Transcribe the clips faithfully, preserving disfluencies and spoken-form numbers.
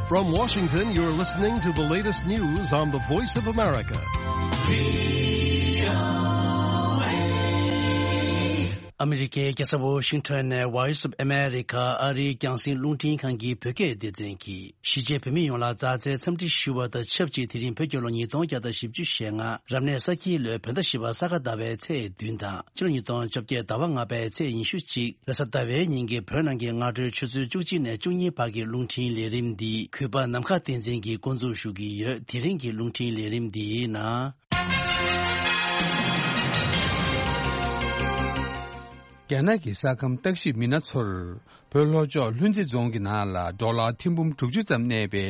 From Washington, you're listening to the latest news on the Voice of America. ཨ་མི་རི་ཀའི་རྒྱལ་ས་ཝོ་ཤིང་ཊོན་ནས་Voice of America ཨ་རིའི་རྒྱང་སྲིང་རླུང་འཕྲིན་ཁང་གི་བོད་སྐད་སྡེ་ཚན་གྱིས། གཞིས་བྱེས་བོད་མི་ཡོངས་ལ་མཛའ་བརྩེའི་འཚམས་འདྲི་ཞུ་བ་དང་ཆབས་ཅིག་དེ་རིང་བོད་རྒྱལ་ལོ་ཉིས་སྟོང་བརྒྱ་དང་བཞི་བཅུ་ཞེ་ལྔ། རབ་གནས་ས་ཁྱིའི་ལོའི་བོད་ཟླ་བཞི་པ་ས་ག་ཟླ་བའི་ཚེས་བདུན་དང་། ཕྱི་ལོ་ཉིས་སྟོང་བཅོ་བརྒྱད་ཟླ་བ་ལྔ་པའི་ཚེས་ཉི་ཤུ་གཅིག་རེས་གཟའ་ཟླ་བའི་ཉིན་གྱི་བོད་ནང་གི་སྔ་དྲོའི་ཆུ་ཚོད་བཅུ་གཅིག་ནས་བཅུ་གཉིས་བར་གྱི་རླུང་འཕྲིན་ལས་རིམ་འདི་གུས་པ་ནམ་མཁའ་བསྟན་འཛིན་གྱིས་འགོ་འཛུགས་ཞུ་གི་ཡོད། དེ་རིང་གི་རླུང་འཕྲིན་ལས་རིམ་འདིའི་ནང་། རྒྱ་ནག་གི་ས་ཁམས་བརྟག་ཞིབ་མི་སྣ་ཚོར་བོད་ལྷོ་ཕྱོགས་ལྷུན་རྩེ་རྫོང་གི་ནང་ལ་ཌོ་ལར་ཐེར་འབུམ་དྲུག་ཅུ་ཙམ་གནས་པའི་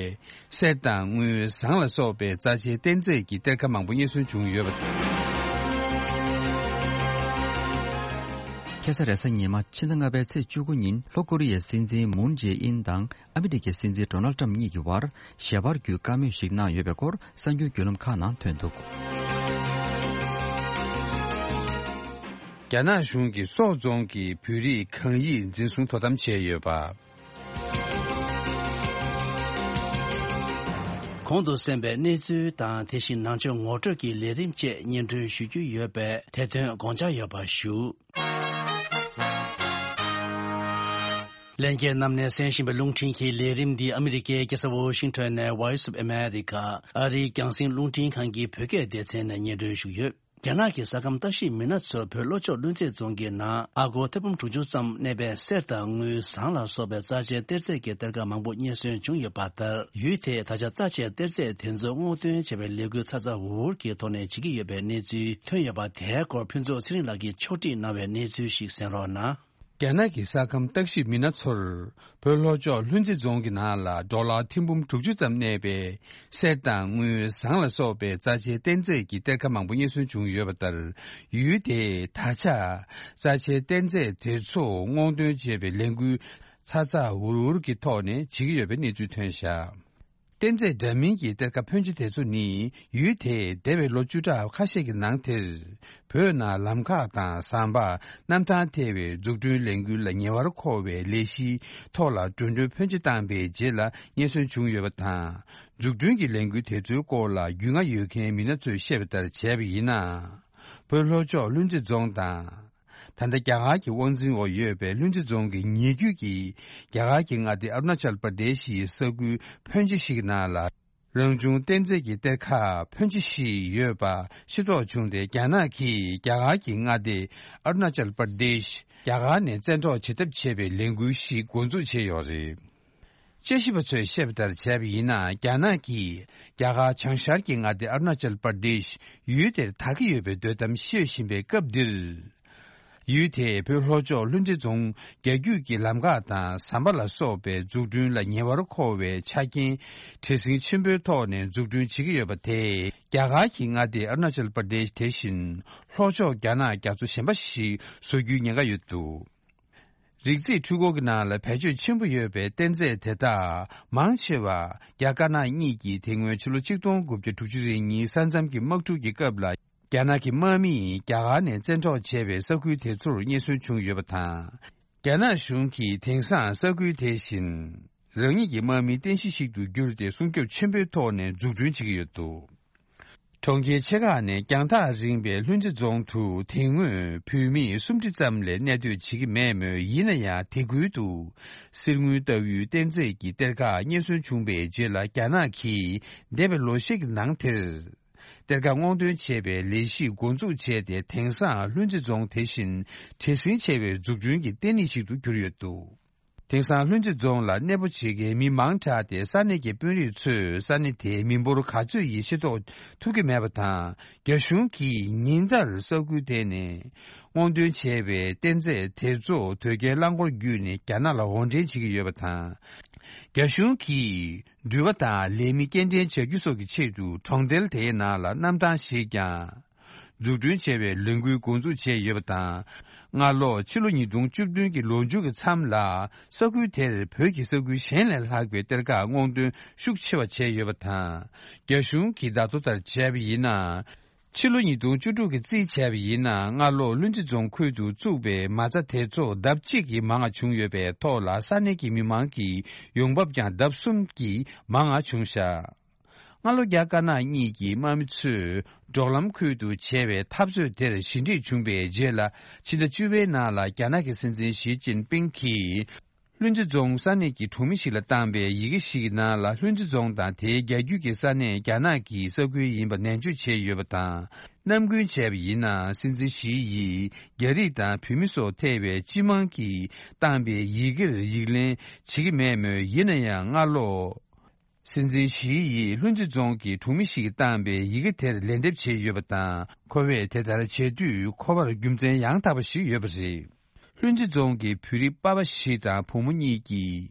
གསེར་དང་དངུལ་ཟངས་ལ་སོགས་པའི་རྩ་ཆེའི་གཏེར་རྫས་ཀྱི་གཏེར་ཁ་མང་པོ་རྙེད་སོན་བྱུང་ཡོད་པ་དང་། ཁ་སང་རེས་གཟའ་ཉི་མ་ཕྱི་ཟླ་ལྔ་པའི་ཚེས་བཅུ་དགུ་ཉིན་ལྷོ་ཀོ་རི་ཡའི་སྲིད་འཛིན་མུན་ཇེ་ཨིན་དང་ཨ་མི་རི་ཀའི་སྲིད་འཛིན་ཌོ་ནལ་ཏྲམ་གཉིས་ཀྱི་བར་ཞལ་པར་བརྒྱུད་བཀའ་མོལ་ཞིག་གནང་ཡོད་པའི་སྐོར་གསར་འགྱུར་བརྒྱུད་ལམ་ཁག་ནང་ཐོན་འདུག་རྒྱ་ནག་གཞུང་གིས་སོག་རྫོང་གི་བོད་རིགས་གང་ཡིད་འཛིན་བཟུང་དོ་དམ་བྱས་ཡོད་པ། གོང་དུ་གསན་པའི་གནས་ཚུལ་དང་དེ་བཞིན་ནང་ཆོས་ངོ་སྤྲོད་ཀྱི་ལས་རིམ་བཅས་སྙན་སྒྲོན་ཞུ་རྒྱུ་ཡོད་པས་དེ་དོན་དགོངས་འཇགས་ཡོད་པ་ཞུ། ལྷན་རྒྱས་རྣམས་ནས་གསན་བཞིན་པའི་རླུང་འཕྲིན་གྱི་ལས་རིམ་འདི་ཨ་མི་རི་ཀའི་རྒྱལ་ས་ཝོ་ཤིང་ཊོན་ནས་Voice of America ཨ་རིའི་རྒྱང་སྲིང་རླུང་འཕྲིན་ཁང་གི་བོད་སྐད་སྡེ་ཚན་ནས་སྙན་སྒྲོན་ཞུས་ཡོད། རྒྱ་ནག་གི་ས་ཁམས་ལྟ་ཞིབ་མི་སྣ་ཚོས་བོད་ལྷོ་ཕྱོགས་ལྷུན་རྩེ་རྫོང་གི་ནང་ཨ་སྒོར་ཐེར་འབུམ་དྲུག་ཅུ་ཙམ་གནས་པའི་གསེར་དང་དངུལ་ཟངས་ལ་སོགས་པའི་རྩ་ཆེའི་གཏེར་རྫས་ཀྱི་གཏེར་ཁ་མང་པོ་རྙེད་སོན་བྱུང་ཡོད་པ་ལྟར། ཡུལ་དེས་ད་ཆ་རྩ་ཆེའི་གཏེར་རྫས་དེ་ཚོ་སྔོག་འདོན་བྱེད་པའི་ལས་འགུལ་ཚ་ཚ་འུར་འུར་གྱི་ཐོག་ནས་བྱེད་ཀྱི་ཡོད་པའི་གནས་ཚུལ་ཐོན་ཡོད་པ། དེའི་སྐོར་ཕུན་ཚོགས་ཚེ་རིང་ལགས་ཀྱིས་ཕྱོགས་སྒྲིག་གནང་བའི་གནས་ཚུལ་ཞིག་གསན་རོགས་གནང་། རྒྱ་ནག་གི་ས་ཁམས་བརྟག་ཞིབ་མི་སྣ་ཚོར་བོད་ལྷོ་ཕྱོགས་ལྷུན་རྩེ་རྫོང་གི་ནང་ལ་ཌོ་ལར་ཐེར་འབུམ་དྲུག་ཅུ་ཙམ་གནས་པའི་གསེར་དང་དངུལ་ཟངས་ལ་སོགས་པའི་རྩ་ཆེའི་གཏེར་རྫས་ཀྱི་གཏེར་ཁ་མང་པོ་རྙེད་སོན་བྱུང་ཡོད་པ་ལྟར། ཡུལ་དེས་ད་ཆ་རྩ་ཆེའི་གཏེར་རྫས་དེ་ཚོ་སྔོག་འདོན་བྱེད་པའི་ལས་འགུལ་ཚ་ཚ་འུར་འུར་གྱི་ཐོག་ནས་བྱེད་ཀྱི་ཡོད་པའི་གནས་ཚུལ་ཐོན་བཞག་གཏེར་རྫས་འདྲ་མིན་གྱི་གཏེར་ཁ་ཕོན་ཆེ་དེ་ཚོ་ནི་ཡུལ་དེས་འདས་པའི་ལོ་བཅུ་ཕྲག་ཁ་ཤས་ཀྱི་ནང་དེར་བོད་ནང་ལམ་ཁ་དང་ཟམ་པ་གནམ་ཐང་ཐེ་བའི་འཛུགས་སྐྲུན་ལས་འགུལ་ལ་ཉེ་བར་མཁོ་བའི་ལས་གཞིའི་ཐོག་ལ་འགྲོ་གྲོན་ཕོན་ཆེ་བཏང་པའི་རྗེས་ལ་རྙེད་སོན་བྱུང་ཡོད་པ་དང་། འཛུགས་སྐྲུན་གྱི་ལས་འགུལ་དེ་ཚོའི་སྐོར་ལ་རྒྱུས་མངའ་ཡོད་མཁན་མི་སྣ་ཚོས་བཤད་པ་ལྟར་བྱས་པ་ཡིན་ན། བོད་ལྷོ་ཕྱོགས་ལྷུན་རྩེ་རྫོང་དང་། ད་ལྟ་རྒྱ་གར་གྱི་དབང་འཛིན་འོག་ཡོད་པའི་ལྷུན་རྩེ་རྫོང་གི་ཉེ་རྒྱུད་ཀྱི་རྒྱ་གར་གྱི་མངའ་སྡེ་ཨ་རུ་ན་ཅལ་པར་དེ་ཤི་ཡི་ས་ཁུལ་ཕོན་ཆེ་ཞིག་ནང་ལ། རང་བྱུང་གཏེར་རྫས་ཀྱི་གཏེར་ཁ་ཕོན་ཆེ་ཞིག་ཡོད་པ་ཤེས་རྟོགས་བྱུང་སྟེ། རྒྱ་ནག་གིས་རྒྱ་གར་གྱི་མངའ་སྡེ་ཨ་རུ་ན་ཅལ་པར་དེ་ཤི་རྒྱ་གར་ནས་བཙན་འཕྲོག་བྱེད་ཐབས་བྱས་པའི་ལས་འགུལ་ཞིག་འགོ་འཛུགས་བྱས་ཡོད་རེད། དཔྱད་ཞིབ་པ་ཚོས་བཤད་པ་ལྟར་བྱས་པ་ཡིན་ན། རྒྱ་ནག་གིས་རྒྱ་གར་བྱང་ཤར་གྱི་མངའ་སྡེ་ཨ་རུ་ན་ཅལ་པར་དེ་ཤི་ཡུལ་དེར་དར་གྱི་ཡོད་པའི་འདོད་གཏམ་བཤད་བཞིན་པའི་སྐབས་འདིར། ཡུལ་དེས་བོད་ལྷོ་ཕྱོགས་ལྷུན་རྩེ་རྫོང་རྒྱ་རྒྱུད་ཀྱི་ལམ་ཁ་དང་ཟམ་པ་ལ་སོགས་པའི་འཛུགས་སྐྲུན་ལ་ཉེ་བར་མཁོ་བའི་ཆ་རྐྱེན་བྲེལ་ཟིང་ཆེན་པོའི་ཐོག་ནས་འཛུགས་སྐྲུན་བྱེད་ཀྱི་ཡོད་པ་དེས། རྒྱ་གར་གྱི་མངའ་སྡེ་ཨ་རུ་ན་ཅལ་པར་དེ་ཤི་དེ་བཞིན་ལྷོ་ཕྱོགས་རྒྱ་ནག་རྒྱ་མཚོ་གཞན་པ་ཞིག་བཟོ་རྒྱུའི་ཉེན་ཁ་ཡོད་འདུག་རིག་རྩིས་འཕྲུལ་འཁོར་གྱི་ནང་ལ་བེད་སྤྱོད་ཆེན་པོ་ཡོད་པའི་གཏེར་རྫས་དེ་དག་མང་ཆེ་བ་རྒྱ་དཀར་ནག་གཉིས་ཀྱིས་དེ་སྔོན་ཕྱི་ལོ་ཆིག་སྟོང་དགུ་བརྒྱ་དྲུག་ཅུ་རེ་གཉིས་ས་མཚམས་ཀྱི་དམག་འཁྲུག་གི་སྐབས་ལ། རྒྱ་ནག་གི་དམག་མིས་རྒྱ་གར་ནས་བཙན་འཕྲོག་བྱས་པའི་ས་ཁུལ་དེ་ཚོར་རྙེད་སོན་བྱུང་ཡོད་པ་དང་། རྒྱ་ནག་གཞུང་གིས་དེང་སང་ས་ཁུལ་དེ་བཞིན་རང་ཉིད་ཀྱི་དམག་མིའི་རྟེན་གཞི་ཞིག་ཏུ་བསྒྱུར་ཏེ་སྲུང་སྐྱོབ་ཆེན་པོའི་ཐོག་ནས་འཛུགས་སྐྲུན་བྱེད་ཀྱི་ཡོད་འདུག་གྲོང་ཁྱེར་ཆེ་ཁག་ནས་རྒྱང་ཐག་རིང་བའི་ལྷུན་རྩེ་རྫོང་དུ་དེ་སྔོན་བོད་མི་སུམ་ཁྲི་ཙམ་ལས་གནས་སྡོད་བྱེད་ཀྱི་མེད་མོད། ཡིན་ན་ཡང་དེ་ཁུལ་དུ་གསེར་དངུལ་ལྟ་བུའི་གཏེར་རྫས་ཀྱི་གཏེར་ཁ་རྙེད་སོན་བྱུང་བའི་རྗེས་ལ། རྒྱ་ནག་གིས་འདས་པའི་ལོ་ཤས་ཀྱི་ནང་དེར་གཏེར་ཁ་སྔོག་འདོན་བྱེད་པའི་ལས་གཞི་འགོ་འཛུགས་བྱས་ཏེ། དེང་སང་ལྷུན་རྩེ་རྫོང་དེ་བཞིན་བྲེལ་ཟིང་ཆེ་བའི་འཛུགས་སྐྲུན་གྱི་ལྟེ་གནས་ཤིག་ཏུ་གྱུར་ཡོད་འདུག་དེང་སང་ལྷུན་རྩེ་རྫོང་ལ་གནས་སྤོ་བྱེད་མཁན་མི་མང་དྲགས་ཏེ། ས་གནས་ཀྱི་དཔོན་རིགས་ཚོས་ས་གནས་དེའི་མི་འབོར་ག་ཚོད་ཡིན་ཤེས་རྟོགས་ཐུབ་ཀྱི་མེད་པ་དང་། རྒྱ་གཞུང་གིས་ཉིན་ལྟར་ས་ཁུལ་དེ་ནས་སྔོག་འདོན་བྱས་པའི་གཏེར་རྫས་དེ་ཚོ་དོས་སྐྱེལ་རླངས་འཁོར་བརྒྱུད་ནས་རྒྱ་ནག་ལ་འོར་འདྲེན་བྱེད་ཀྱི་ཡོད་པ་དང་། རྒྱ་གཞུང་གིས་འགྲུལ་པ་དང་ལས་མི་སྐྱེལ་འདྲེན་བྱ་རྒྱུ་སོགས་ཀྱི་ཆེད་དུ་གྲོང་རྡལ་དེའི་ནང་ལ་གནམ་ཐང་ཞིག་ཀྱང་འཛུགས་སྐྲུན་བྱས་པའི་ལས་འགུལ་འགོ་འཛུགས་བྱས་ཡོད་པ་དང་། སྔ་ལོ་ཕྱི་ལོ་ཉིས་སྟོང་བཅུ་བདུན་གྱི་ལོ་མཇུག་གི་མཚམས་ལ་ས་ཁུལ་དེར་བོད་ཀྱི་ས་ཁུལ་གཞན་ལས་ལྷག་པའི་གཏེར་ཁ་སྔོག་འདོན་ཤུགས་ཆེ་བ་བྱས་ཡོད་པ་དང་། རྒྱ་གཞུང་གི་བརྡ་ཐོ་ལྟར་བྱས་པ་ཡིན་ན། ཕྱི་ལོ་ཉིས་སྟོང་བཅུ་དྲུག་གི་རྩིས་བྱས་པ་ཡིན་ན། སྔ་ལོ་ལྷུན་རྩེ་རྫོང་ཁུལ་དུ་བཙུགས་པའི་མ་རྩ་དེ་ཚོ་ལྡབ་གཅིག་གིས་མང་བ་བྱུང་ཡོད་པའི་ཐོག་ལ། ས་གནས་ཀྱི་མི་མང་གི་ཡོང་འབབ་ཀྱང་ལྡབ་གསུམ་གྱིས་མང་བ་བྱུང་བཞག་སྔ་ལོ་རྒྱ་དཀར་ནག་གཉིས་ཀྱི་དམག་མི་ཚོས་འབྲོག་ལམ་ཁུལ་དུ་བྱས་པའི་འཐབ་རྩོད་དེར་ཞི་འགྲིག་བྱུང་པའི་རྗེས་ལ། ཕྱི་ཟླ་བཅུ་པའི་ནང་ལ་རྒྱ་ནག་གི་སྲིད་འཛིན་ཞི་ཅིན་ཕིང་གིས། ལྷུན་རྩེ་རྫོང་ས་གནས་ཀྱི་གྲོང་མི་ཞིག་ལ་བཏང་པའི་ཡི་གེ་ཞིག་གི་ནང་ལ། ལྷུན་རྩེ་རྫོང་དང་དེའི་རྒྱ་རྒྱུད་ཀྱི་ས་གནས་རྒྱ་ནག་གི་ས་ཁུལ་ཡིན་པ་ནན་བརྗོད་བྱས་ཡོད་པ་དང་། ནམ་རྒྱུན་བྱས་པ་ཡིན་ན། སྲིད་འཛིན་ཞི་ཡིས་རྒྱ་རིགས་དང་བོད་མི་སོགས་ཐེ་བའི་སྤྱི་དམངས་ཀྱིས་བཏང་པའི་ཡི་གེར་ཡིག་ལན་བྱེད་ཀྱི་མེད་མོད། ཡིན་ན་ཡང་སྔ་ལོ། སྲིད་འཛིན་ཞི་ཡིས་ལྷུན་རྩེ་རྫོང་གི་གྲོང་མི་ཞིག་གིས་བཏང་པའི་ཡི་གེ་དེར་ལན་འདེབས་བྱས་ཡོད་པ་དང་། ཁོ་བས་དེ་ལྟར་བྱེད་དུས་ཁོ་པར་རྒྱུ་མཚན་ཡང་དག་པ་ཞིག་ཡོད་པ་རེད། ལྷུན་རྩེ་རྫོང་གི་བོད་རིགས་པ་ཕ་ཞིག་དང་བུ་མོ་གཉིས་ཀྱིས་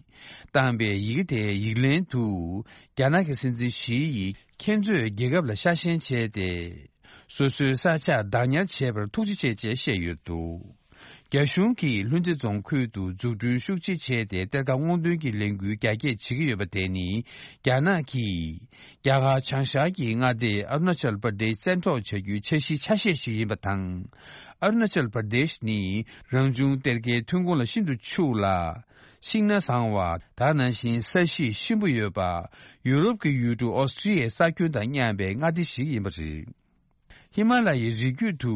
བཏང་པའི་ཡི་གེ་དེའི་ཡིག་ལན་དུ། རྒྱ་ནག་གི་སྲིད་འཛིན་ཞི་ཡིས་ཁྱེད་ཚོས་རྒྱལ་ཁབ་ལ་ཤ་ཞེན་བྱས་ཏེ། སོ་སོའི་ས་ཆ་བདག་ཉར་བྱས་པར་ཐུགས་རྗེ་ཆེ་ཅེས་བཤད་ཡོད་འདུག་རྒྱ་གཞུང་གིས་ལྷུན་རྩེ་རྫོང་ཁུལ་དུ་འཛུགས་སྐྲུན་ཤུགས་ཆེ་བྱས་ཏེ། གཏེར་ཁ་སྔོག་འདོན་གྱི་ལས་འགུལ་རྒྱ་སྐྱེད་བྱེད་ཀྱི་ཡོད་པ་དེ་ནི། རྒྱ་ནག་གིས་རྒྱ་གར་བྱང་ཤར་གྱི་མངའ་སྡེ་ཨ་རུ་ན་ཅལ་པར་དེཤ་བཙན་འཕྲོག་བྱ་རྒྱུའི་འཆར་གཞིའི་ཆ་ཤས་ཤིག་ཡིན་པ་དང་། ཨ་རུ་ན་ཅལ་པར་དེཤ་ནི་རང་བྱུང་གཏེར་ཁའི་ཐོན་ཁུངས་ལ་ཤིན་ཏུ་ཕྱུག་ལ། ཤིང་སྣ་བཟང་བ། ད་ནང་བཞིན་ས་གཤིས་གཤིན་པོ་ཡོད་པ། ཡུ་རོབ་ཀྱི་ཡུལ་གྲུ་ཨོ་སི་ཀྲི་ཡའི་ས་ཁྱོན་དང་མཉམ་པའི་མངའ་སྡེ་ཞིག་ཡིན་པ་རེད། ཧི་མ་ལ་ཡའི་རི་རྒྱུད་དུ་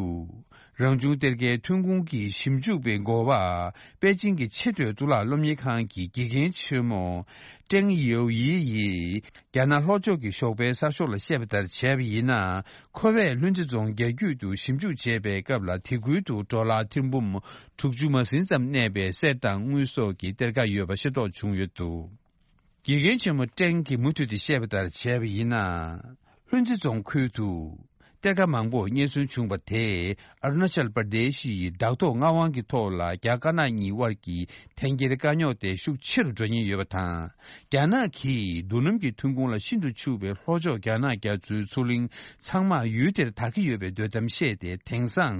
རང་བྱུང་གཏེར་ཁའི་ཐོན་ཁུངས་ཀྱི་ཞིབ་འཇུག་པའི་འགོ་པ། པེ་ཅིང་གི་ཆེས་མཐོའི་གཙུག་ལག་སློབ་གཉེར་ཁང་གི་དགེ་རྒན་ཆེན་མོ་ཀྲེང་ཡའོ་ཡི་ཡིས་རྒྱ་ནག་ལྷོ་ཕྱོགས་ཀྱི་ཞོགས་པའི་གསར་ཤོག་ལ་བཤད་པ་ལྟར་བྱས་པ་ཡིན་ན། ཁོ་བས་ལྷུན་རྩེ་རྫོང་རྒྱ་རྒྱུད་དུ་ཞིབ་འཇུག་བྱས་པའི་སྐབས་ལ། དེ་ཁུལ་དུ་ཌོ་ལར་ཐེར་འབུམ་དྲུག་ཅུ་མ་ཟིན་ཙམ་གནས་པའི་གསེར་དང་དངུལ་སོགས་ཀྱི་གཏེར་ཁ་ཡོད་པ་ཤེས་རྟོགས་བྱུང་ཡོད་འདུག་དགེ་རྒན་ཆེན་མོ་ཀྲེང་གིས་མུ་མཐུད་དེ་བཤད་པ་ལྟར་བྱས་པ་ཡིན་ན། ལྷུན་རྩེ་རྫོང་ཁུལ་དུ་གཏེར་ཁ་མང་པོ་རྙེད་སོན་བྱུང་བ་དེས། ཨ་རུ་ན་ཅལ་པར་དེ་ཤི་ཡི་བདག་ཐོབ་མངའ་དབང་གི་ཐོག་ལ་རྒྱ་དཀར་ནག་གཉིས་དབར་གྱི་འཐེན་འཁྱེར་དཀའ་རྙོག་དེ་ཤུགས་ཆེ་རུ་འགྲོ་ཉེན་ཡོད་པ་དང་། རྒྱ་ནག་གིས་རྡོ་སྣུམ་གྱི་ཐོན་ཁུངས་ལ་ཤིན་ཏུ་ཕྱུག་པའི་ལྷོ་ཕྱོགས་རྒྱ་ནག་རྒྱ་མཚོའི་མཚོ་གླིང་ཚང་མ་ཡུལ་དེར་བདག་གི་ཡོད་པའི་འདོད་གཏམ་བཤད་དེ། དེང་སང་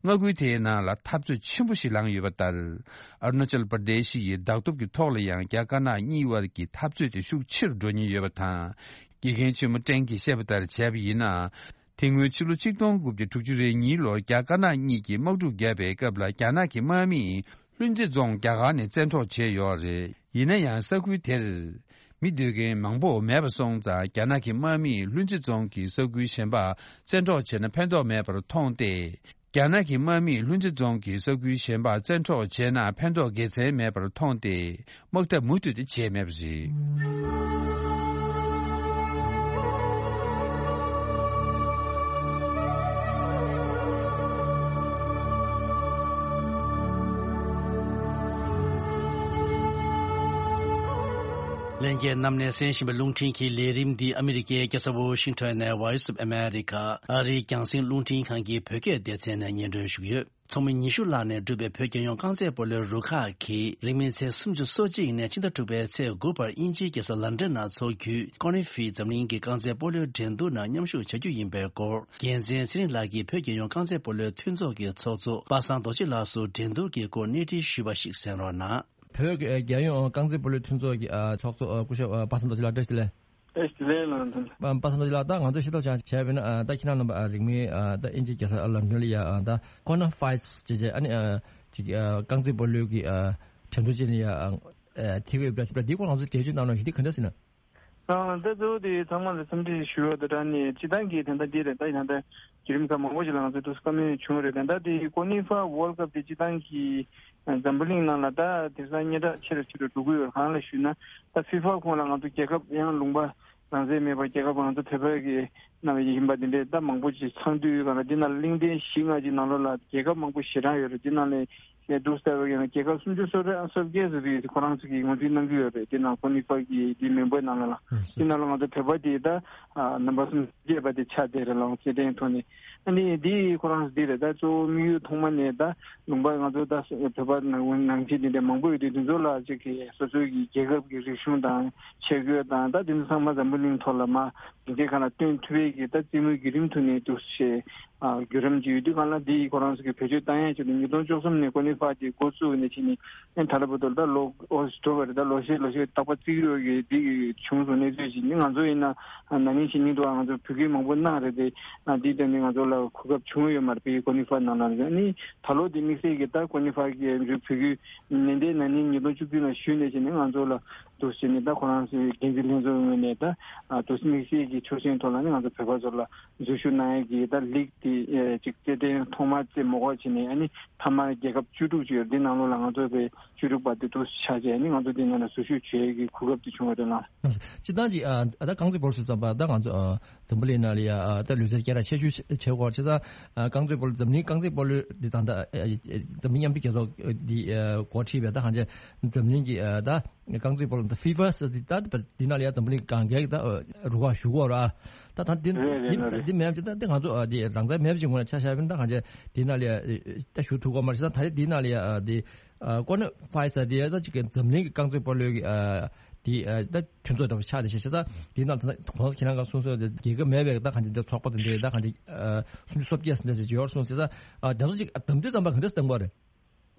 མངའ་ཁུལ་དེའི་ནང་ལ་འཐབ་རྩོད་ཆེན་པོ་ཞིག་ལངས་ཡོད་པ་ལྟར། ཨ་རུ་ན་ཅལ་པར་དེ་ཤི་ཡི་བདག་ཐོབ་ཀྱི་ཐོག་ལ་ཡང་རྒྱ་དཀར་ནག་གཉིས་དབར་གྱི་འཐབ་རྩོད་དེ་ཤུགས་ཆེ་རུ་འགྲོ་ཉེན་ཡོད་པ་དང་། དགེ་རྒན་ཆེན་མོ་ཀྲེང་གིས་བཤད་པ་ལྟར་བྱས་པ་ཡིན་ན། དེ་སྔོན་ཕྱི་ལོ་ཆིག་སྟོང་དགུ་བརྒྱ་དྲུག་ཅུ་རེ་གཉིས་ལོར་རྒྱ་དཀར་ནག་གཉིས་ཀྱིས་དམག་འཁྲུག་བརྒྱབ་པའི་སྐབས་ལ། རྒྱ་ནག་གི་དམག་མིས་ལྷུན་རྩེ་རྫོང་རྒྱ་གར་ནས་བཙན་འཕྲོག་བྱས་ཡོད་རེད། ཡིན་ན་ཡང་ས་ཁུལ་དེར་མི་སྡོད་མཁན་མང་པོ་མེད་པ་སོང་ཙང་། རྒྱ་ནག་གི་དམག་མིས་ལྷུན་རྩེ་རྫོང་གི་ས་ཁུལ་གཞན་པ་བཙན་འཕྲོག་བྱས་ན་ཕན་ཐོགས་མེད་པར་མཐོང་སྟེ། རྒྱ་ནག་གི་དམག་མིས་ལྷུན་རྩེ་རྫོང་གི་ས་ཁུལ་གཞན་པ་བཙན་འཕྲོག་བྱས་ན་ཕན་ཐོགས་དགེ་མཚན་མེད་པར་མཐོང་སྟེ། དམག་འཐབ་མུ་མཐུད་དུ་བྱས་མེད་པ་རེད། ལྷན་རྒྱས་རྣམས་ནས་གསན་བཞིན་པའི་རླུང་འཕྲིན་གྱི་ལས་རིམ་འདི་ཨ་མི་རི་ཀའི་རྒྱལ་ས་ཝོ་ཤིང་ཊོན་ནས་Voice of America ཨ་རིའི་རྒྱང་སྲིང་རླུང་འཕྲིན་ཁང་གི་བོད་སྐད་སྡེ་ཚན་ནས་སྙན་སྒྲོན་ཞུ་གི་ཡོད། ཚོགས་མི་ཉི་ཤུ་ལྷག་ནས་གྲུབ་པའི་བོད་རྒྱལ་ཡོངས་རྐང་རྩེད་སྤོ་ལོའི་རུ་ཁག་གིས་རིང་མིན་ཚེས་སུམ་ཅུ་སོ་གཅིག་ནས་ཕྱི་ཟླ་དྲུག་པའི་ཚེས་དགུ་བར་དབྱིན་ཇིའི་རྒྱལ་ས་ལན་ཀྲན་ནང་འཚོགས་རྒྱུའི་ཀོ་ནི་ཧྥི་འཛམ་གླིང་གི་རྐང་རྩེད་སྤོ་ལོའི་འགྲན་བསྡུར་ནང་མཉམ་ཞུགས་བྱ་རྒྱུ་ཡིན་པའི་སྐོར། རྒྱལ་མཚན་ཚེ་རིང་ལགས་ཀྱིས་བོད་རྒྱལ་ཡོངས་རྐང་རྩེད་སྤོ་ལོའི་མཐུན་ཚོགས་ཀྱི་ཚོགས་གཙོ་པ་སངས་རྡོ་རྗེ་ལགས་སུ་འགྲན་བསྡུར་གྱི་སྐོར་གནས་འདྲི་ཞུས་པ་ཞིག་གསན་རོགས་གནང་། བོད་ཀྱི་རྒྱལ་ཡོངས་རྐང་རྩེད་སྤོ་ལོའི་མཐུན་ཚོགས་ཀྱི་ཚོགས་གཙོ་སྐུ་ཞབས་པ་སངས་རྡོ་རྗེ་ལགས་བཀྲ་ཤིས་བདེ་ལེགས། བཀྲ་ཤིས་བདེ་ལེགས་ལགས་དང་། པ་པ་སངས་རྡོ་རྗེ་ལགས། ད་ང་ཚོས་ཤེས་རྟོགས་བྱ་བྱས་པ་ཡིན་ན། ད་ཁྱེད་རང་རྣམ་པ་རིང་མིན་ད་དབྱིན་ཇིའི་རྒྱལ་ས་ལན་ཀྲན་ལ་ཡ་ད་ཀོ་ནི་ཧྥི་ཅེས་བྱས་ཨ་ནི་ཅིག་རྐང་རྩེད་སྤོ་ལོའི་གི་འགྲན་བསྡུར་བྱས་ནས་ཡ་ཐེ་གོ་ཡོད་པ་འདྲ་ཞིག་འདི་སྐོར་ང་ཚོས་འགྲེལ་བརྗོད་གནང་རོགས་ཞུ། འདི་ག་འདྲ་ཟེར་ན། ཨ་ད་གཙོ་བོ་དེ་ཚང་མ་ལ་འཚམས་འདྲི་ཞུ་བ་དང་སྦྲགས་ནས། སྤྱིར་བཏང་གི་ད་ལྟ་འདི་རེད། ད་ཡང་ད་བརྒྱུད་རིམ་ཁག་མང་པོ་ཞིག་ལ་ང་ཚོ་འདུག་བཀའ་མོལ་བྱུང་རེད། ད་ལྟ་དེ་ཀོ་ནི་ཧྥི་ཝོལ་ཀབ་དེ་སྤྱིར་བཏང་གི་འཛམ་བུ་གླིང་ནང་ལ་ད་དེང་སང་སྙན་གྲགས་ཆེ་རུ་ཆེ་རུ་འགྲོ་གི་ཡོད། གང་ལ་ཞུས་ན། ད་ཧྥི་ཧྥ་ཁོངས་ལ་ང་ཚོ་རྒྱལ་ཁབ་ཡང་ལུང་པ་རང་བཙན་མེད་པ། རྒྱལ་ཁབ་ང་ཚོ་བོད་པ་གི་ནང་ཡིན་པ་འདི་འདྲའི་ད་མང་པོ་ཞིག་ཚང་དུས་གང་ལ། འདི་ནང་ལ་གླིང་ཕྲན་བཞི་ལྔ་ཅིག་ནང་ལོགས་ལ་རྒྱལ་ཁབ་མང་པོ་ཞེ་གྲངས་ཡོད་རེད། འདི་ནང་ལས་ཡང་འདུག་ཟེར་བ་ཡིན་ན། རྒྱལ་ཁབ་སུམ་ཅུ་སོ་གཅིག་སོ་བརྒྱད་ཙམ་ཞིག་ཁོ་རང་ཚོ་གིས་ངོས་འཛིན་གནང་གི་ཡོད་རེད། དེ་ནང་ཁོ་ནི་ཕ་གི་དེ་མེམ་བར་ནང་ལ་ལ། དེ་ནང་ལ་ང་ཚོ་བོད་པ་དེ་ད་ནམ་བར་སུམ་ཅུ་བརྒྱད་པ་དེ་ཆགས་བསྡད་རེད་ལ། སྐྱེ་ཕྲེང་ཐོག་ནས། ཨ་ནི་དེ་ཁོ་རང་ཚོ་དེ་རེད། ད་གཙོ་བོ་དམིགས་ཡུལ་ཐོག་མ་ནས་ད་ལུང་པ་ང་ཚོ་ད་བོད་པ་ནང་ནང་ཆེན་དེ་འདྲ་མང་པོ་ཡོད་དུས། དེ་ཚོ་ལ་ཅིག་གི་སོ་སོའི་གི་རྒྱལ་ཁབ་ཀྱི་རིག་གཞུང་དང་ཆས་གོས་དང་། ད་དེ་ཚོ་ཚང་མ་འཛམ་བུ་གླིང་ཐོག་ལ་མ་དེ་འདྲའི་གང་ལ་སྟོན་ཐུབ་པའི་གི་ད་རྩེད་མོའི་བརྒྱུད་རིམ་ཐོག་ནས་འདུག་ཞེས། བརྒྱུད་རིམ་ཅིག་ཡོད་དུས་གང་ལ་འདི་ཁོ་རང་ཚོ་གི་བེད་སྤྱོད་བཏང་ཡས་ཆེད་དུ་ཉིས་སྟོང་བཅུ་གསུམ་ནས་ཀོ་ནི་ཧྥ་དེ་འགོ་བཙུགས་ནས་ཕྱིན་ནས་ཨེ་ད་ལྟ་བར་དུ་ད་ལོ་ཨོ་འགྲོ་བ་རེད། ད་ལོ་ཤས་ལོ་ཤས་རྟག་པར་རྩིས་རོགས་ཀྱི་འདི་བྱུང་སོང་གནས་ཚུལ་ཅིག་ནི་ང་ཚོ་ཡིན་ན་ན་ནིང་ཕྱི་ཉིན་དུ་ང་ཚོ་བོད་སྐད་མང་པོ་གནང་རེད་དེ། འདི་ལྟ་ནི་ང་ཚོ་ལ་གོ་སྐབས་བྱུང་ཡོད་མ་རེད། བོད་ཀོ་ནི་ཧྥ་ནང་ལ་རེད། ནི་ད་ལོ་འདི་དམིགས་བསལ་གྱི་ད་ཀོ་ནི་ཧྥ་གི་བོད་ཀྱི་ནན་ཏན་ན་ནིང་ཉིས་སྟོང་བཅུ་བདུན་ལ་ཞུས་ནས་བྱས་ནས་ང་ཚོ་ལ་འདུག་བྱས་ནས་ད་ཁོ་རང་ཚོའི་འགན་འཛིན་ལྷན་ཚོགས་ངོས་ནས་ད་འདུག་དམིགས་བསལ་གྱི་ཆོག་མཆན་ཐོག་ལ་ནི་ང་ཚོ་བོད་པ་ཚོ་ལ་འཛུལ་ཞུགས་གནང་ཡས་ཀྱི་ད་ལིག་དེ་ཅིག་རྩེད་འགྲན་ཐོག་མ་རྩེད་མོ་གོ་བྱས་ནས་ཨ་ནི་མཐའ་མ་རྒྱལ་ཁབ་བཅུ་དྲུག་ཅིག་ཡོད་འདི་ནང་ལོགས་ལ་ང་ཚོ་བོད་བཅུ་དྲུག་པ་དེ་འདུག་ཆགས་བྱས་ཨ་ནི་ང་ཚོ་འདི་ནང་ལ་འཛུལ་ཞུགས་བྱེད་ཡས་ཀྱི་གོ་སྐབས་དེ་བྱུང་བ་རེད་ལགས། སྤྱིར་བཏང་གི་ཨ་ད་རྐང་རྩེད་སྤོ་ལོ་ཟེར་ཙམ་པ་ད་ང་ཚོ་ཨ་འཛམ་བུ་གླིང་ནང་ལ་ཡ་ཨ་ད་ལུས་རྩལ་སྐད་གྲགས་ཆེ་ཤོས་བྱེད་དགོས་བྱས་ཙང་ཨ་རྐང་རྩེད་སྤོ་ལོ་འཛམ་གླིང་རྐང་རྩེད་སྤོ་ལོ་འདི་དང་ད་ཨ་འཛམ་གླིང་མཉམ་འབྲེལ་རྒྱལ་ཚོགས་འདི་ཨ་འགོ་ཁྲིད་པའི་ད་གང་ཅི་འཛམ་གླིང་གི་ཨ་ད་རྐང་རྩེད་སྤོ་ལོ་ད་ཧྥི་ཧྥ་ཟེར་འདི་ད་འདི་ནང་ལ་ཡ་འཛམ་བུ་གླིང་གང་གའི་ད་རུ་ཁག་ཞུགས་ཡོད་རེད། ད་ད་འདི་རེད་རེད་འདི་རེད་རེད། འདི་མེད་ཅེ་ད་འདི་ང་ཚོ་ཨ་འདི་རང་བཙན་མེད་པ་ཅིག་ངོས་ནས་ཆ་བཞག་པ་ཡིན་ན་ད་གང་ཅི་འདི་ནང་ལ་ཡ་ད་ཞུགས་ཐུབ་ཀྱི་མ་རེད་ཟེར་ད་ད་རེས་འདི་ནང་ལ་ཡ་ཨ་འདི་ཨ་ཀོ་ནི་ཧྥའི་ཟེར་འདི་ཡ་ད་ཅིག་འཛམ་གླིང་གི་རྐང་རྩེད་སྤོ་ལོའི་གི་ཨ་འདི་ཨ་ད་མཐུན་ཚོགས་འདྲ་པོ་ཆགས་བསྡད་ཤག་བྱས་ཙང་འདི་ནང་ད་ཁོང་ཁྱེད་རང་ག་གསུངས་སོང་རྒྱལ་ཁབ་མེད་པའི་ད་གང་ཅི་འདི་ཚོགས་པ་དེ་འདྲའི་ད་གང་ཅི་ཨ་སུམ་ཅུ་སོ་བརྒྱད་ཟེར་འདྲ་ཅིག་ཡོད་རེད་གསུངས་བྱས་ཙང་ཨ་དེ་ཚོ་ཅིག་ཨ་གདམ་དུས་ཙམ་པ་ག་འདྲ་གདམ་དགོས་རེད།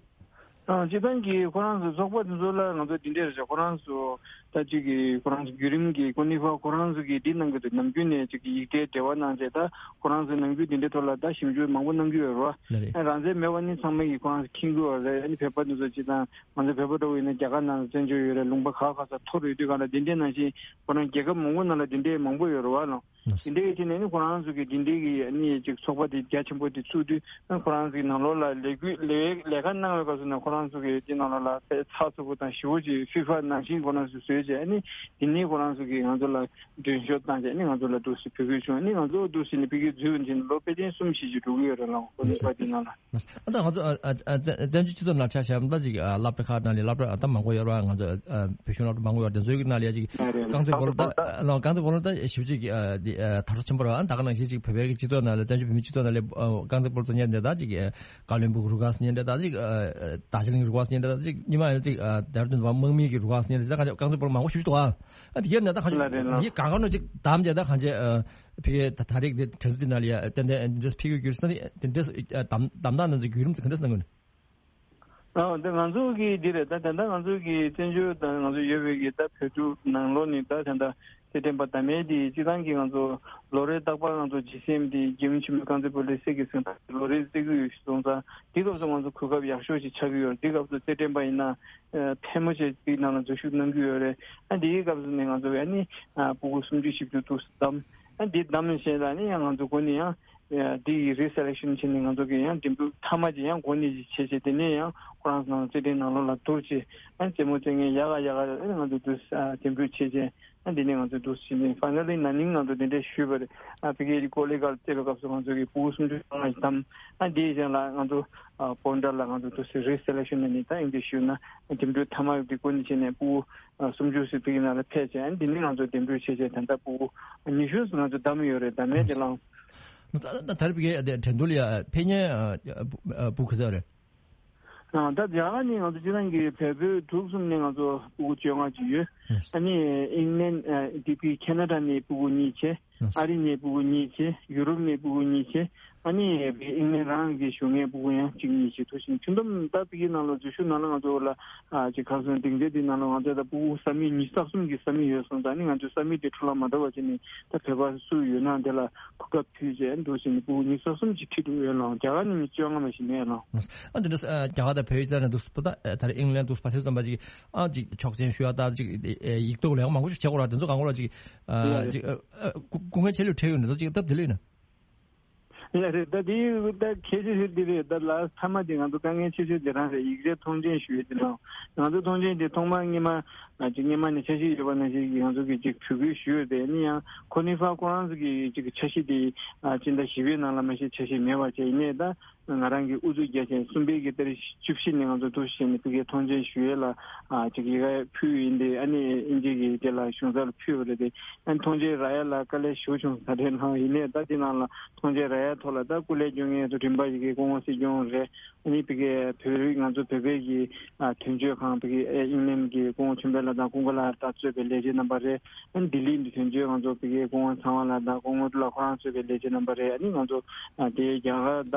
ཨ་སྤྱིར་བཏང་གི་ཁོ་རང་ཚོ་ཚོགས་པ་དེ་ཚོ་ལ་ང་ཚོ་འདི་འདྲས་རེད་ཤག་ཁོ་རང་ཚོ་ད་ཅིག་གི་ཁོ་རང་ཚོ་བརྒྱུད་རིམ་གྱི་ཀོ་ནི་ཧྥ་ཁོ་རང་ཚོ་གི་འདི་གནང་གི་འདུག་ནམ་རྒྱུན་ནས་ཅིག་གི་ཡིག་ཚད་འབྲེལ་བ་གནང་བྱས་ད་ཁོ་རང་ཚོ་ནམ་རྒྱུན་འདི་འདྲས་ཐོག་ལ་ད་ཞིབ་འཇུག་མང་པོ་གནང་གི་ཡོད་རེད་བ། ལགས་རེད། ཨ་རང་བཙན་མེད་པ་ནི་ཚང་མ་གི་ཁོ་རང་ཚོ་མཁྱེན་གི་ཡོད་རེད། ཨ་ནི་བོད་པ་དེ་ཚོ་སྤྱིར་བཏང་ང་ཚོ་བོད་པ་འདྲ་བོ་ཡིན་ན་རྒྱ་གར་ནང་ལ་བཙན་བྱོལ་ཡོད་རེད། ལུང་པ་ཁག་ཁག་ས་འཐོར་ཡོད་དུས་གང་ལ་འདི་འདྲས་ནང་བཞིན་ཁོ་རང་རྒྱལ་ཁབ་མང་པོ་ནང་ལ་འདི་འདྲས་མང་པོ་ཡོད་རེད་བ་ལགས། དེ་འདྲའི་ཆ་ནས་ནི་ཁོ་རང་ཚོ་གི་དེ་འདྲའི་གི་ནི་ཅིག་ཚོགས་པ་དེ་རྒྱ་ཆེན་པོ་དེ་ཚུགས་དུས་ཁོ་རང་ཚོ་གི་ནང་ལོགས་ལ་ལས་འགུལ་ལས་ལས་ཀ་གནང་བའི་སྐབས་སུ་ནི་ཁོ་རང་ཚོ་གི་དེ་ནང་ལོགས་ལ་དཔེ་ཚགས་ཚུད་པོ་དང་ཞེ་པོ་ཅིག་ཧྥི་ཧྥ་ནང་བཞིན་ཁོ་རང་ཚོ་བཟོས་བྱས་ནི་དེ་ནས་ཁོ་རང་ཚོ་གི་ང་ཚོ་ལ་མགྲོན་ཤོག་བཏང་བྱས་ནི་ང་ཚོ་ལ་འདུག་སེ་ཕུལ་དགོས་བྱུང་། ནི་ང་ཚོ་འདུག་སེ་ནི་ཕ་གིར་འཛུལ་ཡོང་ཅིང་ལོ་དཔེ་ཅན་གསུམ་བཞི་ཅིག་འགྲོ་གི་ཡོད་རེད་ལགས། ཁོ་ཚོ་པ་དེ་ནང་ལ། ཨ་ད་ང་ཚོ་ཨ་ཨ་ཨ་བཙན་བཙན་བྱོལ་སྤྱི་ཚོགས་ནང་ཆ་བཞག་ན་ཅིག་ཨ་སློབ་གྲྭ་ཁག་ནང་ལས་སློབ་གྲྭ་ཨ་ད་མང་པོ་ཡོད་རེད་བ། ང་ཚོ་ཨ་བོད་གཞུང་སློབ་གྲྭ་མང་པོ་ཡོད་རེད། དེ་ཚོའི་གི་ནང་ལ་ཡ་ཅིག་རེད་རེད། རྐང་རྩེད་སྤོ་ལོ་ད་ལགས་རྐང་རྩེད་སྤོ་ལོ་ད་ཞེ་པོ་ཅིག་ཨ་དེ་ཨ་དར་སོ་ཆེན་པོ་རེད་བ། ཨ་ད་ག་ནང་བཞིན་ཅིག་བོད་པའི་གི་སྤྱི་ཚོགས་ནང་ལ་བཙན་བྱོལ་བོད་མིའི་སྤྱི་ཚོགས་ནང་ལ་ཨ་རྐང་རྩེད་སྤོ་ལོ་ཚོ་ཉན་བསྡད་ད་ཅིག་ཨ་ཀའོ་ལུན་སྦུག་རུ་ཁག་ཉན་བསྡད་ད་ཅིག་ཨ་ཨ་རྡ་ཇི་ལིང་རུ་ཁག་ཉན་བསྡད་ད་ཅིག་ཉི་མ་ཡང་ཅིག་ཨ་དེ་ར་དུན་དམག་མི་གི་རུ་ཁག་ཉན་བསྡད་ད་ག་རྐང་རྩེད་སྤོ་ལོ་མང་པོ་ཞེ་པོ་ཅིག་འདུག་ཨ། ཨ་དེ་གའི་ནང་ད་གང་ཅི་ལགས་རེད་ལགས། དེ་གའི་གང་ག་ནང་ཅིག་གདམ་བྱས་ད་གང་ཅི་ཨ། ཕ་གིའི་ད་ད་རེས་དེ་དྲན་གསོ་དེ་ནང་ལ་ཡ་ཏན་ཏན་འདི་འདྲ་ཕ་གིར་ས་ནི་དེ་འདྲ་ཨ་གདམ་གདམ་དག་ནང་ཚོ་བརྒྱུད་རིམ་ཚོ་ག་འདྲ་གནང་གི་ནི། ཨ་ད་ང་ཚོ་གི་འདི་རེད། ད་ད་ལྟ་ང་ཚོ་གི་བཙན་བྱོལ་དང་ང་ཚོ་ཡོད་པའི་གི་ད་བོད་ཕྲུག་ནང་ལོགས་ནི་ད་ད་ལྟ་རྩེད་འགྲན་པ་ད་མེད་དེ་སྤྱི་བཏང་གི་ང་ཚོ་ལོ་རེ་རྟག་པར་ང་ཚོ་ཇི་སི་ཨེམ་དེ་རྒྱལ་ཡུམ་ཆེན་མོའི་རྐང་རྩེད་སྤོ་ལོའི་སྲིད་ཀྱི་སེང་ལོ་རེ་རྩེ་གི་ཡོད་སོང་ཙང་དེ་སྐབས་སུ་ང་ཚོ་གོ་སྐབས་ཡག་ཤོས་ཤིག་ཆགས་ཀྱི་ཡོད་རེད། དེ་སྐབས་སུ་རྩེད་འགྲན་པ་ཡིན་ན་ཕལ་མོ་ཆེ་དེའི་ནང་ལ་འཛུལ་ཞུགས་གནང་གི་ཡོད་རེད། ཨ་དེའི་སྐབས་སུ་ནི་ང་ཚོ་ཡ་ནི་ཕྲུ་གུ་སུམ་ཅུ་བཞི་བཅུ་འདུག་སེ་བདམས། ཨ་འདི་བདམས་ནས་བྱས་ཙང་ནི་ཡང་ང་ཚོ་འགོ་ནས་ཡང་ཨ་འདི་ཡི་རི་སེ་ལེག་ཤན་བྱས་ནས་ང་ཚོ་གི་ཡང་འདེམས་སྒྲུག་མཐའ་མ་ཅིག་ཡང་འགོ་ནས་ཅིག་བྱས་བྱས་དེ་ནས་ཡང་ཁོ་རང་ཚོ་ནང་རྩེད་འགྲན་ནང་ལོགས་ལ་བསྡུར་བྱས་ཨ་རྩེད་མོ་རྩེད་མཁན་ཡག་ག་ཡག་ག་ཨ་ང་ཚོ་འདུག་སེ་ཨ་འདེམས་སྒྲུག་བྱས་བྱས་ཨ་འདི་ནས་ང་ཚོ་འདུག་སེ་བྱས་ནས་ཕ་ནལ་ལི་ན་ནིང་ང་ཚོ་དེ་འདྲས་ཞུས་པ་རེད། ཨ་ཕ་གིའི་ཀོ་ལི་གལ་རྩེད་པའི་སྐབས་སུ་ང་ཚོ་གི་ཕྲུ་གུ་སུམ་ཅུ་སོ་ལྔ་ཞིག་བདམས། ཨ་འདིའི་གཞན་ལ་ང་ཚོ་ཨ་བོན་ཌར་ལ་ང་ཚོ་འདུག་སེ་རི་སེ་ལེག་ཤན་ནས་ནི་ད་ཨིན་ཇི་ཞུས་ན་འདེམས་སྒྲུག་མཐའ་མ་འདི་འགོ་ནས་བྱས་ནས་ཕྲུ་གུ་ཨ་སུམ་ཅུ་ཙམ་ཕ་གི་ནང་ལ་ཕེབས་བྱས། ཨ་ནི་འདི་ནས་ང་ཚོ་འདེམས་སྒྲུག་བྱས་བྱས་ད་ལྟ་ཕྲུ་གུ་ཉི་ཤུ་ཙམ་ང་ཚོ་བདམས་ཡོད་རེད། ད་མེད་དེ་ལང་། ད་ད་ད་རེས་ཕ་གི་དེ་དྲན་འདུག་ལ་ཡ་ཕེབས་མཁན་ཨ་ཕྲུ་གུ་ག་ཚོད་རེད། ཨ་ད་རྒྱ་གར་ནས་ང་ཚོ་སྤྱིར་བཏང་གི་བལ་པོའི་འབྲུག་གསུམ་ནས་ང་ཚོ་ཕྲུ་གུ་བཅོ་ལྔ་ཅིག་ཡོད། ཨ་ནི་ཨིང་ལན་ཨ་ཌི་པི་ཁེ་ན་ཌ་ནས་ཕྲུ་གུ་གཉིས་བྱས། ཨ་རི་ནས་ཕྲུ་གུ་གཉིས་བྱས། ཡུ་རོབ་ནས་ཕྲུ་གུ་གཉིས་བྱས། ཨ་ནི་ཨིང་ལན་རང་གི་བཞུགས་མཁན་ཕྲུ་གུ་ཡང་གཅིག་གཉིས་བྱས། ཐུག་ཕྱིན་ཁྱོན་བསྡོམས་ད་ཕ་གི་ནང་ལ་འཛུལ་ཞུགས་ནང་ལ་ང་ཚོ་ལ་ཨ་ཅིག་ཁ་སང་སྡིངས་ཆ་འདི་ནང་ལ་ང་ཚོ་ད་ཕྲུ་གུ་ས་མིག་ཉི་ཤུ་རྩ་གསུམ་གྱི་ས་མིག་ཡོད་སོང་ཙང་ནི་ང་ཚོའི་ས་མིག་དེ་འཕྲོ་བརླག་མ་འགྲོ་བ་བྱས་ནས་ད་བོད་པ་སུ་ཡོད་ན་དེ་ལ་གོ་སྐབས་ཕུལ་བྱས་འདུག་ཟེར་ནས་ཕྲུ་གུ་ཉི་ཤུ་རྩ་གསུམ་ཅིག་ཁྲིད་འགྲོ་ཡོད་ལགས། རྒྱ་གར་ནས་མི་བཅོ་ལྔ་མ་ཞིག་མེད་ལགས། ཨ་འདི་འདྲ་ཨ་རྒྱ་གར་དང་བལ་ཡུལ་རྩ་ནས་འདུག་སྤུ་ད་ད་རེས་ཨིང་ལན་འདུག་ཕ་ཚོད་ཙམ་པ་ཅིག་ཨ་ཅིག་ཆོག་མཆན་ཞུ་ཡ་ད་ཅིག་ཡིག་ཐོག་ལ་ཡང་མང་པོ་ཞིག་བྱེད་དགོས་ར། དེ་ཚོ་གང་གོ་ལ་ཅིག་ཨ་ཅིག་ཨ་ཨ་སྐུ་སྐུ་ངལ་ཆེ་ལོས་འཕྲད་ཡོད་ན་ཚོ་ཅིག་སྟབས་བདེ་ལོས་ན། ཡ་རེད། ད་དེ་ད་ཁྱད་ཆོས་ཤིག་འདི་རེད། ད་ལ་མཐའ་མ་དེ་ང་ཚོ་དཀའ་ངལ་ཆེ་ཤོས་དེ་རང་རེད། ཡིག་ཆའི་མཐོང་མཆན་ཞུ་ཡས་དེ་རང་། ང་ཚོ་མཐོང་མཆན་དེ་ཐོག་མར་སྔོན་མ་ཅིག་སྔོན་མ་ནས་འཆར་གཞི་ཡོད་པ་ནང་བཞིན་ང་ཚོ་གིས་ཅིག་བོད་སྐད་ཞུས་ཡོད་དེ་ནི་ཡང་ཁོ་ནི་ཧྥ་ཁོ་རང་ཚོ་གིས་ཅིག་འཆར་གཞི་དེ་སྤྱི་ཟླ་བཞི་པའི་ནང་ལ་མ་གཞི་འཆར་གཞི་མེད་པ་བྱས་ཡིན་ནའི་ད། ང་རང་གིས་ཨུ་ཚུགས་རྒྱག་བྱས་གསུམ་པའི་གི་ཏ་རིག་བཅུ་བཞི་ནས་ང་ཚོ་འདུག་བྱས་ནས་ཕ་གིའི་མཐོང་མཆན་ཞུ་ཡས་ལ་ཨ་ཅིག་ཡི་གེ་ཕུལ་ཡིན་ཏེ། ཨ་ནི་ཨིན་ཇི་གི་དེ་ལ་གཞུང་ཚབ་ལ་ཕུལ་བ་རེད་དེ། ཨ་ནི་མཐོང་མཆན་རག་ཡས་ལ་དཀའ་ལས་ཞེ་པོ་བྱུང་ས་རེད་ལགས། ཡིན་ནའི་ད་དེ་ནང་ལ་མཐོང་མཆན་རག་ཡས་ ཐོག་ལ་ད་སྐུ་ལས་སྐྱོན་མཁན་ཚོ་རིམ་པ་ཞིག་གི་སྐུ་ངོ་སྲིད་སྐྱོང་རེད། ཨ་ནི་ཕ་གི་བོད་རིགས་ང་ཚོ་བོད་པའི་གི་ཨ་དོན་གཅོད་ཁང་ཕ་གི་ཨེ་ཨིང་ལན་གི་སྐུ་ངོ་ཆོས་འཕེལ་ལགས་དང་ཀུན་དགའ་ལགས་དང་གཙོས་པའི་ལས་བྱེད་རྣམ་པ་རེད། ཨ་ནི་ལྡི་ལི་འདི་དོན་གཅོད་ང་ཚོ་ཕ་གི་སྐུ་ངོ་ཚངས་དབང་ལགས་དང་སྐུ་ངོ་ལགས་ཁོ་རང་གཙོས་པའི་ལས་བྱེད་རྣམ་པ་རེད། ཨ་ནི་ང་ཚོ་ཨ་དེ་རྒྱ་གར་ད་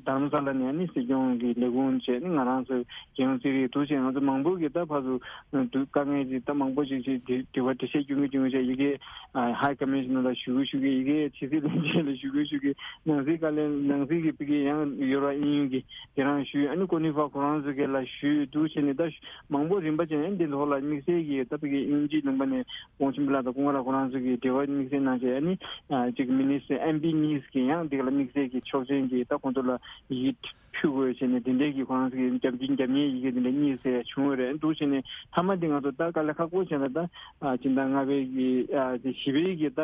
དྷ་རམ་ས་ལ་ནས་ཨ་ནི་སྲིད་སྐྱོང་གི་ལས་ཁུངས་བྱས་ནི་ང་རང་ཚོའི་རྒྱལ་ཡོངས་རྩིས་རིག་འདུག་བྱས་ང་ཚོ་མང་པོ་གི་ད་ཕར་ཚུར་དཀའ་ངལ་ཅིག་ད་མང་པོ་ཅིག་ཅིག་དྲི་བ་འགྲེལ་བཤད་སྐྱོན་གྱི་སྐྱོན་གྱི་བྱས་ཡི་གེ་ཨ་High Commissioner་ལ་ཞུ་གི་ཞུ་གི་ཡི་གེ་ཕྱི་སྲིད་བློན་ཆེན་ལ་ཞུ་གི་ཞུ་གི་ནང་སྲིད་བཀའ་བློན་ནང་སྲིད་ཀྱི་ཕ་གི་ཡང་ཡོ་རོབ་དབྱིན་ཡུལ་གྱི་དེ་རང་ཞུས། ཨ་ནི་ཀོ་ནི་ཧྥ་ཁོ་རང་ཚོ་གི་ལ་ཞུས་འདུག་བྱས་ནས་ད་མང་པོ་རིམ་པ་བྱས་ནས་འདི་ཐོག་ལ་དམིགས་བསལ་གྱི་ད་ཕ་གི་དབྱིན་ཇིའི་ལུང་པ་ནས་ཀོང་ཆེན་པོ་ལགས་དང་ཀུན་དགའ་ལགས་ཁོ་རང་ཚོ་གི་འབྲེལ་བ་དམིགས་བསལ་གནང་བྱས། ཨ་ནི་ཅིག་མི་ནི་སི་ཊར་ཨེམ་པི་གཉིས་ཀྱི་ཡང་འདི་ག་ལ་དམིགས་བསལ་གྱི་ཆོག་མཆན་གྱི་ད་ཁོང་ཚོ་ལ་ཡི་གེ་ཕུལ་དགོས་བྱས་ནས་དེ་འདྲའི་གི་ཁོ་རང་ཚོ་གི་རྒྱབ་སྐྱོར་རྒྱབ་གཉེར་ཡི་གེ་དེ་འདྲ་གཉིས་ཟེར་བྱུང་བ་རེད་འདུག་བྱས་ནས་མཐའ་མ་འདི་ང་ཚོ་ད་དཀའ་ལས་ཁག་པོ་བྱས་ན་ད་ཨ་སྤྱི་ཟླ་ལྔ་པའི་གི་ཨ་དེ་བཞི་པའི་གི་ད་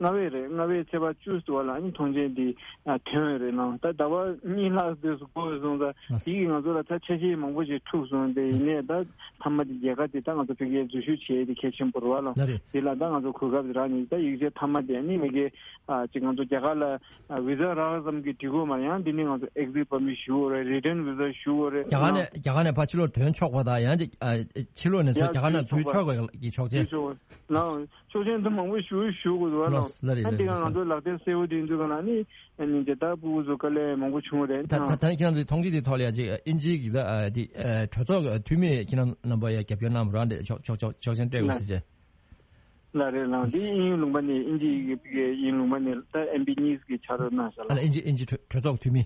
ལྔ་པའི་རེད། ལྔ་པའི་ཚེས་པ་བཅུ་ཙམ་ལ་ཨ་ནི་ཐོངས་མཆན་འདི་ཨ་ཐོན་ཡོད་རེད་ལགས། ད་ཟླ་བ་གཉིས་ལྷག་འདས་སུ་འགོར་སོང་ཙང་དེ་གིས་ང་ཚོ་ལ་ད་ཆ་ཤས་མང་པོ་ཞིག་འཁྲུགས་སོང་། དེ་ཡིན་ནའི་ད་མཐའ་མ་དེ་རྒྱལ་ཁ་དེ་ད་ང་ཚོ་ཕ་གིར་འཛུལ་ཞུགས་བྱས་དེ་གལ་ཆེན་པོ་རེད་བ་ལགས། ལགས་རེད། དེ་ལ་ད་ང་ཚོ་གོ་སྐབས་རག་ནས་ད་ཡིག་ཆ་མཐའ་མ་དེ་ཨ་ནི་མ་གི་ཨ་ཅིག་ང་ཚོ་རྒྱ་གར་ལ་ཨ་བི་ཟ་རག་ཙམ་གྱིས་འགྲིག་གོ་མ་རེད། ཡང་འདི་ནས་ང་ཚོ་ཨེག་ཛིཊ་པར་མིཊ་ཞུ་དགོས་རེད། རི་ཊན་བི་ཟ་ཞུ་དགོས་རེད། རྒྱ་གར་ནས་རྒྱ་གར་ནས་ཕར་ཕྱི་ལོགས་ཐོན་ཆོག་པ་དང་ཡང་ཅིག་ཨ་ཕྱི་ལོགས་ནས་ཚུར་ཡ་རྒྱ་གར་ནང་འཛུལ་ཆོག་པའི་གི་ཆོག་མཆན། འཛུལ་ཆོག་ལགས། ཆོག་མཆན་དུ་མང་པོ་ཞུ་ཞུ་དགོས་འདུག་ལགས། ལགས་རེད། ཨ་འདི་ག་ང་ཚོ་ལག་དེབ་གསལ་པོ་དེ་འཛུལ་ག་ལ་ནི་ཨ་ནི་དེ་ལྟར་ཕྲུ་གུ་ཚོ་དཀའ་ལས་མང་པོ་བྱུང་བ་རེད། ད་ད་ད་ཁྱེད་རང་ཚོའི་མཐོང་ཆོས་དེ་ཐོག་ལ་ཡ་ཅིག་ཨིན་ཇིའི་གི་ད་ཨ་དེ་ཨ་གྲོས་ཚོགས་ཀྱི་འཐུས་མི་ཁྱེད་རང་རྣམ་པ་ཡ་རྒྱབ་སྐྱོར་གནང་བ་རང་དེ་ཆོག་ཆོག་ཆོག་ཆོག་མཆན་སྤྲད་དགོས་ཟེར་བྱས། ལགས་རེད་ལགས། འདི་དབྱིན་ཡུལ་ལུང་པ་ནས་དབྱིན་ཇི་ཡི་གེ་ཕ་གིའི་དབྱིན་ལུང་པ་ནས་ད་ཨེམ་པི་གཉིས་ཀྱི་ཕྱག་རོགས་གནང་ཤག་ལགས། ཨ་ནི་དབྱིན་ཇི་དབྱིན་ཇི་གྲོས་གྲོས་ཚོགས་འཐུས་མི།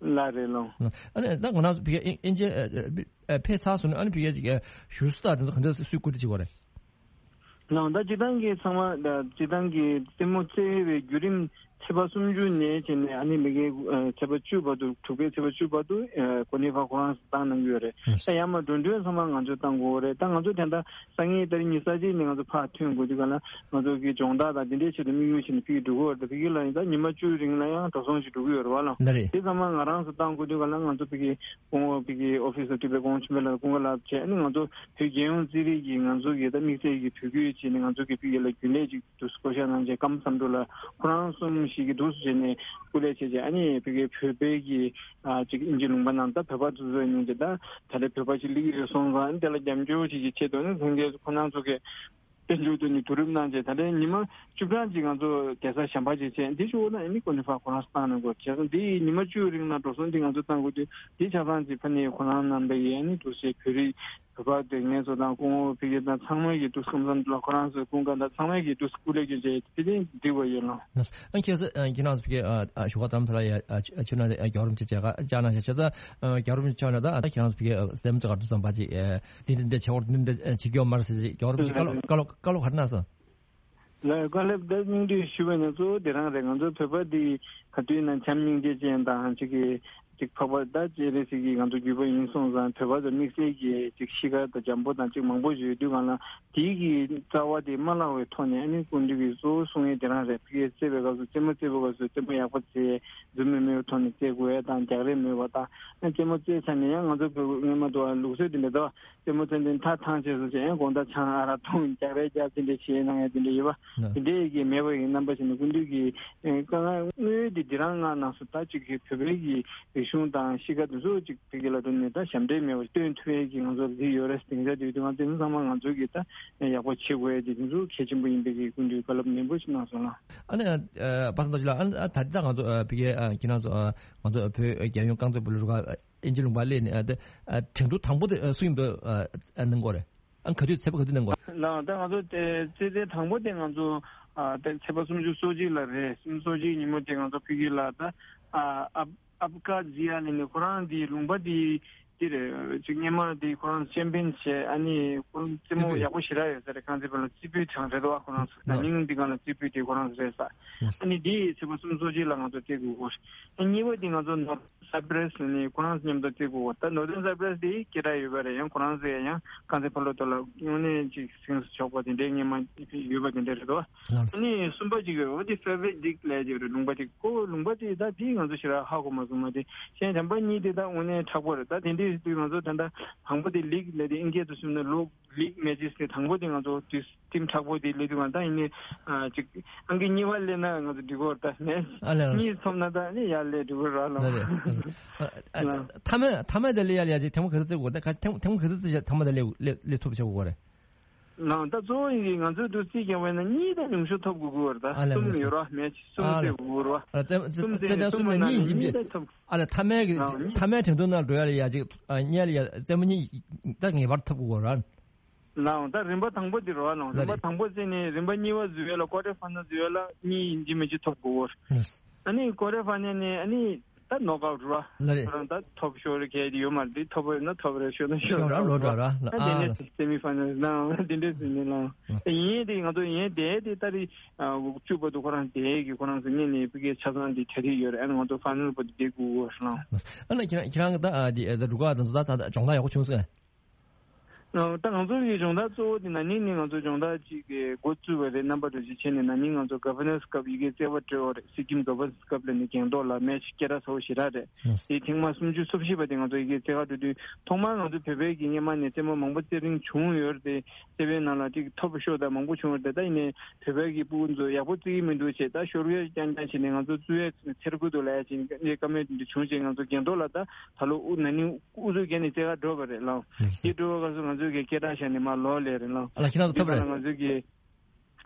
ལགས་རེད་ལགས། ཨ་ནི་ད་ང་རང་ཚོ་ཕ་གིའི་དབྱིན་ཇི་ཨ་ཨ་ཕེབས་ཚར་སོང་ན་ཨ་ནི་ཕ་གིའི་ཅིག་ཨ་བཞུགས་ས་དང་དེ་ཚོ་ག་འདྲ་སུས་བཀོད་སྒྲིག་བྱེད་དགོས་རེད། ལགས། ད་སྤྱིར་བཏང་གི་ཚང་མ་ད་སྤྱིར་བཏང་གི་རྩེད་མོ་རྩེ་བའི་བརྒྱུད་རིམ་ཚེས་པ་སུམ་ཅུ་ནས་བྱས་ནས་ཨ་ནི་མ་གི་ཨ་ཚེས་པ་བཅུ་བར་དུ་དྲུག་པའི་ཚེས་པ་བཅུ་བར་དུ་ཨ་ཀོ་ནི་ཧྥ་ཁོ་རང་བཏང་གནང་གི་ཡོད་རེད། ད་ཡང་མ་འགྲོ་གྲོན་ཚང་མ་ང་ཚོས་བཏང་དགོས་རེད། ད་ང་ཚོ་དེ་འདྲ་སང་ཉིན་ཏ་རིག་ཉི་ཤུ་རྩ་གཅིག་ནས་ང་ཚོ་ཕར་ཐོན་དགོས་དུས་ག་ལ་ང་ཚོ་གི་སྦྱོང་བརྡར་དང་དེ་འདྲའི་ཆེད་དུ་དམིགས་ཡུལ་བྱས་ནས་ཕ་གི་འགྲོ་གི་ཡོད་རེད། ད་ཕ་གི་ལ་ཡིན་ད་ཉི་མ་བཅུའི་རིང་ལ་ཡང་འགྲོ་སོང་ཞིག་འགྲོ་གི་ཡོད་རེད་བ་ལགས། ལགས་རེད། དེ་ཚང་མ་ང་རང་ཚོ་བཏང་དགོས་དུས་ག་ལ་ང་ཚོ་ཕ་གི་སྐུ་ངོ་ཕ་གི་ཨོ་ཕི་སར་ཐུབ་པའི་སྐུ་ངོ་ཆེན་པོ་ལགས་ཀུན་དགའ་ལགས་བྱས་ཨ་ནི་ང་ཚོ་བོད་རྒྱལ་ཡོངས་རྩིས་རིག་གི་ང་ཚོ་གི་ད་དམིགས་བསལ་གྱི་བོད་བརྒྱུད་བྱས་ནས་ང་ཚོ་གི་ཕ་གི་ལ་རྒྱུན་ལས་ཅིག་འདུག་སེ་བསྐོ་བཞག་གནང་བྱས་སྐར་མ་བསམ་འགྲུབ་ལགས་ཁོ་རང་གསུམ་ཞིག་གིས་འདུག་སེ་བྱས་ནས་སྐུ་ལས་བྱས་བྱས་ཨ་ནི་ཕ་གི་བོད་པའི་གི་ཨ་ཅིག་དབྱིན་ཇི་ལུང་པ་ནང་ད་བོད་པ་ཚོ་ཚོ་ཡིན་གྱི་ད་ད་ལྟ་བོད་པ་ཞིག་སླེབས་ཀྱི་ཡོད་སོང་ཙང་ཨ་ནི་དེ་ལ་རྒྱབ་སྐྱོར་བྱེད་ཀྱི་ཆེད་དུ་ཨ་ནི་ལྷན་རྒྱས་ཁོ་རང་ཚོ་གི་དཔལ་འབྱོར་དུ་ནི་བསྡུ་རུབ་གནང་བྱས་ད་ལྟའི་ཉི་མ་བཅུ་གྲངས་ཅིག་ང་ཚོ་བསྡད་ས་གཞན་པ་ཅིག་བྱས་འདི་ཞུ་བ་ན་ཨ་ནི་ཀོ་ནི་ཧྥ་ཁོ་རང་བཏང་གནང་དགོས་བྱས་ཙང་འདི་ཉི་མ་བཅུ་རིང་ལ་འགྲོ་སོང་འདི་ང་ཚོ་བཏང་དགོས་དུས་འདི་ཆ་ཚང་ཅིག་ཕ་ནི་ཁོ་རང་རྣམ་པ་ཡིས་ཨ་ནི་འདུག་སེ་བོད་རིགས་བོད་པ་དེ་ངེད་ཚོ་དང་སྐུ་ངོ་ཕ་གི་དང་ཚང་མ་གི་འདུག་སེ་སྐུ་མཚམས་ལ་ཁོ་རང་ཚོའི་སྐུ་མཁན་དང་ཚང་མ་གི་འདུག་སེ་སྐུ་ལས་ཀྱི་རྗེས་དེ་དེ་འདི་བ་ཡོད་ལ། ཨ་ཁྱེད་ཚོ་ཁྱེད་རང་ཚོ་ཕ་གི་ཞུ་བ་དམ་ས་ལ་ཡ་ཆུ་ན་རྒྱལ་བ་རིན་པོ་ཆེ་བཅར་ན་ཤ་ཆེ་ཚ་རྒྱལ་བ་རིན་པོ་ཆེ་བཅར་ན་ད་ཁྱེད་རང་ཚོ་ཕ་གི་སེམས་ཚོ་ག་འདུག་བསམ་པ་ཅིག་དེ་འདྲ་འདྲ་བྱེད་འོར་འདི་འདྲ་བྱེད་ཀྱི་ཡོད་མ་རེད་ཟེར་རྒྱལ་བ་རིན་པོ་ཆེ་བཀའ་སློབ་བཀའ་སློབ་བཀའ་སློབ་ག་རེ་གནང་སོང་། ལགས་བཀའ་སློབ་ད་སྙིང་བསྡུས་ཞུ་བ་ན་གཙོ་བོ་དེ་རང་རེད། ང་ཚོ་བོད་པ་འདི་ག་དུས་ན་བྱམས་སྙིང་རྗེ་ཅན་དང་ཅིག་གི་ཅིག་འཕགས་པ་ད་སྤྱན་རས་གཟིགས་ཀྱི་ང་ཚོ་བརྒྱུད་པ་ཡིན་སོང་ཙང་བོད་པ་ཚོ་དམིགས་བསལ་གྱི་ཅིག་གཤིས་ཀ་དང་འཇམ་པོ་དང་ཅིག་མང་པོ་ཡོད་དུས་གང་ལ་དེའི་གི་རྩ་བ་དེ་མ་བརླག་པའི་ཐོག་ནས་ཨ་ནི་སྐུ་མདུན་གྱི་གཙོ་བོ་གསུང་ཡས་དེ་རང་རེད། ཕ་གིར་རྩེད་པའི་སྐབས་སུ་རྩེད་མོ་རྩེད་པའི་སྐབས་སུ་རྩེད་མོ་ཡག་པོ་རྩེ་རྫུན་མ་མེད་པའི་ཐོག་ནས་རྩེད་དགོས་ཡས་དང་རྒྱག་རེས་མེད་པ་དང་ཨ་རྩེད་མོ་རྩེས་ཚར་ནས་ཡང་ང་ཚོ་བོད་སྔོན་མ་དུ་ལུགས་སྲོལ་དེ་འདྲ་འདུག་རྩེད་མོ་རྩེ་འདི་མཐའ་ཐང་ཆད་སོང་ཅིག་ཡང་དགོང་དག་ཆང་ཨ་རག་འཐུང་རྒྱག་རེས་རྒྱག་དེ་འདྲ་བྱེད་གནང་ཡ་དེ་འདྲ་ཡོད་པ། དེ་འདྲའི་གི་མེད་པ་ཡི་རྣམ་པ་ཞིག་ནི་སྐུ་མདུན་གྱི་དཀའ་ངལ་དངོས་དེ་འདི་རང་ང་གནང་སོང་། ད་ཅིག་གི་བོད་པའི་གི་རིག་གཞུང་དང་གཤིས་ཀ་དེ་ཚོ་ཅིག་བོད་ཀྱི་ལ་དོན་ནས་ད་ཞབས་འདྲེན་མེད་པ་སྟོན་ཐུབ་ཡ་གི་ང་ཚོར་འདི་ཡོད་རེད། སྡིངས་ཆ་དེ་དུས་ང་དེ་ཚོ་ཚང་མ་ང་ཚོ་གི་ད་ཡག་པོ་བྱེད་དགོས་ཡ་དེ་དེ་ཚོ་གལ་ཆེན་པོ་ཡིན་པའི་གི་སྐུ་མདུན་བཀའ་སློབ་ནན་པོ་ཞིག་གནང་སོང་ལ། ཨ་ནི་པ་སངས་རྡོ་རྗེ་ལགས་ཨ་ད་ལྟ་ང་ཚོ་བི་ཀེ་ཁྱེད་རང་ཚོ་ང་ཚོ་བོད་རྒྱལ་ཡོངས་རྐང་རྩེད་སྤོ་ལོ་རུ་ཁག་དབྱིན་ཇི་ལུང་པ་སླེབས་ནས་ཨ་ད་ཨ་ཐེངས་དྲུག་དང་པོ་དེ་ཨ་སུ་ཡིན་པ་ཨ་ཨ་གནང་གོ་རེད། ཨ་ག་དུས་ཚེས་པ་ག་དུས་གནང་གོ་རེད། ལགས་ད་ང་ཚོ་དེ་རྩེད་འགྲན་དང་པོ་དེ་ང་ཚོ་ཨ་དེ་ཚེས་པ་སུམ་ཅུ་སོ་གཅིག་ལ་རེད། སུམ་ཅུ་སོ་གཅིག་ཉིན་མོ་དེ་ང་ཚོ་ཕ་གི་ལ་ད་ཨ་ཨབ་ཨབ་ཀ་ཛི་ཡ་ནས་ནི་ཁོ་རང་དེ་ལུང་པ་དེ་དེ་རེད། ཅིག་སྔོན་མ་དེ་ཁོ་རང་ཆེམ་པིན་བྱས་ཨ་ནི་ཁོ་རང་རྩེད་མོ་རྩེད་ཡག་པོ་ཞེ་དྲག་ཡོད་ས་རེད། རྐང་རྩེད་སྤོ་ལོ་རྩེ་ཕུད་གྲངས་རེད་དོ། ཁོ་རང་ཚོ་ད་ནིང་དེ་གང་ལ་རྩེ་ཕུད་དེ་ཁོ་རང་ཚོ་རེད་ས། ཨ་ནི་དེ་ཚེས་པ་སུམ་ཅུ་སོ་གཅིག་ལ་ང་ཚོ་རྩེ་དགོས་གོ། ཨ་གཉིས་པ་དེ་ང་ཚོ་ནོར། སའི་པྲེས་ནས་ཁོ་རང་མཉམ་དུ་བརྩི་དགོས་པ། ད་ནོར་ཐེན་སའི་པྲེས་དེ་སྐད་གྲགས་ཡོད་པ་རེད། ཡང་ཁོ་རང་ཚོས་ཡང་རྐང་རྩེད་ཕར་ལོག་ཐོག་ལ་དངོས་གནས་ཅིག་སེམས་སུ་ཆོག་པ་དེ་འདྲའི་སྔོན་མ་ཡོད་པ་དེ་འདྲ་རེད་དོ། ལགས་སོ། ཨ་ནི་གསུམ་པ་ཅིག་ཡོད་པ་དེ་ཧྥེ་ཝེ་ཌིག་ལབ་ཀྱི་རེད། ལུང་པ་དེ་ཁོ་ལུང་པ་དེ་ད་དེ་ང་ཚོ་ཞེ་དྲག་ཧ་གོ་མ་སོང་། མ་དེ་གཞན་དམ་པ་གཉིས་དེ་ད་དངོས་གནས་མཁྲེགས་པོ་རེད། ད་དེ་འདྲའི་ དེ་དུས་ང་ཚོ་ད་ལྟ་དང་པོ་དེ་ལིག་ལས་དེ་ཨིན་སྐད་དུ་གསུངས་ན་ལོ་ལིག་མེ་ཆི་དེ་དང་པོ་དེ་ང་ཚོ་དུས་ཊིམ་མཁྲེགས་པོ་དེ་སླེབས་དུས་ང་ད་ཡིན་ནའི་ཅིག་ཨང་ཀི་གཉིས་པ་སླེབས་ན་ང་ཚོ་འགྲིག་གོ་ད་ནས་ཨ་ལས། གཉིས་ཐོབ་ན་ད་ནི་ཡར་སླེབས་འགྲིག་གོ་ར་ལ། ལ་རེད། ཨ་ཨ་ཨ་ལ། མཐའ་མ་མཐའ་མ་དེ་སླེབས་ཡ་ལ་ཡ་ཅིག་ཐེངས་མ་ག་ཚོད་བརྩི་དགོས་ད་ག་ཐེངས་ཐེངས་མ་ག་ཚོད་བརྩི་བྱས་མཐའ་མ་དེ་སླེབས་སླེབས་སླེབས་ཐུབ་བྱེད་དགོས་རེད། ལའང་ད་གཙོ་བོ་ཡིན་གྱི་ང་ཚོའི་འདུག་རྩིས་རྒྱག་པ་ཡིན་ན་གཉིས་དང་ཉུང་ཤོས་ཐོབ་དགོས་ཀྱི་ཡོད་རེད་ད། ཨ་ལས། གསུམ་ཡོད་ར་མེད་གསུམ་ཨ་ལས། རྩེ་དགོས་ར། ཨ་རྩེ་རྩེ་གསུམ་རྩེ་རྩེ་ལྡན་གསུམ་གསུམ་ལ་ནས་གཉིས་གཉིས་གཉིས་ཐོབ། ཐོབ། ཨ་ལས་མཐའ་མའི་གི་ལའང་གཉིས། མཐའ་མའི་འགྲན་བསྡུར་ནང་འགྲོ་ཡ་ལ་ཡ་ཅིག་ཨ་གཉིས་ལ་ཡ་རྩེ་མོ་གཉིས་ད་ངེས་པར་ཐོབ་དགོས་ར། ལའང་ད་རིམ་པ་དང་པོ་འདི་རེད་བ་ལའང་ལ་རིམ་པ་རེད། དང་པོ་རྩེ་ནས་རིམ་པ་གཉིས་པ་བཟོ་ཡ་ལ་ཀོ་ཊར་ཕའི་ནལ་བཟོ་ཡ་ལ་གཉིས་ཡིན་གཅིག་མིན་གཅིག་ཐོབ་དགོས་ར། ཨ་ནི་ཀོ་ཊར་ཕའི་ནལ་ནས་ཨ་ནི། ད་ནོག་ཨའུ་ཊི་ར། ལ་རེད། ཁོ་རང་ད་ཐོབ་ཤོར་གལ་ཡོད་མ་རེད། ཐོབ་པ་ཡོད་ན་ཐོབ་རེད། ཤོར་ན་ཤོར་ཤོར་ར་ར་ལོ་འགྲོ་ར་ལ། ད་དེ་ཨ་ནས་ལ། སེ་མི་ཕའི་ནལ་ནང་དེ་འདྲས་ཟིན་ནས་ལ། ཡིན་དེ་ང་ཚོ་ཡིན་དེ་དེ་ད་རེས་བཅུ་བར་དུ་ཁོ་རང་དེ་གི་ཁོ་རང་ཚོ་ངེད་ནས་ཕ་གིའི་ཆ་ཚང་དེ་གྲ་སྒྲིག་ཡོད་རེད། ཨ་ནི་ང་ཚོ་ཕའི་ནལ་བར་དུ་བསྡད་དགོས་ཀྱི་ཡོད་རེད་ལ། ཨ་ན་ཁྱེད་རང་ཁྱེད་རང་གི་ད་ཨ་དེ་ཨ་ད་འགྲོ་ཁ་དང་ཚོ་ད་ད་སྦྱོང་བརྡར་ཡག་པོ་བྱུང་སོང་ངས། ད་ང་ཚོ་གི་སྦྱོང་བརྡར་གཙོ་བོ་དེ་ན་ནིང་ནས་ང་ཚོ་སྦྱོང་བརྡར་ཅིག་གི་འགོ་བཙུགས་པ་རེད། རྣམ་པ་འགྲོ་ཅིག་བྱས་ནས་ན་ནིང་ང་ཚོ་ག་ཝར་ནན་སི་ཀབ་ཡི་གེ་བརྩེགས་པ་སྤྲོད་པ་རེད། སི་ཀིམ་ག་ཝར་ནན་སི་ཀབ་ལ་ནི་རྒན་ཐོག་ལ་མེ་ཆི་སྐད་གྲགས་ཚ་བོ་ཞེ་དྲག་རེད། དེ་ཐེངས་མ་སུམ་ཅུ་སོ་བཞི་པ་དེ་ང་ཚོ་ཡི་གེ་བརྩེགས་པ་སྤྲོད་དུས་ཐོག་མར་ང་ཚོ་བོད་པའི་གི་སྔོན་མ་ནས་རྩེད་མོ་མང་པོ་རྩེ་རིན་བྱུང་ཡོད་རེད། དེ་རྩེད་པའི་ནང་ལ་ཅིག་ཐོབ་ཤོར་དང་མང་པོ་བྱུང་ཡོད་རེད། ད་ཡིན་ནའི་བོད་པའི་གི་སྤུ་གུ་ཚོ་ཡག་པོ་རྩེ་གི་མི་འདུག་བྱས་ད་ཤོར་ཡས་རྐྱང་རྐྱང་བྱས་ནས་ང་ཚོ་བཙུགས་ཡས་ཚེར་ཁུ་འདུག་ལབ་ཡས་ཅིག་བཀའ་མོལ་དེ་འདྲ་བྱུང་བྱས་ང་ཚོ་རྒན་ཐོག་ལ་ད་ད་ལོ་ཨུ་ན་ནིང་ཨུ་ཚུགས་བརྒྱབ་ནས་རྩེད་གར་འགྲོ་བ་རེད་ལགས། ཨ་ལགས་སོ། དེ་འགྲོ་བ་སྐབས་སུ་ང་ཚོའི་གི་སྐད་གྲགས་བཞག་ནས་མར་ལོག་སླེབས་རེད་ལགས། ཨ་ལགས་ཁྱེད་རང་ཚོ་ཐོབ་རེད། དེ་ག་ལ་ང་ཚོའི་གི་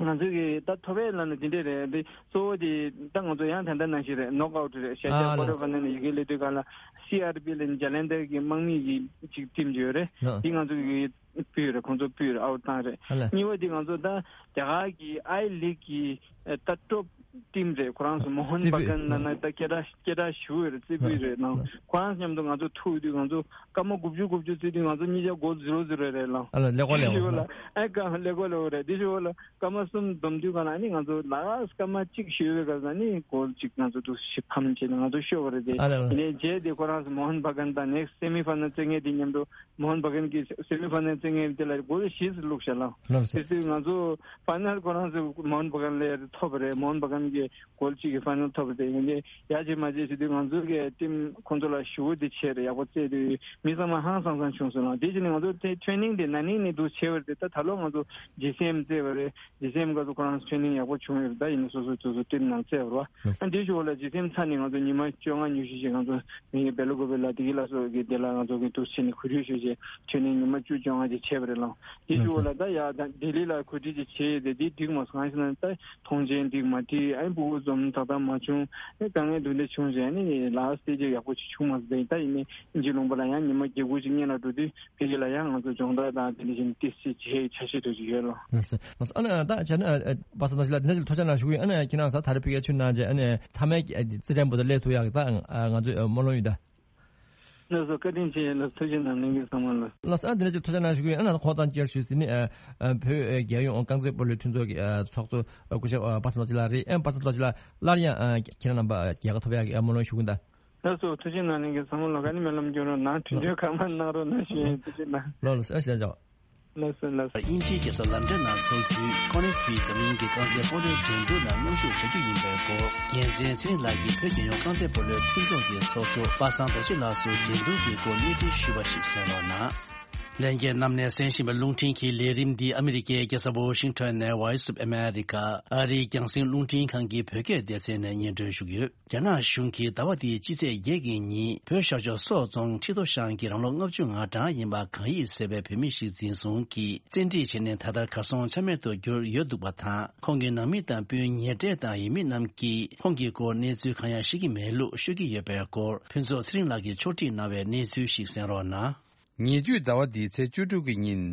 ང་ཚོའི་གི་ད་ཐོབ་ཡས་ལབ་ན་དེ་འདྲས་རེད། འདི་གཙོ་བོ་དེ་ད་ང་ཚོ་ཡང་ད་ལྟ་ནང་བཞིན་རེད། ནོག་ཨའུ་ཊི་རེད། ཤ་ཤ་ཨ་ཀོ་ཊར་ལགས་སོ། ཕའི་ནལ་ནས་ཡི་གེ་སླེབས་དུས་ག་ལ་སི་ཨར་པི་ལབ་ནས་ཇ་ལན་དར་གི་དམག་མི་གི་ཅིག་ཊིམ་ཅིག་ཡོད་རེད། ཨ་འདི་ང་ཚོ་གི་སྤུས་རེད། ཁོང་ཚོ་སྤུས་རེད། ཨའུ་ཊི་བཏང་རེད། ཨ་ལགས། གཉིས་པ་དེ་ང་ཚོ་ད་རྒྱ་གར་གི་ཨའི་ལིག་གི་ད་ཊོབ་ཊིམ་རེད། ཁོ་རང་ཚོ་མོ་ཧོན་རྩེ་ཕུད་བྷ་གན་ལབ་ན་ད་སྐད་གྲགས་སྐད་གྲགས་ཞེ་པོ་ཡོད་རེད། རྩེ་ཕུད་རེད་ནང་། ཁོ་རང་མཉམ་དུ་ང་ཚོ་ཐུག་དུས་ང་ཚོ་སྐར་མ་དགུ་བཅུ་དགུ་བཅུ་རྩེ་དུས་ང་ཚོ་གཉིས་ཆ་སྒོར་ཟི་རོ་ཟི་རོ་རེད་ལགས། ཨ་ལ་ཀླད་ཀོར་ལེགས་པོ་ལ་ཨ་ཀ་ཀླད་ཀོར་ལེགས་པོ་རེད། དེ་ཞུ་བ་ལ་སྐར་མ་གསུམ་བསྡོམས་དུས་ག་ལ་ཨ་ནི་ང་ཚོ་ལ་སྐར་མ་གཅིག་ཞུ་བའི་སྐབས་ལ་ཨ་ནི་སྒོར་གཅིག་ང་ཚོ་འདུག་ཞིབ་ཕམ་བྱས་ནས་ང་ཚོ་ཤོར་བ་རེད་དེ། ཨ་ལ་ཨ་ལ། དེ་ནས་རྗེས་དེ་ཁོ་རང་ཚོ་མོ་ཧོན་བྷ་གན་དང་ནེག་སི་སེ་མི་ཕའི་ནལ་རྩེ་མཁན་དེ་མཉམ་དུ་མོ་ཧོན་བྷ་གན་གྱི་སེ་མི་ཕའི་ནལ་རྩེ་མཁན་དེ་ལ་སྒོར་བཞི་ཙམ་བླུགས་བཞག་ལགས། ལགས་སོ། དེ་དུས་ང་ཚོ་ཕའི་ནལ་ཁོ་རང་ཚོ་མོ་ཧོན་བྷ་གན་ལ་ཐོབ་པ་རེད། མོ་ཧོན་བྷ་གན་གྱི་སྒོར་གཅིག་གི་ཕའི་ནལ་ཐོབ་པ་རེད། དེ་ཡིན་དེ་ཡག་ཅིག་མ་བྱས་བྱེད་དུས་ང་ཚོ་གི་ཊིམ་ཁོང་ཚོ་ལ་ཞུ་བ་དེ་བྱས་རེད། ཡག་པོ་རྩེ་དུས་མི་ཚང་མ་ཧང་སང་སང་བྱུང་སོང་ལགས། དེ་བྱས་ནས་ང་ཚོ་ཊེ་ཊེ་རེ་ནིང་དེ་ན་ནིང་ནས་འདུག་བྱས་པ་རེད་དེ། ད་ད་ལོ་ང་ཚོ་ཇི་སི་ཨེམ་རྩེ་བ་རེད། ཇི་སི་ཨེམ་སྐབས་སུ་ཁོ་རང་ཚོ་ཊེ་རེ་ནིང་ཡག་པོ་བྱུང་ཡོད་རེད། ད་ཡིན་ནའི་སོ་སོ་སོ་སོ་ཊིམ་ནང་རྩེ་བ་རེད་བ། ཨ་འདི་ཞུ་བ་ལ་ཇི་སི་ཨེམ་ཚར་ནས་ང་ཚོ་ཉི་མ་བཅོ་ལྔ་ཉི་ཤུ་ཞིག་ང་ཚོ་མི་བེ་ལོ་གོ་བེ་ལ་དེ་གི་ལ་སོགས་ཀྱི་དེ་ལ་ང་ཚོ་གི་འདུག་བྱས་ནས་གོ་སྒྲིག་ཞུ་བྱས་ཊེ་རེ་ནིང་ཉི་མ་བཅུ་བཅོ་ལྔ་ཅིག་བྱས་པ་རེད་ལགས། དེ་ཞུ་བ་ལ་ད་ཡ་ད་ལྡི་ལི་ལ་གོ་སྒྲིག་ཅིག་བྱས་ཡོད་དེ། དེ་འགྲིག་མ་སོང་། གང་ཡིན་ཟེར་ན་ད་མཐོང་མཆན་འགྲིག་མ་འགྲིག་ཨ་འབུ་གུ་འཛོམས་ཏག་ཏག་མ་བྱུང་། ཨེ་དཀའ་ངལ་འདུག་འདྲ་བྱུང་བྱས་ནས་ལ་སི་ཊེ་ཇི་ཡག་པོ་ཅིག་བྱུང་མ་སོང་། ད་ཡིན་ནའི་དབྱིན་ཇི་ལུང་པ་ལ་ཡང་ཉི་མ་བརྒྱད་དགུ་ཅིག་སྔོན་ལ་འགྲོ་དུས་ཕ་གི་ལ་ཡང་ང་ཚོ་སྦྱོང་བརྡར་དང་དེ་འདྲ་བཞིན་ཏོག་ཙམ་བྱེད་འཆར་གཞི་འདྲ་ཅིག་ཡོད་ལགས། ལགས་སོ། ལགས་སོ། ཨ་ནི་ད་བྱས་ན་ཨ་ཨ་པ་སངས་རྡོ་རྗེ་ལགས་འདི་འདྲ་ཅིག་ཐུགས་རྗེ་ཆེ་གནང་ཞུ་གི་ཡིན། ཨ་ནི་ཁྱེད་རང་ད་ད་རེས་ཕ་གིར་ཕྱིར་གནང་རྗེས་ཨ་ནི་མཐའ་མའི་རྩེད་འགྲན་པོ་དེ་སླེབས་ཐུབ་ཡག་གི་ད་ང་ཚོས་སྨོན་ལམ་ཡོད་ད། ལགས་སོ། བཀའ་དྲིན་ཆེ་ལགས། ཐུགས་རྗེ་གནང་། ལྷན་རྒྱས་ཚང་མ་ལ། ལགས་སོ། ཨ་འདི་འདྲ་ཅིག་ཐུགས་རྗེ་གནང་ཞུ་གི་ཡིན། ཨ་ནི་ཁོང་ཚང་བཅར་ཞུས་ཟིན་ནི་ཨ་ཨ་བོད་ཨ་རྒྱལ་ཡོངས་རྐང་རྩེད་སྤོ་ལོའི་མཐུན་ཚོགས་ཀྱི་ཨ་ཚོགས་གཙོ་ཨ་སྐུ་ཞབས་ཨ་པ་སངས་རྡོ་རྗེ་ལགས་རེད། ཨ་པ་སངས་རྡོ་རྗེ་ལགས་སླར་ཡང་ཨ་ཁྱེད་རང་རྣམ་པ་རྒྱལ་ཁ་ཐོབ་ཡག་གི་ཨ་སྨོན་ལམ་ཞུ་གི་ཡིན་ད། ལགས་སོ། ཐུགས་རྗེ་གནང་། ལྷན་རྒྱས་ཚང་མ་ལ་ཨ་ནི་སྨོན་ལམ་སྐྱོན་རོགས་གནང་། དྲིན་གཟོ་ཁག་མ་གནང་རོགས་གནང་ཞུ་ཡིན། ཐུགས་རྗེ་གནང་། ལགས་ལགས་སོ། ཨ་ཞེ་ཅོག་ལགས་སོ་ལགས་སོ། དབྱིན་ཇིའི་རྒྱལ་ས་ལན་ཀྲན་ནང་འཚོགས་རྒྱུའི་ཀོ་ནེ་ཕི་འཛམ་གླིང་གི་རྐང་རྩེད་སྤོ་ལོའི་འགྲན་བསྡུར་ནང་མཉམ་ཞུགས་བྱ་རྒྱུ་ཡིན་པའི་སྐོར་རྒྱལ་མཚན་ཚེ་རིང་ལགས་ཀྱིས་བོད་རྒྱལ་ཡོངས་རྐང་རྩེད་སྤོ་ལོའི་མཐུན་ཚོགས་ཀྱི་ཚོགས་གཙོ་པ་སངས་རྡོ་རྗེ་ལགས་སུ་འགྲན་བསྡུར་གྱི་སྐོར་གནས་ཚུལ་ཞུས་པ་ཞིག་གསན་རོགས་གནང་། ལྷན་རྒྱས་རྣམས་ནས་གསན་བཞིན་པའི་རླུང་འཕྲིན་གྱི་ལས་རིམ་འདི་ཨ་མི་རི་ཀའི་རྒྱལ་ས་ཝོ་ཤིང་ཊོན་ནས་Voice of America ཨ་རིའི་རྒྱང་སྲིང་རླུང་འཕྲིན་ཁང་གི་བོད་སྐད་སྡེ་ཚན་ནས་སྙན་སྒྲོན་ཞུ་གི་ཡོད། རྒྱ་ནག་གཞུང་གིས་ཟླ་བ་འདིའི་སྤྱི་ཚེས་བརྒྱད་ཀྱི་ཉིན་བོད་ཤར་ཕྱོགས་སོག་རྫོང་ཁྲི་ཐོ་ཤང་གི་རང་ལོ་ལྔ་བཅུ་ང་གྲངས་ཡིན་པ་གང་ཡིན་ཟེར་བའི་བོད་མི་ཞིག་འཛིན་བཟུང་གིས་བཙན་ཁྲིད་བྱས་ནས་ད་ལྟ་གར་སོང་ཆ་མེད་དུ་གྱུར་ཡོད་འདུག་པ་དང་། ཁོང་གི་ནང་མི་དང་སྤུན་ཉེ་འབྲེལ་དང་ཡིན་མིན་རྣམས་ཀྱིས་ཁོང་གི་སྐོར་གནས་ཚུལ་གང་ཡང་ཤེས་ཀྱི་མེད་ལུགས་ཤོད་ཀྱི་ཡོད་པའི་སྐོར་ཕུན་ཚོགས་ཚེ་རིང་ལགས་ཀྱིས་ཕྱོགས་སྒྲིག་གནང་བའི་གནས་ཚུལ་ཞིག་གསན་རོགས་གནང་། ཉེ་དུས་ཟླ་བ་འདིའི་ཚེས་བཅུ་དྲུག་གི་ཉིན།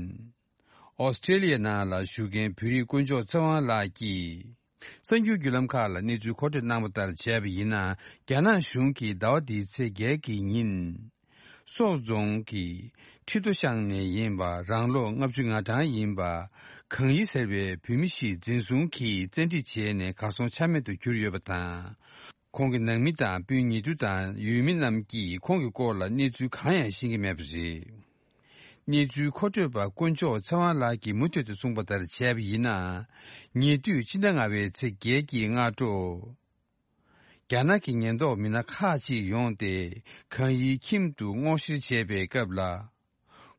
ཨོ་སི་ཀྲེ་ལི་ཡའི་ནང་ལ་བཞུགས་མཁན་བོད་རིགས་དཀོན་མཆོག་ཚེ་དབང་ལགས་ཀྱིས། གསར་འགྱུར་བརྒྱུད་ལམ་ཁག་ལ་གནས་ཚུལ་མཁོ་སྤྲོད་གནང་བ་ལྟར་བྱས་པ་ཡིན་ན། རྒྱ་ནག་གཞུང་གིས་ཟླ་བ་འདིའི་ཚེས་བརྒྱད་ཀྱི་ཉིན། སོག་རྫོང་གི་ཁྲི་ཐོ་ཤང་ནས་ཡིན་པ་རང་ལོ་ལྔ་བཅུ་ང་གྲངས་ཡིན་པ་གང་ཡིན་ཟེར་བའི་བོད་མི་ཞིག་འཛིན་བཟུང་གིས་བཙན་ཁྲིད་བྱས་ནས་གར་སོང་ཆ་མེད་དུ་གྱུར་ཡོད་པ་དང་། ཁོང་གི་ནང་མི་དང་སྤུན་ཉེ་དུ་དང་ཡུལ་མི་རྣམས་ཀྱིས་ཁོང་གི་སྐོར་ལ་གནས་ཚུལ་གང་ཡང་ཤེས་ཀྱི་མེད་པ་རེད། གནས་ཚུལ་མཁོ་སྤྲོད་པ་དཀོན་མཆོག་ཚེ་དབང་ལགས་ཀྱིས་མུ་མཐུད་དུ་གསུངས་པ་ལྟར་བྱས་པ་ཡིན་ན། ཉེ་དུས་ཕྱི་ཟླ་ལྔ་པའི་ཚེས་བརྒྱད་ཀྱི་སྔ་དྲོ། རྒྱ་ནག་གི་ཉེན་རྟོག་མི་སྣ་ཁག་ཅིག་ཡོང་སྟེ། གང་ཡིན་ཁྱིམ་དུ་སྔོག་བཤེར་བྱས་པའི་སྐབས་ལ།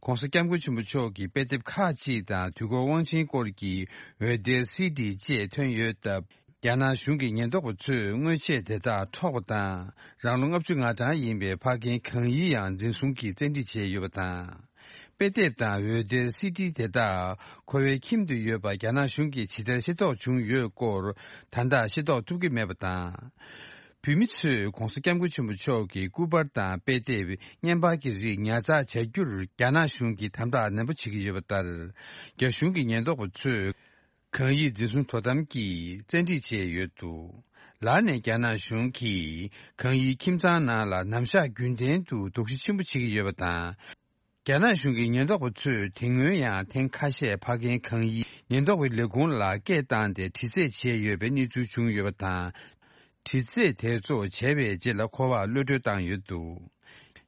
ྋགོང་ས་ྋསྐྱབས་མགོན་ཆེན་པོ་མཆོག་གི་དཔེ་དེབ་ཁག་ཅིག་དང་དུས་འཁོར་དབང་ཆེན་སྐོར་གྱི་འོད་སྡེར་སི་ཌི་བཅས་ཐོན་ཡོད་སྟབས། རྒྱ་ནག་གཞུང་གི་ཉེན་རྟོག་པ་ཚོས་དངོས་ཆས་དེ་དག་འཕྲོག་པ་དང་། རང་ལོ་ལྔ་བཅུ་ང་གྲངས་ཡིན་པའི་ཕ་རྒན་གང་ཡིན་ཡང་འཛིན་བཟུང་གིས་བཙན་ཁྲིད་བྱས་ཡོད་པ་དང་། དཔེ་དེབ་དང་འོད་སྡེར་སི་ཌི་དེ་དག་ཁོ་བའི་ཁྱིམ་དུ་ཡོད་པ་རྒྱ་ནག་གཞུང་གིས་ཇི་ལྟར་ཤེས་རྟོགས་བྱུང་ཡོད་སྐོར། ད་ལྟ་ཤེས་རྟོགས་ཐུབ་ཀྱི་མེད་པ་དང་། བོད་མི་ཚོས་ྋགོང་ས་ྋསྐྱབས་མགོན་ཆེན་པོ་མཆོག་གི་སྐུ་པར་དང་དཔེ་དེབ་བརྙན་པར་གྱི་རིགས་ཉར་ཚགས་བྱ་རྒྱུར་རྒྱ་ནག་གཞུང་གིས་དམ་དྲག་ནན་པོ་བྱེད་ཀྱི་ཡོད་པ་ལྟར། རྒྱ་གཞུང་གི་ཉེན་རྟོག་པ་ཚོས་གང་ཡིན་འཛིན་བཟུང་དོ་དམ་གྱིས་བཙན་ཁྲིད་བྱས་ཡོད་འདུག་ལར་ནས་རྒྱ་ནག་གཞུང་གིས་གང་ཡིན་ཁྱིམ་ཚང་ནང་ལ་ནམ་ཞག་རྒྱུན་ལྡན་དུ་དོགས་གཞི་ཆེན་པོ་བྱེད་ཀྱི་ཡོད་པ་དང་། རྒྱ་ནག་གཞུང་གི་ཉེན་རྟོག་པ་ཚོས་དེ་སྔོན་ཡང་ཐེངས་ཁ་ཤས་ཕ་རྒན་གང་ཡིན་ཉེན་རྟོག་པའི་ལས་ཁུངས་ལ་སྐད་བཏང་སྟེ་དྲི་རྩད་བྱས་ཡོད་པའི་གནས་ཚུལ་བྱུང་ཡོད་པ་དང་། དྲི་རྩད་དེ་ཚོ་བྱས་པའི་རྗེས་ལ་ཁོ་པར་གློད་གྲོལ་བཏང་ཡོད་འདུག་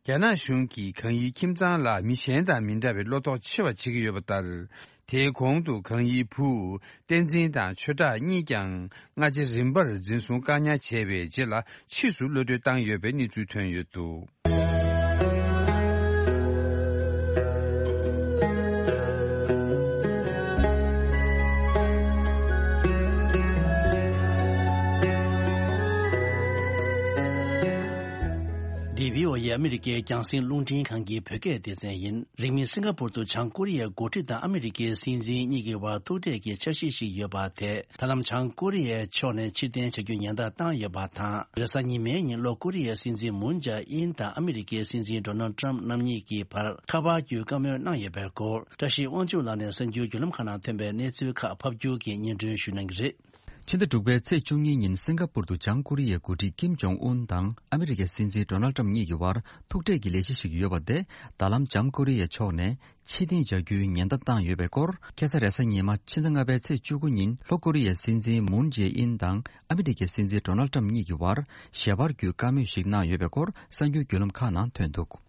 རྒྱ་ནག་གཞུང་གིས་གང་ཡིན་ཁྱིམ་ཚང་ལ་མི་གཞན་དང་མི་འདྲ་བའི་བློ་དོགས་ཆེ་བ་བྱེད་ཀྱི་ཡོད་པ་ལྟར། དེའི་གོང་དུ་གང་ཡིན་བུ་བསྟན་འཛིན་དང་ཆོས་གྲགས་གཉིས་ཀྱང་སྔ་རྗེས་རིམ་པར་འཛིན་བཟུང་བཀག་ཉར་བྱས་པའི་རྗེས་ལ་ཕྱིས་སུ་གློད་གྲོལ་བཏང་ཡོད་པའི་གནས་ཚུལ་ཐོན་ཡོད་འདུག་འདི་བྷི་ཨོ་ཨེ་ཨ་མི་རི་ཀའི་རྒྱང་སྲིང་རླུང་འཕྲིན་ཁང་གི་བོད་སྐད་སྡེ་ཚན་ཡིན། རིང་མིན་སིང་ག་པུར་དུ་བྱང་ཀོ་རི་ཡའི་འགོ་ཁྲིད་དང་ཨ་མི་རི་ཀའི་སྲིད་འཛིན་གཉིས་ཀྱི་བར་ཐུག་འཕྲད་ཀྱི་འཆར་གཞི་ཞིག་ཡོད་པ་དེ། ད་ལམ་བྱང་ཀོ་རི་ཡའི་ཕྱོགས་ནས་ཕྱིར་འཐེན་བྱ་རྒྱུ་ཉེན་བརྡ་བཏང་ཡོད་པ་དང་། རེས་གཟའ་ཉི་མའི་ཉིན་ལྷོ་ཀོ་རི་ཡའི་སྲིད་འཛིན་མུན་ཇེ་ཨིན་དང་ཨ་མི་རི་ཀའི་སྲིད་འཛིན་ཌོ་ནལ་ཊམ་རྣམ་གཉིས་ཀྱི་བར་ཁ་པར་བརྒྱུད་བཀའ་མོལ་གནང་ཡོད་པའི་སྐོར། བཀྲ་ཤིས་དབང་ཕྱུག་ལགས་ནས་གསར་འགྱུར་བརྒྱུད་ལམ་ཁག་ནང་ཐོན་པའི་གནས་ཚུལ་ཁག་ཕབ་སྒྱུར་གྱིས་སྙན་སྒྲོན་ཞུ་གནང་གི་རེད། ཕྱི་ཟླ་དྲུག་པའི་ཚེས་བཅུ་གཉིས་ཉིན་སིང་ག་པུར་དུ་བྱང་ཀོ་རི་ཡའི་འགོ་ཁྲིད་ཀིམ་ཇོང་ཨུན་དང་ཨ་མི་རི་ཀའི་སྲིད་འཛིན་ཌོ་ནལ་ཊམ་གཉིས་ཀྱི་བར་ཐུག་འཕྲད་ཀྱི་ལས་གཞི་ཞིག་ཡོད་པ་དེ། ད་ལམ་བྱང་ཀོ་རི་ཡའི་ཕྱོགས་ནས་ཕྱིར་འཐེན་བྱ་རྒྱུའི་ཉེན་བརྡ་བཏང་ཡོད་པའི་སྐོར། ཁ་སང་རེས་གཟའ་ཉི་མ་ཕྱི་ཟླ་ལྔ་པའི་ཚེས་བཅུ་དགུ་ཉིན་ལྷོ་ཀོ་རི་ཡའི་སྲིད་འཛིན་མུན་ཇེ་ཨིན་དང་ཨ་མི་རི་ཀའི་སྲིད་འཛིན་ཌོ་ནལ་ཊམ་གཉིས་ཀྱི་བར་ཞལ་པར་བརྒྱུད་བཀའ་མོལ་ཞིག་གནང་ཡོད་པའི་སྐོར་གསར་འགྱུར་བརྒྱུད་ལམ་ཁག་ནང་ཐོན་འདུག་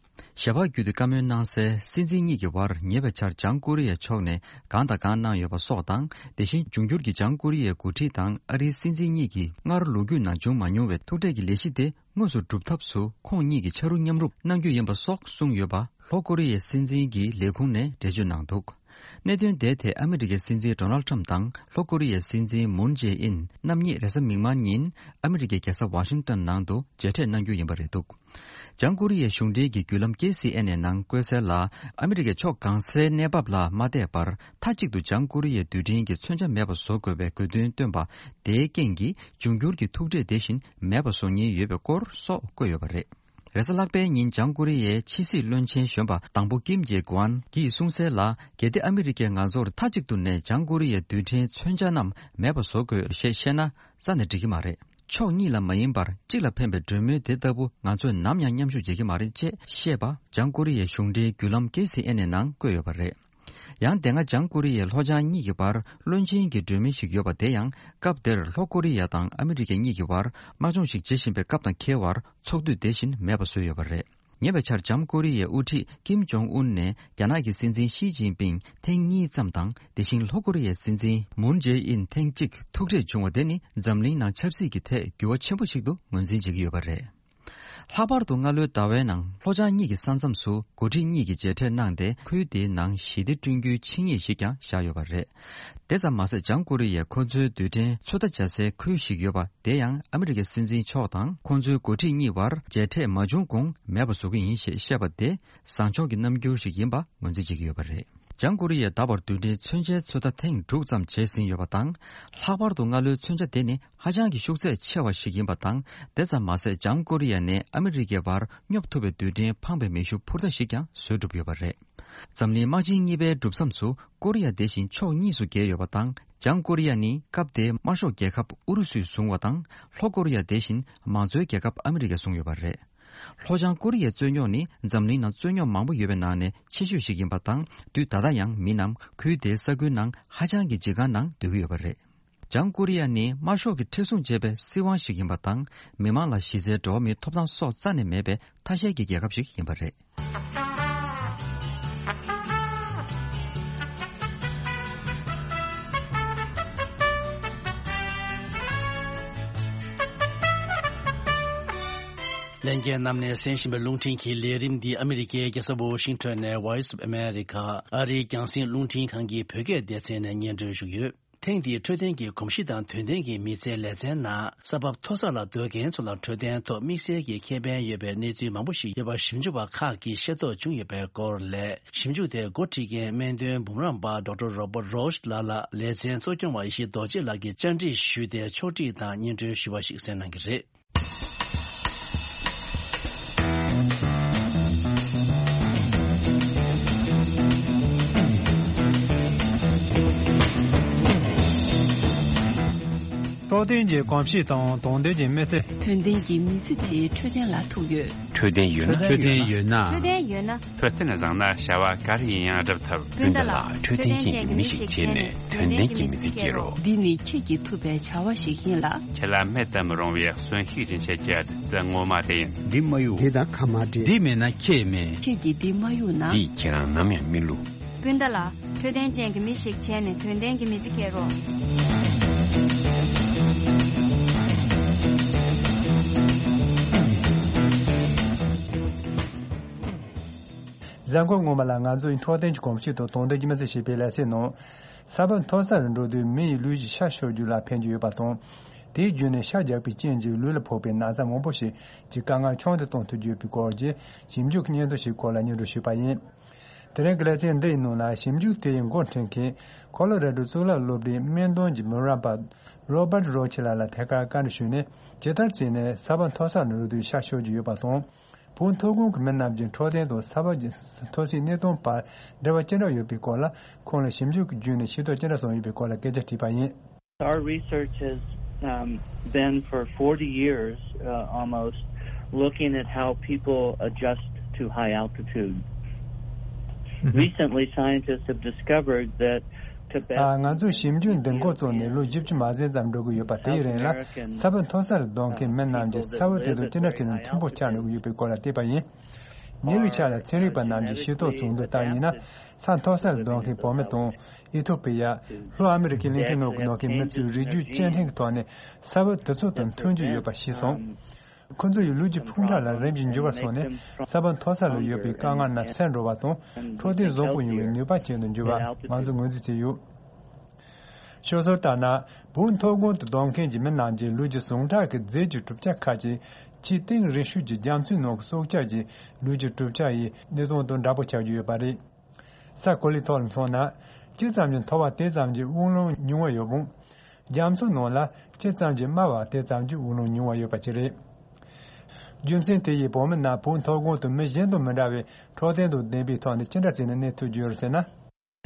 ཞལ་པར་བརྒྱུད་དེ་བཀའ་མོལ་གནང་གསལ། སྲིད་འཛིན་གཉིས་ཀྱི་བར་ཉེ་བའི་ཆར་བྱང་ཀོ་རི་ཡའི་ཕྱོགས་ནས་གང་དང་གང་གནང་ཡོད་པ་སོགས་དང་། དེ་བཞིན་འབྱུང་འགྱུར་གྱི་བྱང་ཀོ་རི་ཡའི་འགོ་ཁྲིད་དང་ཨ་རིའི་སྲིད་འཛིན་གཉིས་ཀྱིས་སྔར་ལོ་རྒྱུས་ནང་བྱུང་མ་མྱོང་བའི་ཐུག་འཕྲད་ཀྱི་ལས་གཞི་དེ་དངོས་སུ་སྒྲུབ་ཐབས་སུ་ཁོང་གཉིས་ཀྱིས་ཕྱག་རོགས་མཉམ་རུབ་གནང་རྒྱུ་ཡིན་པ་སོགས་གསུངས་ཡོད་པ་ལྷོ་ཀོ་རི་ཡའི་སྲིད་འཛིན་གྱི་ལས་ཁུངས་ནས་འགྲེལ་བརྗོད་གནང་འདུག་གནད་དོན་དེའི་ཐད་ཨ་མི་རི་ཀའི་སྲིད་འཛིན་ཌོ་ནལ་ཊམ་དང་ལྷོ་ཀོ་རི་ཡའི་སྲིད་འཛིན་མུན་ཇེ་ཨིན་རྣམ་གཉིས་རེས་གཟའ་མིག་དམར་ཉིན་ཨ་མི་རི་ཀའི་རྒྱལ་ས་ཝ་ཤིང་ཏོན་ནང་དུ་མཇལ་འཕྲད་གནང་རྒྱུ་ཡིན་པ་རེད་འདུག་བྱང་ཀོ་རི་ཡའི་གཞུང་འབྲེལ་གྱི་བརྒྱུད་ལམ་ཀེ་སི་ཨེན་ཨེ་ནང་བཀོད་གསལ་ལ། ཨ་མི་རི་ཀའི་ཕྱོགས་གང་སའི་གནས་བབ་ལ་མ་བལྟས་པར་མཐའ་གཅིག་ཏུ་བྱང་ཀོ་རི་ཡའི་རྡུལ་ཕྲན་གྱི་མཚོན་ཆ་མེད་པ་བཟོ་དགོས་པའི་དགོས་འདུན་བཏོན་པ་དེའི་རྐྱེན་གྱིས་འབྱུང་འགྱུར་གྱི་ཐུག་འཕྲད་དེ་བཞིན་མེད་པ་བཟོ་ཉེན་ཡོད་པའི་སྐོར་སོགས་བཀོད་ཡོད་པ་རེད། རེས་གཟའ་ལྷག་པའི་ཉིན་བྱང་ཀོ་རི་ཡའི་ཕྱི་སྲིད་བློན་ཆེན་གཞོན་པ་དང་པོ་ཀིམ་ཇེ་གུའན་གྱིས་གསུངས་གསལ་ལ། གལ་ཏེ་ཨ་མི་རི་ཀས་ང་ཚོར་མཐའ་གཅིག་ཏུ་ནས་བྱང་ཀོ་རི་ཡའི་རྡུལ་ཕྲན་མཚོན་ཆ་རྣམས་མེད་པ་བཟོ་དགོས་ཞེས་བཤད་ན་རྩ་ནས་འགྲིག་གི་མ་རེད། ཕྱོགས་གཉིས་ལ་མ་ཡིན་པར་གཅིག་ལ་ཕན་པའི་གྲོས་མོལ་དེ་ལྟ་བུ་ང་ཚོས་ནམ་ཡང་མཉམ་ཞུགས་བྱེད་ཀྱི་མ་རེད་ཅེས་བཤད་པ་བྱང་ཀོ་རི་ཡའི་གཞུང་འབྲེལ་བརྒྱུད་ལམ་ཀེ་སི་ཨེན་ཨེ་ནང་བཀོད་ཡོད་པ་རེད། ཡང་དེ་སྔ་བྱང་ཀོ་རི་ཡའི་ལྷོ་བྱང་གཉིས་ཀྱི་བར་བློན་ཆེན་གྱི་གྲོས་མོལ་ཞིག་ཡོད་པ་དེ་ཡང་སྐབས་དེར་ལྷོ་ཀོ་རི་ཡ་དང་ཨ་མི་རི་ཀ་གཉིས་ཀྱི་བར་དམག་སྦྱོང་ཞིག་བྱེད་བཞིན་པའི་སྐབས་དང་འཁེལ་བར་ཚོགས་དུས་དེ་བཞིན་མེད་པ་བཟོས་ཡོད་པ་རེད། ཉེ་བའི་ཆར་བྱང་ཀོ་རི་ཡའི་དབུ་ཁྲིད་ཀིམ་ཇོང་ཨུན་ནས་རྒྱ་ནག་གི་སྲིད་འཛིན་ཞི་ཅིན་ཕིང་ཐེངས་གཉིས་ཙམ་དང་དེ་བཞིན་ལྷོ་ཀོ་རི་ཡའི་སྲིད་འཛིན་མུན་ཇེ་ཨིན་ཐེངས་གཅིག་ཐུག་འཕྲད་བྱུང་བ་དེ་ནི་འཛམ་གླིང་ནང་ཆབ་སྲིད་ཀྱི་ཐད་འགྱུར་བ་ཆེན་པོ་ཞིག་ཏུ་ངོས་འཛིན་བྱེད་ཀྱི་ཡོད་པ་རེད། ལྷག་པར་དུ་སྔ་ལོའི་ཟླ་བའི་ནང་ལྷོ་བྱང་གཉིས་ཀྱི་ས་མཚམས་སུ་འགོ་ཁྲིད་གཉིས་ཀྱིས་མཇལ་འཕྲད་གནང་སྟེ་ཁུལ་དེའི་ནང་ཞི་བདེ་བསྐྲུན་རྒྱུའི་ཆིངས་ཡིག་ཞིག་ཀྱང་བཞག་ཡོད་པ་རེད། དེ་ཙམ་མ་ཟད་བྱང་ཀོ་རི་ཡས་ཁོ་ཚོའི་རྡུལ་ཕྲན་ཚོད་ལྟ་བྱ་སའི་ཁུལ་ཞིག་ཡོད་པ་དེ་ཡང་ཨ་མི་རི་ཀའི་སྲིད་འཛིན་མཆོག་དང་ཁོ་ཚོའི་འགོ་ཁྲིད་གཉིས་བར་མཇལ་འཕྲད་མ་བྱུང་གོང་མེད་པ་བཟོ་གི་ཡིན་ཞེས་བཤད་པ་དེ་བཟང་ཕྱོགས་ཀྱི་རྣམ་འགྱུར་ཞིག་ཡིན་པ་ངོས་འཛིན་བྱེད་ཀྱི་ཡོད་པ་རེད། བྱང་ཀོ་རི་ཡས་ད་བར་རྡུལ་ཕྲན་མཚོན་ཆའི་ཚོད་ལྟ་ཐེངས་དྲུག་ཙམ་བྱས་ཟིན་ཡོད་པ་དང་། ལྷག་པར་དུ་སྔ་ལོའི་མཚོན་ཆ་དེ་ནི་ཧ་ཅང་གི་ཤུགས་ཚད་ཆེ་བ་ཞིག་ཡིན་པ་དང་། དེ་ཙམ་མ་ཟད་བྱང་ཀོ་རི་ཡ་ནས་ཨ་མི་རི་ཀའི་བར་སྙོབ་ཐུབ་པའི་རྡུལ་ཕྲན་འཕངས་པའི་མེ་ཤུགས་འཕུར་མདའ་ཞིག་ཀྱང་བཟོས་གྲུབ་ཡོད་པ་རེད། འཛམ་གླིང་དམག་ཆེན་གཉིས་པའི་གྲུབ་མཚམས་སུ་ཀོ་རི་ཡ་དེ་བཞིན་ཕྱོགས་གཉིས་སུ་གྱེས་ཡོད་པ་དང་། བྱང་ཀོ་རི་ཡ་ནི་སྐབས་དེའི་དམར་ཤོག་རྒྱལ་ཁབ་ཨུ་རུ་སུས་བཟུང་བ་དང་། ལྷོ་ཀོ་རི་ཡ་དེ་བཞིན་མང་གཙོའི་རྒྱལ་ཁབ་ཨ་མི་རི་ཀས་བཟུང་ཡོད་པ་རེད། ལྷོ་བྱང་ཀོ་རི་ཡའི་རྩོད་རྙོག་ནི་འཛམ་གླིང་ནང་རྩོད་རྙོག་མང་པོ་ཡོད་པའི་ནང་ནས་ཆེ་ཤོས་ཤིག་ཡིན་པ་དང་། དུས་ད་ལྟ་ཡང་མི་རྣམས་ཁུལ་དེའི་ས་ཁུལ་ནང་ཧ་ཅང་གི་འཇིགས་སྐུལ་ནང་སྡོད་ཀྱི་ཡོད་པ་རེད། བྱང་ཀོ་རི་ཡ་ནི་དམར་ཤོག་གིས་མཁྲེགས་བཟུང་བྱས་པའི་སྲིད་དབང་ཞིག་ཡིན་པ་དང་། མི་མང་ལ་གཞི་རྩའི་འགྲོ་བ་མིའི་ཐོབ་ཐང་སོགས་རྩ་ནས་མེད་པའི་ཐ་ཤལ་གྱི་རྒྱལ་ཁབ་ཞིག་ཡིན་པ་རེད། ལྷན་རྒྱས་རྣམས་ནས་གསན་བཞིན་པའི་རླུང་འཕྲིན་གྱི་ལས་རིམ་འདི་ཨ་མི་རི་ཀའི་རྒྱལ་ས་ཝོ་ཤིང་ཊོན་ནས་Voice of America ཨ་རིའི་རྒྱང་སྲིང་རླུང་འཕྲིན་ཁང་གི་བོད་སྐད་སྡེ་ཚན་ནས་སྙན་སྒྲོན་ཞུས་ཡོད། ཐེངས་འདིའི་འཕྲོད་བསྟེན་གྱི་གོམས་གཤིས་དང་དོན་ལྡན་གྱི་མི་ཚེའི་ལེ་ཚན་ནང་ས་བབ་མཐོ་ས་ལ་སྡོད་མཁན་ཚོ་ལ་འཕྲོད་བསྟེན་ཐོག་དམིགས་བསལ་གྱི་ཁེ་ཕན་ཡོད་པའི་གནས་ཚུལ་མང་པོ་ཞིག་ཡོད་པ་ཞིབ་འཇུག་པ་ཁག་གིས་ཤེས་རྟོགས་བྱུང་ཡོད་པའི་སྐོར་ལས། ཞིབ་འཇུག་དེ་འགོ་ཁྲིད་མཁན་སྨན་དོན་འབུམ་རམས་པ་ཌོག་ཊར་Robert Roche ལགས་ལ་ལེ་ཚན་གཙོ་སྐྱོང་བ་ཡེ་ཤེས་རྡོ་རྗེ་ལགས་ཀྱིས་བཅར་འདྲི་ཞུས་ཏེ་ཕྱོགས་སྒྲིག་དང་སྙན་སྒྲོན་ཞུས་པ་ཞིག་གསན་གནང་གི་རེད། འཕྲོད་བསྟེན་གྱི་གོམས་གཤིས་དང་དོན་ལྡན་གྱི་མི་ཚེ། དོན་ལྡན་གྱི་མི་ཚེ་དེ་འཕྲོད་བསྟེན་ལ་ཐུག་ཡོད། འཕྲོད་བསྟེན་ཡོད་ན། འཕྲོད་བསྟེན་ཡོད་ན། འཕྲོད་བསྟེན་ཡོད་ན། འཕྲོད་བསྟེན་བཟང་ན་བྱ་བ་ག་རེ་ཡིན་ཡང་འགྲུབ་ཐུབ། སྤུན་ཟླ་ལགས། འཕྲོད་བསྟེན་ཅན་གྱི་མི་ཞིག་བྱས་ནས་དོན་ལྡན་གྱི་མི་ཚེ་སྐྱེལ་རོགས། འདི་ནི་ཁྱེད་ཀྱིས་ཐུབ་པའི་བྱ་བ་ཞིག་ཡིན་ལ། ཁྱེད་ལ་མེད་དུ་མི་རུང་བའི་གསོན་ཤུགས་སྦྱིན་བྱེད་ཀྱི་བདུད་རྩི་ངོ་མ་དེ་ཡིན། འདི་མ་གཡུག་འདི་དང་ཁ་མ་འབྲལ། འདི་མེད་ན་ཁྱེད་མེད། ཁྱེད་ཀྱིས་འདི་མ་གཡུག་ན། འདིས་ཁྱེད་རང་ནམ་ཡང་མི་བསླུ། སྤུན་ཟླ་ལགས། འཕྲོད་བསྟེན་ཅན་གྱི་མི་ཞིག་བྱས་ནས་དོན་ལྡན་གྱི་མི་ཚེ་སྐྱེལ་རོགས། གཟའ་འཁོར་སྔོན་མ་ལ་ང་ཚོའི་འཕྲོད་བསྟེན་གྱི་གོམས་གཤིས་དང་དོན་ལྡན་གྱི་མི་ཚེ་ཞེས་པའི་ལེ་ཚན་ནང་། ས་བབ་མཐོ་ས་རུ་འགྲོ་དུས་མི་ཡི་ལུས་ཀྱི་ཤ་གཤོག་རྒྱུ་ལ་ཕན་གྱི་ཡོད་པ་དང་། དེའི་བརྒྱུད་ནས་ཤ་རྒྱགས་པའི་རྐྱེན་གྱིས་ལུས་ལ་ཕོག་པའི་ན་ཚ་མང་པོ་ཞིག་གི་དཀའ་ངལ་ཆུང་དུ་གཏོང་ཐུབ་ཀྱི་ཡོད་པའི་སྐོར་གྱི་ཞིབ་འཇུག་སྙན་ཐོ་ཞིག་སྐོར་ལ་སྙན་སྒྲོན་ཞུས་པ་ཡིན། དེ་རིང་གི་ལེ་ཚན་འདི་ཡི་ནང་ལ་ཞིབ་འཇུག་དེ་ཡི་འགོ་འཁྲིད་མཁན་ཁོ་ལོ་རེ་ཌོ་གཙུག་ལག་སློབ་གྲྭའི་སྨན་དོན་གྱི་མི་རབས་པ་རོ་བར་ཊི་རོ་ཆི་ལགས་ལ་ཐད་ཀར་བཀའ་འདྲི་ཞུས་ནས། ཇི་ལྟར་བྱས་ནས་ས་བབ་མཐོ་ས་ནས་རུ་དུས་ཤ་གཤོག་རྒྱུ་ཡོད་པ་དང་། བོད་མཐོ་སྒང་གི་མི་རྣམས་ཀྱི་འཕྲོད་བསྟེན་དང་ས་བབ་ཀྱི་མཐོ་སའི་གནས་སྟངས་བར་འབྲེལ་བ་ཅི་འདྲ་ཡོད་པའི་སྐོར་ལ། ཁོང་ལ་ཞིབ་འཇུག་གི་བརྒྱུད་ནས་ཤེས་རྟོགས་ཅི་འདྲ་བྱུང་ཡོད་པའི་སྐོར་ལ་སྐད་ཆ་དྲིས་པ་ཡིན། Our research has, um, been for forty years, uh, almost, looking at how people adjust to high altitude. Recently, scientists have discovered that Tibetans and Himalayan ང་ཚོས་ཞིབ་འཇུག་འདི་འགོ་བཙུགས་ནས་ལོ་བཞི་བཅུ་མ་ཟིན་ཙམ་འགྲོ་གི་ཡོད་པ། དེའི་རིང་ལ་ས་བབ་མཐོ་སར་སྡོད་མཁན་མི་རྣམས་ཀྱིས་ས་བབ་དེ་དང་ཅི་འདྲ་བྱས་ནས་མཐུན་པོ་ཆགས་འགྲོ་གི་ཡོད་པའི་སྐོར་ལ་བལྟས་པ་ཡིན། ཉེ་བའི་ཆར་ལ་ཚན་རིག་པ་རྣམས་ཀྱིས་ཤེས་རྟོགས་བྱུང་དོན་ལྟར་ཡིན་ན། ས་མཐོ་སར་སྡོད་མཁན་བོད་མི་དང་། ཨི་ཐོ་པི་ཡ། ལྷོ་ཨ་མི་རི་ཀའི་གླིང་ཕྲན་ནང་གི་ནང་གི་མི་ཚོས་རིགས་རྒྱུད་སྐྱེ་ཕྲེང་གི་ཐོག་ནས་ས་བབ་དེ་ཚོ་དང་མཐུན་གྱི་ཡོད་པ་ཤེས་སོང་། ཁོ་ཚོ་ཡི་ལུས་ཀྱི་ཕུང་ཁྲག་ལ་རིམས་ཀྱིས་འགྱུར་བ་སོང་ནས། ས་བབ་མཐོ་ས་ལ་ཡོད་པའི་དཀའ་ངལ་རྣམས་སེལ་འགྲོ་བ་དང་། འཕྲོད་བསྟེན་བཟང་པོ་ཡོང་བའི་ནུས་པ་ཅན་དུ་འགྱུར་བ་ང་ཚོས་ངོས་འཛིན་བྱས་ཡོད། ཤོད་སྲོལ་ལྟར་ན། བོད་མཐོ་སྒང་དུ་སྡོད་མཁན་གྱི་མི་རྣམས་ཀྱི་ལུས་ཀྱི་ཟུངས་ཁྲག་གི་རྫས་ཀྱི་གྲུབ་ཆ་ཁག་ཅིག་ཆེས་གཏིང་རིང་ཤོས་ཀྱི་རྒྱ་མཚོའི་ནང་གི་སྲོག་ཆགས་ཀྱི་ལུས་ཀྱི་གྲུབ་ཆ་ཡི་གནས་སྟངས་དང་འདྲ་པོ་ཆགས་ཀྱི་ཡོད་པ་རེད། ས་གོ་ལའི་ཐོག་ལ་མཚོན་ན། ཇི་ཙམ་གྱིས་མཐོ་བ་དེ་ཙམ་གྱིས་དབུགས་ལམ་ཉུང་བ་ཡོད་པ། རྒྱ་མཚོའི་ནང་ལ་ཇི་ཙམ་གྱིས་དམའ་བ་དེ་ཙམ་གྱིས་དབུགས་ལམ་ཉུང་བ་ཡོད་པ་ཅིག་རེད། རྒྱུ་མཚན་དེ་ཡིས་བོད་མི་རྣམས་བོད་མཐོ་སྒང་དུ་མི་གཞན་དང་མི་འདྲ་བའི་འཕྲོད་བསྟེན་དང་ལྡན་པའི་ཐོག་ནས་ཅི་འདྲ་བྱས་ནས་གནས་ཐུབ་ཀྱི་ཡོད་རེད་ཟེར་ན།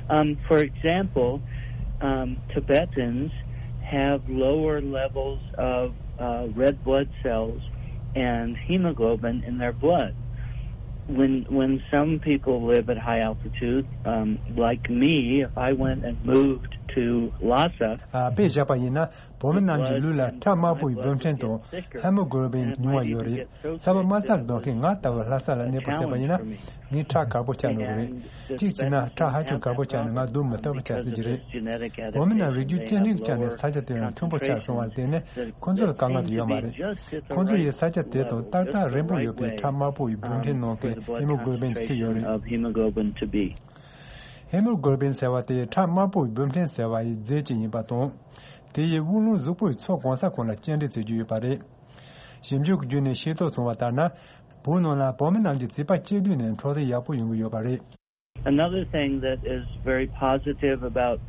Um, for example, um, Tibetans have lower levels of, uh, red blood cells and hemoglobin in their blood. When, when some people live at high altitude, um, like me, if I went and moved to Lhasa, ཨ། དཔེ་བཞག་པ་ཡིན་ན། བོད་མི་རྣམས་ཀྱི་ལུས་ལ་ཁྲག་དམར་པོ་ཡི་བུམ་ཕྲན་དང་ཧེ་མོ་གྷོ་ལོ་བིན་ཉུང་བ་ཡོད་རེད། ས་བབ་དམའ་སར་སྡོད་མཁན་ང་ལྟ་བུ་ལྷ་ས་ལ་གནས་སྤོ་བྱས་པ་ཡིན་ན། ངའི་ཁྲག་དཀར་པོ་ཆགས་འགྲོ་གི་རེད། གཅིག་བྱས་ན་ཁྲག་ཧ་ཅང་དཀར་པོ་ཆགས་ནས་ང་སྡོད་མི་ཐུབ་པ་ཆགས་སྲིད་ཀྱི་རེད། བོད་མི་རྣམས་རིགས་རྒྱུད་སྐྱེ་ཕྲེང་ཆ་ནས་ས་ཆ་དེ་ལ་མཐུན་པོ་ཆགས་སོང་བར་བརྟེན་ནས། ཁོ་ཚོ་ལ་དཀའ་ངལ་དེ་ཡོད་མ་རེད། ཁོ་ཚོ་ཡི་ས་ཆ་དེ་དང་ཏག་ཏག་རིང་པོ་ཡོད་པའི་ཁྲག་དམར་པོ་ཡི་བུམ་ཕྲན་ནང་གི་ཧེ་མོ་གྷོ་ལོ་བིན་གྱི་རྩིས་ཡོད་རེད། ཧེ་མོ་གྷོ་ལོ་བིན་ཟེར་བ་དེ་ཁྲག་དམར་པོ་ཡི་བུམ་ཕྲན་ཟེར་བ་ཡི་རྫས་ཅིག་ཡིན་པ་དང་། དེ་ཡིས་དབུགས་ལམ་གཟུགས་པོ་ཡི་ཚོགས་གང་ས་གང་ལ་སྐྱེལ་འདྲེན་བྱེད་རྒྱུ་ཡོད་པ་རེད། ཞིབ་འཇུག་བརྒྱུད་ནས་ཤེས་རྟོགས་བྱུང་བ་ལྟར་ན། བོད་ནང་ལ་བོད་མི་རྣམས་ཀྱི་བྱིས་པ་སྐྱེས་དུས་ནས་འཕྲོད་བསྟེན་ཡག་པོ་ཡོང་གི་ཡོད་པ་རེད། Another thing that is very positive about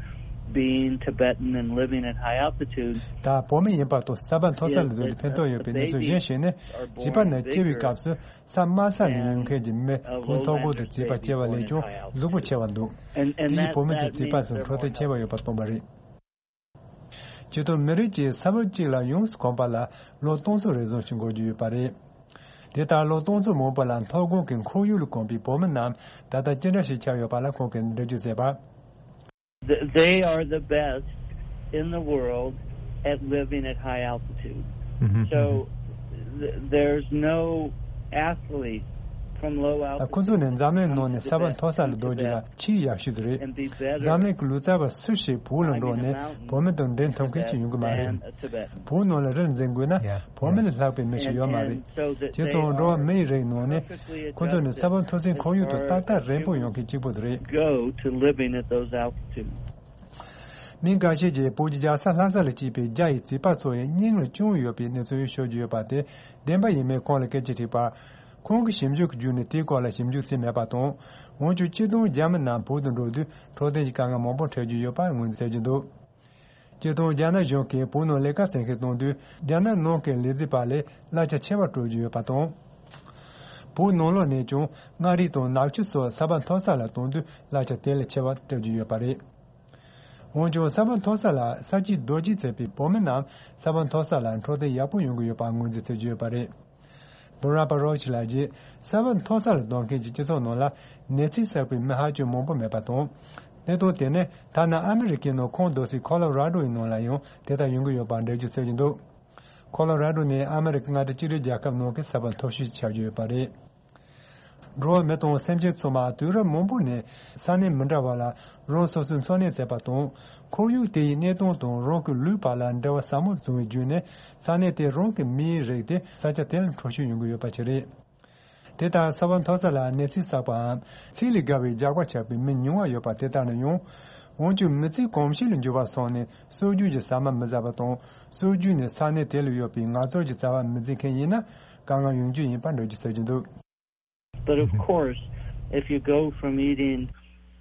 being Tibetan and living at high altitude ད་བོད་མི་ཡིན་པ་དང་ས་བབ་མཐོ་ས་ལ་སྡོད་དུས་ཕན་ཐོགས་ཡོད་པའི་གནས་ཚུལ་གཞན་ཞིག་ནི། བྱིས་པ་རྣམས་སྐྱེ་བའི་སྐབས་སུ་ས་དམའ་ས་ནས་ཡོང་མཁན་གྱི་མི་བོད་མཐོ་སྒང་དུ་བྱིས་པ་སྐྱེ་བ་ལས་ཀྱང་གཟུགས་པོ་ཆེ་བ་འདུག་དེ་ཡིས་བོད་མི་ཚོའི་བྱིས་པ་ཚོར་འཕྲོད་བསྟེན་ཆེ་བ་ཡོད་པ་སྟོན་པ་རེད། སྤྱིར་བཏང་མི་རིགས་ཀྱིས་ས་བབ་གཅིག་ལ་ཡོངས་སུ་གོམས་པ་ལ་ལོ་སྟོང་ཚོ་རེ་ཟུང་ཞིག་འགོར་རྒྱུ་ཡོད་པ་རེད། དེ་ལྟར་ལོ་སྟོང་ཚོ་མང་པོ་ལ་མཐོ་སྒང་གི་ཁོར་ཡུག་ལ་གོམས་པའི་བོད་མི་རྣམས་ད་ལྟ་ཅི་འདྲ་ཞིག་ཆགས་ཡོད་པ་ལ་ཁོང་གིས་འགྲེལ་བརྗོད་མཛད་པར། Th- They are the best in the world at living at high altitude. So th- there's no athlete ཁོང་ཚོ་ནི་འཛམ་གླིང་ནང་ནས་ས་བབ་མཐོ་ས་ལ་སྡོད་རྒྱུ་ལ་ཆེས་ཡག་ཤོས་དེ་རེད། འཛམ་གླིང་གི་ལུས་རྩལ་བ་སུ་ཞིག་བོད་ལ་འགྲོ་ནས་བོད་མི་དང་འབྲེལ་ཐུབ་མཁན་ཞིག་ཡོང་གི་མ་རེད། བོད་ནང་ལ་རི་འཛེག་དགོས་ན་བོད་མི་ལས་ལྷག་པའི་མི་ཞིག་ཡོད་མ་རེད། བྱས་ཙང་འགྲོ་བ་མི་ཡི་རིགས་ནང་ནས་ཁོང་ཚོ་ནི་ས་བབ་མཐོ་སའི་ཁོར་ཡུག་ཏུ་ཏག་ཏག་རན་པོ་ཡོང་མཁན་གཅིག་པུ་དེ་རེད། མི་འགའ་ཤས་ཀྱིས་བོད་ཀྱི་རྒྱལ་ས་ལྷ་ས་ལ་སྐྱེས་པའི་རྒྱ་ཡི་བྱིས་པ་ཚོ་ཡི་སྙིང་ལ་བཅངས་ཡོད་པའི་གནས་ཚུལ་ཤོད་ཀྱི་ཡོད་པ་དེ་བདེན་པ་ཡིན་མིན་ཁོང་ལ་སྐད་ཆ་དྲིས་པར། ཁོང་གིས་ཞིབ་འཇུག་གི་བརྒྱུད་ནས་དེའི་སྐོར་ལ་ཞིབ་འཇུག་བྱས་མེད་པ་དང་། འོན་ཀྱང་སྤྱིར་བཏང་རྒྱ་མི་རྣམས་བོད་དུ་འགྲོ་དུས་འཕྲོད་བསྟེན་གྱི་དཀའ་ངལ་མང་པོ་འཕྲད་ཀྱི་ཡོད་པ་ངོས་འཛིན་བྱེད་ཀྱི་འདུག་སྤྱིར་བཏང་རྒྱ་ནག་གཞུང་གིས་བོད་ནང་ལས་ཀ་བྱེད་མཁན་གཏོང་དུས་རྒྱ་ནག་ནང་གི་ལས་བྱེད་པ་ལས་གླ་ཆ་ཆེ་བ་སྤྲོད་ཀྱི་ཡོད་པ་དང་། བོད་ནང་ལོགས་ནས་ཀྱང་མངའ་རིས་དང་ནག་ཆུ་སོགས་ས་བབ་མཐོ་ས་ལ་གཏོང་དུས་གླ་ཆ་དེ་ལས་ཆེ་བ་སྤྲོད་ཀྱི་ཡོད་པ་རེད། འོན་ཀྱང་ས་བབ་མཐོ་ས་ལ་ས་སྐྱིད་རྡོ་སྐྱིད་བྱེད་པའི་བོད་མི་རྣམས་ས་བབ་མཐོ་ས་ལ་འཕྲོད་བསྟེན་ཡག་པོ་ཡོང་གི་ཡོད་པ་ངོས་འཛིན་བྱེད་ཀྱི་ཡོད་པ་རེད། བུ་ར་པ་རོ་ཆི་ལགས་ཀྱིས་ས་བབ་མཐོ་ས་ལ་སྡོད་མཁན་གྱི་སྤྱི་ཚོགས་ནང་ལ་ནད་རྩིས་བསགས་པའི་མི་ཧ་ཅང་མང་པོ་མེད་པ་དང་། གནད་དོན་དེ་ནི་ཐ་ན་ཨ་མི་རི་ཀའི་ནང་ཁོང་སྡོད་སའི་ཁོ་ལོ་ར་ཌོ་ཡི་ནང་ལ་ཡང་དེ་ལྟར་ཡོང་གི་ཡོད་པར་འགྲེལ་བརྗོད་བྱེད་ཀྱི་འདུག་ཁོ་ལོ་ར་ཌོ་ནི་ཨ་མི་རི་ཀ་མངའ་སྡེ་གཅིག་སྒྲིལ་རྒྱལ་ཁབ་ནང་གི་ས་བབ་མཐོ་ཤོས་ཆགས་ཀྱི་ཡོད་པ་རེད། འགྲོ་བ་མི་དང་སེམས་ཅན་ཚང་མ་དུས་རབས་མང་པོ་ནས་ས་གནས་མི་འདྲ་བ་ལ་རང་སོ་སོའི་འཚོ་གནས་བྱས་པ་དང་། ཁོར་ཡུག་དེ་ཡི་གནས་སྟངས་དང་རང་གི་ལུས་པ་ལ་འབྲེལ་བ་ཟབ་མོ་བྱུང་བའི་བརྒྱུད་ནས་ས་གནས་དེ་རང་གི་མིའི་རིགས་དེ་ས་ཆ་དེ་ལ་འཕྲོད་བཞུད་ཡོང་གི་ཡོད་པ་ཞིག་རེད། དེ་ལྟར་ས་བབ་མཐོ་ས་ལ་གནས་ཚུལ་བསགས་པའམ་ཚིག་ལས་བརྒལ་བའི་རྒྱགས་པ་ཆགས་པའི་མི་ཉུང་བ་ཡོད་པ་དེ་ལྟར་ན་ཡང་། འོན་ཀྱང་མི་ཚེ་གོམས་གཤིས་ལ་འགྱུར་བ་སོང་ནས་སྲོལ་རྒྱུན་གྱི་ཟ་མ་མི་ཟ་བ་དང་། སྲོལ་རྒྱུན་ནས་ས་གནས་དེ་ལ་ཡོད་པའི་ངལ་རྩོལ་གྱི་རྩ་བ་མི་འཛིན་མཁན་ཡིན་ན་དཀའ་ངལ་ཡོང་རྒྱུ་ཡིན་པ་འགྲེལ་བརྗོད་བྱེད་ཀྱི་འདུག But of course, if you go from eating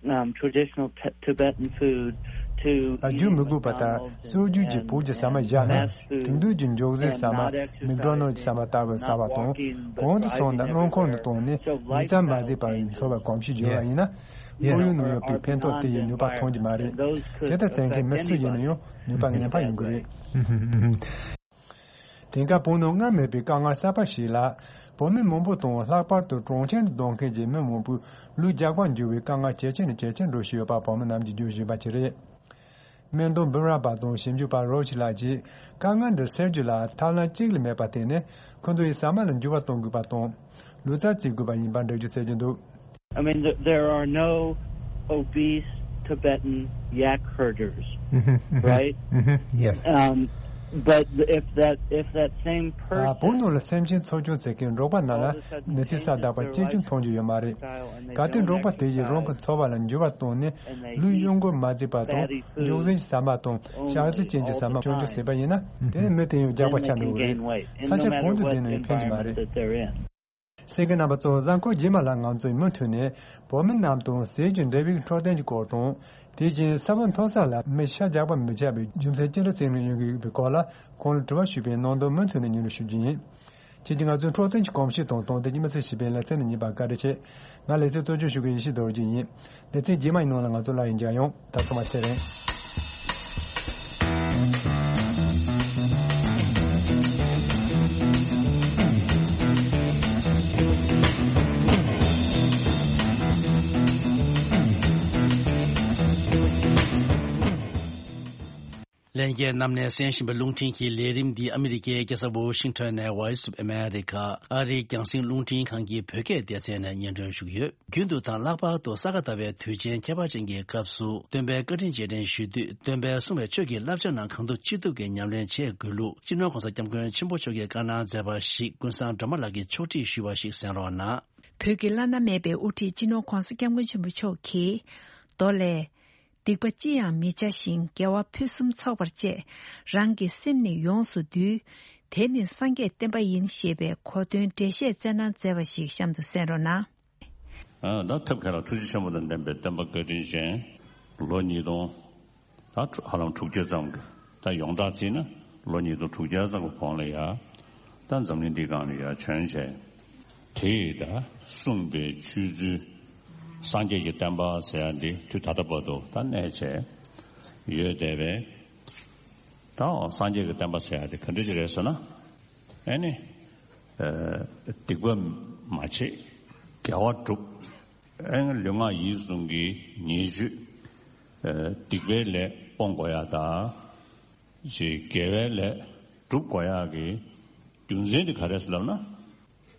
um, traditional t- Tibetan food to རྒྱུ་མི་དགོས་པ་ལྟར་སྲོལ་རྒྱུན་གྱི་བོད་ཀྱི་ཟ་མ་བཞག་ན། དེང་དུས་ཀྱི་འཇོག་ཟས་ཟ་མ་མིག་ཌོ་ནལ་གྱི་ཟ་མ་ལྟ་བུ་ཟ་བ་དང་། གོང་དུ་སོང་ན་སྣུམ་ཁོག་ནས་བཏང་ནས་ཉིན་མཚན་མ་བཟས་པར་འཚོ་བ་གོམས་གཤིས་བརྗོད་པ་ཡིན་ན། ཁོར་ཡུག་ནང་ཡོད་པའི་ཕན་ཐོགས་དེ་ཡི་ནུས་པ་ཐོན་གྱི་མ་རེད། དེ་ལྟར་བྱེད་མཁན་མི་སུ་ཡིན་ན་ཡང་ནུས་པ་ངན་པ་ཡོང་གི་རེད། དེང་སྐབས་བོད་ནང་སྔར་མེད་པའི་དཀའ་ངལ་གསར་པ་ཞིག་ལ། བོད་མི་མང་པོ་དང་ལྷག་པར་དུ་གྲོང་ཁྱེར་དུ་སྡོད་མཁན་གྱི་མི་མང་པོའི་ལུས་རྒྱགས་པར་འགྱུར་བའི་དཀའ་ངལ་ཇེ་ཆེ་ནས་ཇེ་ཆེར་འགྲོ་བཞིན་ཡོད་པ་བོད་མི་རྣམས་ཀྱིས་བརྗོད་བཞིན་པ་ཞིག་རེད། སྨན་དོན་འབུམ་རམས་པ་དང་ཞིབ་འཇུག་པ་རོ་ཆི་ལགས་ཀྱིས་དཀའ་ངལ་འདི་སེལ་རྒྱུ་ལ་ཐབས་ལམ་གཅིག་ལས་མེད་པར་བརྟེན་ནས་ཁོ་ཚོ་ཡི་ཟ་མ་ལ་འགྱུར་བ་གཏོང་དགོས་པ་དང་། ལུས་རྩལ་རྩེད་དགོས་པ་ཡིན་པར་འགྲེལ་བརྗོད་བྱེད་ཀྱི་འདུག I mean, th- there are no obese Tibetan yak herders, right? Yes. Um, but if that if that same person བོད་ནང་ལ་སེམས་ཅན་འཚོ་སྐྱོང་བྱེད་མཁན་འབྲོག་པ་རྣམས་ལ་ནད་རྩིས་ཟ་དག་པ་གཅེས་སྐྱོང་མཐོང་རྒྱུ་ཡོད་མ་རེད། གལ་ཏེ་འབྲོག་པ་དེ་ཡིས་རང་གི་འཚོ་བ་ལ་འགྱུར་བ་བཏང་ནས་ལུས་གཡོ་འགུལ་མ་བྱེད་པ་དང་འཇོག་ཟིན་གྱི་ཟ་མ་དང་ཞག་ཚི་ཅན་གྱི་ཟ་མ་སྐྱོང་རྒྱུ་བྱེད་པ་ཡིན་ན། དེ་ནི་མི་དེ་ཡང་རྒྱགས་པ་ཆགས་འགྲོ་གི་རེད། ས་ཆ་གང་དུ་བསྡད་ན་ཡང་ཕན་གྱི་མ་རེད། གསན་མཁན་རྣམ་པ་ཚོ་གཟའ་འཁོར་རྗེས་མ་ལ་ང་ཚོས་མུ་མཐུད་ནས་བོད་མི་རྣམས་དང་ཟས་ཀྱི་འབྲས་བུའི་འཕྲོད་བསྟེན་གྱི་སྐོར་དང་། དེ་བཞིན་ས་བབ་མཐོ་ས་ལ་མི་ཤ་རྒྱགས་པ་མི་ཆགས་པའི་རྒྱུ་མཚན་ཅི་འདྲ་བརྩིས་ནས་ཡོང་གི་ཡོད་པའི་སྐོར་ལ་ཁོང་ལ་དྲི་བ་ཞུས་པའི་ནང་དོན་མུ་མཐུད་ནས་སྙན་སྒྲོན་ཞུ་རྒྱུ་ཡིན། ཁྱེད་ཀྱིས་ང་ཚོའི་འཕྲོད་བསྟེན་གྱི་གོམས་གཤིས་དང་དོན་དེ་གཉིས་མི་ཚེ་ཞིག་པའི་ལེ་ཚན་དུ་ཉན་པར་བཀའ་དྲིན་ཆེ། ང་ལེ་ཚན་གཙོ་སྐྱོང་ཞུ་མཁན་ཡེ་ཤེས་རྡོ་རྗེ་ཡིན། ལེ་ཚན་རྗེས་མ་ཡི་ནང་ལ་ང་ཚོ་སླར་ཡང་མཇལ་ཡོང་། ད་ཐོག་མ་ཚེ་རིང་། ལྷན་རྒྱས་རྣམས་ནས་གསན་བཞིན་པའི་རླུང་འཕྲིན་གྱི་ལས་རིམ་འདི་ཨ་མི་རི་ཀའི་རྒྱལ་ས་ཝོ་ཤིང་ཊོན་ནས་Voice of America ཨ་རིའི་རྒྱང་སྲིང་རླུང་འཕྲིན་ཁང་གི་བོད་སྐད་སྡེ་ཚན་ནས་སྙན་སྒྲོན་ཞུ་གི་ཡོད། རྒྱུན་དུ་དང་ལྷག་པར་དུ་ས་ག་ཟླ་བའི་དུས་ཆེན་ཁྱད་པར་ཅན་གྱི་སྐབས་སུ་སྟོན་པའི་བཀའ་དྲིན་རྗེས་དྲན་ཞུ་དུས་སྟོན་པས་གསུངས་པའི་ཆོས་ཀྱི་བསླབ་བྱ་རྣམས་གང་ཐུབ་ཅི་ཐུབ་ཀྱིས་ཉམས་ལེན་བྱེད་དགོས་ལུགས་སྤྱི་ནོར་༸གོང་ས་༸སྐྱབས་མགོན་ཆེན་པོ་མཆོག་གིས་བཀའ་གནང་མཛད་པ་ཞིག་ཀུན་བཟང་སྒྲོལ་མ་ལགས་ཀྱིས་ཕྱོགས་སྒྲིག་ཞུས་པ་ཞིག་གསན་རོགས་གནང་། བོད་ཀྱི་བླ་ན་མེད་པའི་དབུ་ཁྲིད་སྤྱི་ནོར་༸གོང་ས་༸སྐྱབས་མགོན་ཆེན་པོ་མཆོག་གིས། མདོ་ལས། སྡིག་པ་ཅི་ཡང་མི་བྱ་ཞིང་། དགེ་བ་ཕུན་སུམ་ཚོགས་པར་སྤྱད། རང་གི་སེམས་ནི་ཡོངས་སུ་འདུལ། དེ་ནི་སངས་རྒྱས་བསྟན་པ་ཡིན། ཞེས་པའི་གོ་དོན་འགྲེལ་བཤད་སྩལ་གནང་མཛད་པ་ཞིག་གཤམ་དུ་གསན་རོགས་གནང་། ཨ། ད་ཐབས་མཁས་ལ་ཐུགས་རྗེ་ཆེན་པོ་དང་ལྡན་པའི་བསྟན་པ་བཀའ་དྲིན་ཅན། ལོ་ཉིས་སྟོང་། ད་ཧ་ལམ་དྲུག་བརྒྱ་ཙམ་གྱི། ད་ཡོངས་གྲགས་བརྩིས་ན་ལོ་ཉིས་སྟོང་དྲུག་བརྒྱ་ཙམ་གྱི་གོང་ལ་ཡ། ད་འཛམ་གླིང་འདིའི་སྒང་ལ་ཡ་བྱོན་བྱས། དེ་ཡི་ད་གསུངས་པའི་ཆོས་ཚུལ། སངས་རྒྱས་ཀྱི་བསྟན་པ་ཟེར་ཡ་འདི་དུས་ད་ལྟ་བར་དུ་ད་གནས་བྱས་ཡོད་བསྡད་པས། ད་སངས་རྒྱས་ཀྱི་བསྟན་པ་ཟེར་ཡ་འདི་ག་འདྲ་ཅིག་རེད་ཟེར་ན། ཨེ་ནི། ཨ། སྡིག་པ་མ་བྱེད། དགེ་བ་སྒྲུབ། ཨེ་ནི་ལུས་ངག་ཡིད་གསུམ་གྱི་ཉེས་སྤྱོད། ཨ། སྡིག་པའི་ལས་སྤོང་དགོས་ཡ་དང་། ཅེས་དགེ་བའི་ལས་སྒྲུབ་དགོས་ཡག་གི་རྒྱུ་མཚན་དེ་ག་རེ་ཟེར་ལབ་ན།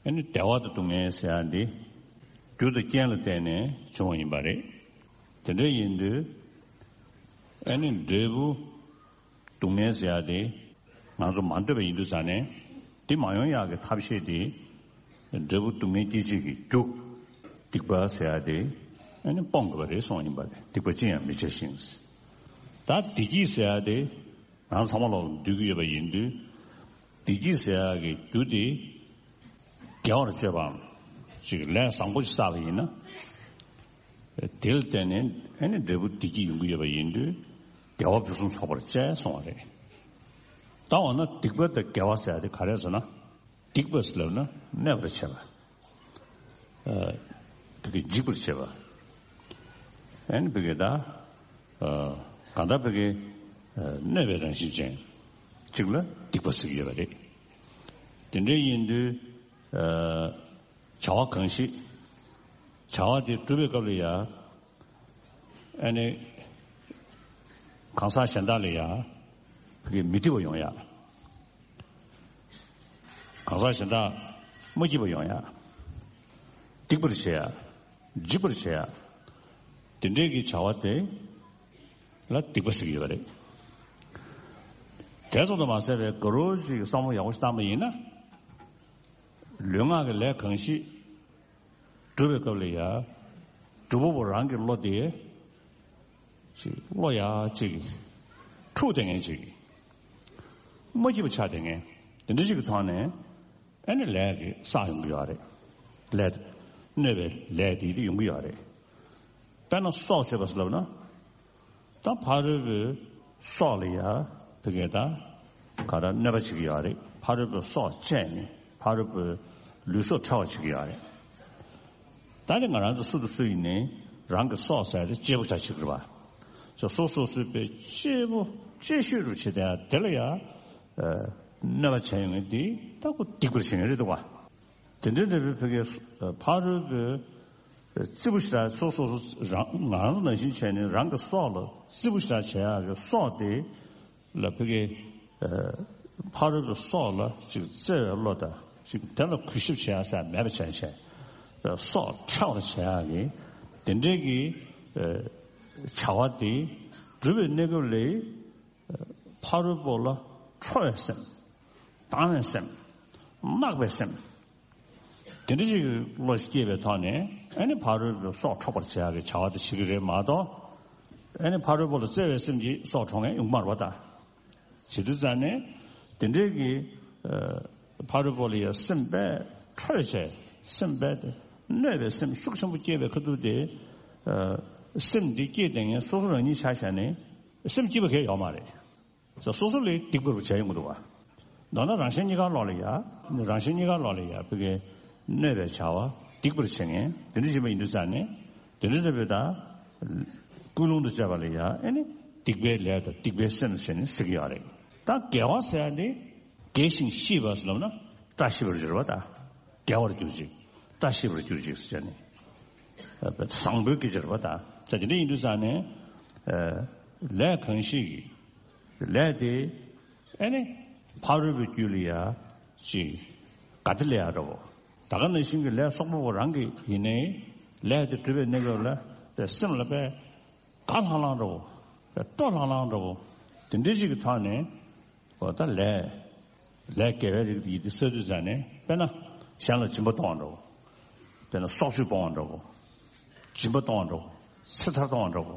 ཨ་ནི་བདེ་བ་དང་སྡུག་བསྔལ་ཟེར་ཡག་འདི་ རྒྱུ་དང་རྐྱེན་ལ་བརྟེན་ནས་བྱུང་བ་ཡིན་པ་རེད། དེ་འདྲ་ཡིན་དུས་ཨ་ནི་འབྲས་བུ་སྡུག་བསྔལ་ཟེར་ཡ་དེ་ང་ཚོ་མ་འདོད་པ་ཡིན་དུས་ཙང་ནས་དེ་མ་ཡོང་ཡག་གི་ཐབས་ཤེས་དེ། འབྲས་བུ་སྡུག་བསྔལ་སྐྱེད་བྱེད་ཀྱི་རྒྱུ་སྡིག་པ་ཟེར་ཡ་དེ་ཨ་ནི་སྤོང་དགོས་པ་རེད་གསུངས་ཡིན་པ་རེད། སྡིག་པ་ཅི་ཡང་མི་བྱ་ཞིང་། ད་བདེ་སྐྱིད་ཟེར་ཡ་དེ་ང་ཚང་མ་ལོག་འདོད་ཀྱི་ཡོད་པ་ཡིན་དུས། བདེ་སྐྱིད་ཟེར་ཡ་གི་རྒྱུ་དེ་དགེ་བར་སྤྱོད་པའམ་ཅིག་ལས་བཟང་པོ་ཞིག་བསགས་པ་ཡིན་ན། དེ་ལ་བརྟེན་ནས་ཨ་ནི་འབྲས་བུ་བདེ་སྐྱིད་ཡོང་གི་ཡོད་པ་ཡིན་དུས། དགེ་བ་ཕུན་སུམ་ཚོགས་པར་སྤྱད་གསུངས་པ་རེད། ད་འོ་ན་སྡིག་པ་དང་དགེ་བ་ཟེར་ཡ་དེ་ག་རེ་ཟེར་ན། སྡིག་པ་ཟེར་ལབ་ན་གནོད་པར་བྱེད་པ། ཨ། བི་གེ་འཇིགས་པར་བྱེད་པ། ཨ་ནི་བི་གེ་ད། ཨ། གང་ལྟར་བི་གེ་ཨ། གནོད་པའི་རང་བཞིན་ཅན་གཅིག་ལ་སྡིག་པ་ཟེར་གྱི་ཡོད་པ་རེད། དེ་འདྲ་ཡིན་དུས། ཨ། བྱ་བ་གང་ཞིག་བྱ་བ་དེ་སྒྲུབ་པའི་སྐབས་ལ་ཡ། ཨ་ནི། གང་ཟག་གཞན་དག་ལ་ཡ། བི་གེ་མི་སྡིག་པ་ཡོང་ཡ། གང་ཟག་གཞན་དག་མ་སྐྱིད་པ་ཡོང་ཡ། སྡིག་པར་བྱེད་ཡ། འཇིགས་པར་བྱེད་ཡ། དེ་འདྲའི་གི་བྱ་བ་དེ་ལ་སྡིག་པ་ཟེར་གྱི་ཡོད་པ་རེད། དེ་ཙམ་དུ་མ་ཟད་པའི་དགའ་རོགས་ཤིག་བསམ་བློ་ཡག་པོ་ཞིག་བཏང་པ་ཡིན་ན། ལུས་ངག་གི་ལས་གང་ཞིག་སྒྲུབ་པའི་སྐབས་ལ་ཡ། སྒྲུབ་པ་པོ་རང་གི་བློ་དེ། ཅིག་བློ་ཡ་ཅིག་འཁྲུག་བསྡད་མཁན་ཅིག་མ་སྐྱིད་པ་ཆགས་བསྡད་མཁན། དེ་འདྲ་ཅིག་གི་ཐོག་ནས་ཨ་ནི་ལས་ཀྱི་བསགས་ཡོང་གི་ཡོད་རེད། ལས་གནོད་པའི་ལས་དེ་དེ་ཡོང་གི་ཡོད་རེད། དཔེར་ན་སྲོག་གཅོད་པ་ཟེར་ལབ་ན། ད་ཕ་རོལ་པོའི་སྲོག་ལ་ཡ་དེ་གས་ད་ག་རེ་གནོད་པ་བྱེད་ཀྱི་ཡོད་རེད། ཕ་རོལ་པོའི་སྲོག་བཅད་ནས་ཕ་རོལ་པོའི་ལུས་སྲོག་འཕྲོག་པ་བྱེད་ཀྱི་ཡོད་རེད། ད་ནི་ང་རང་ཚོ་སུ་དང་སུ་ཡིན་ནའི་རང་གི་སྲོག་ཟེར་ཡ་དེ་གཅེས་པོ་ཆགས་བྱེད་ཀྱི་རེད་པ། ཅིག་སོ་སོ་སོའི་པའི་གཅེས་པོ་གཅེས་ཤོས་རུ་བྱེད་དེ་དེ་ལ་ཡ་གནོད་པ་བྱས་ཡོང་མཁན་དེ་ད་ཁོ་སྡིག་པར་བྱེད་མཁན་རེད་འདུག་པ། དེ་འདྲའི་འདྲ་བའི་བོད་སྐད་ཕ་རོལ་པོའི་རྩིས་པོ་ཞེ་དྲག་སོ་སོ་སོ་རང་ང་རང་ནང་བཞིན་བྱས་ནས་རང་གི་སྲོག་ལ་རྩིས་པོ་ཞེ་དྲག་བྱེད་ཡག་གི་སྲོག་དེ་ལ་བོད་སྐད་ཕ་རོལ་པོའི་སྲོག་ལ་ཅིག་བརྩེ་བའི་བློ་དང་ཅིག་དེ་ལ་གུས་ཞབས་བྱེད་ཡག་ཟེར་མེད་པ་བྱས་བྱས་སྲོག་འཕྲོག་པར་བྱེད་ཡག་གི་དེ་འདྲའི་གི་བྱ་བ་དེ་སྒྲུབ་པའི་གནས་སྐབས་ལ། ཕ་རོལ་པོ་ལ་ཁྲོ་བའི་སེམས། སྡང་བའི་སེམས། གནག་པའི་སེམས། དེ་འདྲ་ཞིག་གི་བློ་ཞིག་སྐྱེས་པའི་ཐོག་ནས་ཨ་ནི་ཕ་རོལ་པོའི་སྲོག་འཕྲོག་པར་བྱེད་ཡག་གི་བྱ་བ་དེ་བྱེད་ཀྱི་རེད་མ་གཏོགས། ཨ་ནི་ཕ་རོལ་པོ་ལ་བརྩེ་བའི་སེམས་ཀྱིས་སྲོག་འཕྲོག་མཁན་ཡོང་གི་མ་རེད་པ་ད། བྱེད་དུས་ཙང་ནས་དེ་འདྲའི་གི་ཕ་རོལ་པོ་ལ་ཡ་སེམས་དཔའ་ཁྲོས་བྱས་སེམས་དཔའ་དེ་གནོད་པའི་སེམས་ཤུགས་ཆེན་པོ་སྐྱེས་པའི་ཁ་ཐུག་དེ། སེམས་འདི་སྐྱེས་བསྡད་མཁན་སོ་སོ་རང་ཉིད་ཆ་བཞག་ནས། སེམས་སྐྱིད་པ་གང་ཡང་ཡོད་མ་རེད། སོ་སོ་ལ་སྡིག་པ་རུ་བྱས་ཡོང་གི་འདུག་བ། མདོར་ན་རང་གཞན་གཉིས་ཀ་ལོག་ལ་ཡ། རང་གཞན་གཉིས་ཀ་ལོག་ལ་ཡ་བོད་སྐད་གནོད་པའི་བྱ་བ་སྡིག་པར་བྱེད་མཁན་དེ་འདྲ་ཞིག་མ་ཡིན་དུས་ཙང་ནས་དེ་འདྲ་འདྲ་བོད་ད། ཀུན་སློང་དུ་བྱས་པ་ལ་ཡ་ཨེ་ནི་སྡིག་པའི་ལས་དང་སྡིག་པའི་སེམས་ཟེར་ནས་ཟེར་གྱི་ཡོད་རེད། ད་དགེ་བ་ཟེར་ཡ་ནི་དགེ་ཞིང་ཤེས་པ་ཟེར་ལབ་ན་བཀྲ་ཤིས་པར་གྱུར་པ་ད། དགེ་བར་གྱུར་ཅིག་བཀྲ་ཤིས་པར་གྱུར་ཅིག་ཟེར་ནས། བཟང་པོའི་སྐད་ཆ་རེད་པ་ད། ད་དེ་འདྲ་ཡིན་དུས་ཙང་ནས། ལས་གང་ཞིག་གི་ལས་དེ་ཨེ་ནི་ཕ་རོལ་པོའི་རྒྱུད་ལ་ཡ་ཅིག་དགའ་བདེ་སླེབས་ཡ་འདྲ་བོ། ད་ག་ནང་བཞིན་གྱི་ལས་བསགས་པ་པོ་རང་གི་ཡིན་ནའི་ལས་དེ་སྒྲུབ་པའི་གནས་སྐབས་ལ་དེ་སེམས་ལ་དཔེ་དགའ་ལྷང་ལྷང་འདྲ་བོ། དཔེ་སྤྲོ་ལྷང་ལྷང་འདྲ་བོ། དེ་འདྲ་ཅིག་གི་ཐོག་ནས། འོ་ད་ལས། ལས་དགེ་བའི་རིགས་དེ་ཡིན་དེ་བསགས་དུས་ཙང་ནས་དཔེར་ན་གཞན་ལ་སྦྱིན་པ་གཏོང་བ་འདྲ་བོ། དཔེར་ན་སྲོག་གཅོད་སྤོང་བ་འདྲ་བོ། སྦྱིན་པ་གཏོང་བ་འདྲ་བོ། ཚེ་ཐར་གཏོང་བ་འདྲ་བོ།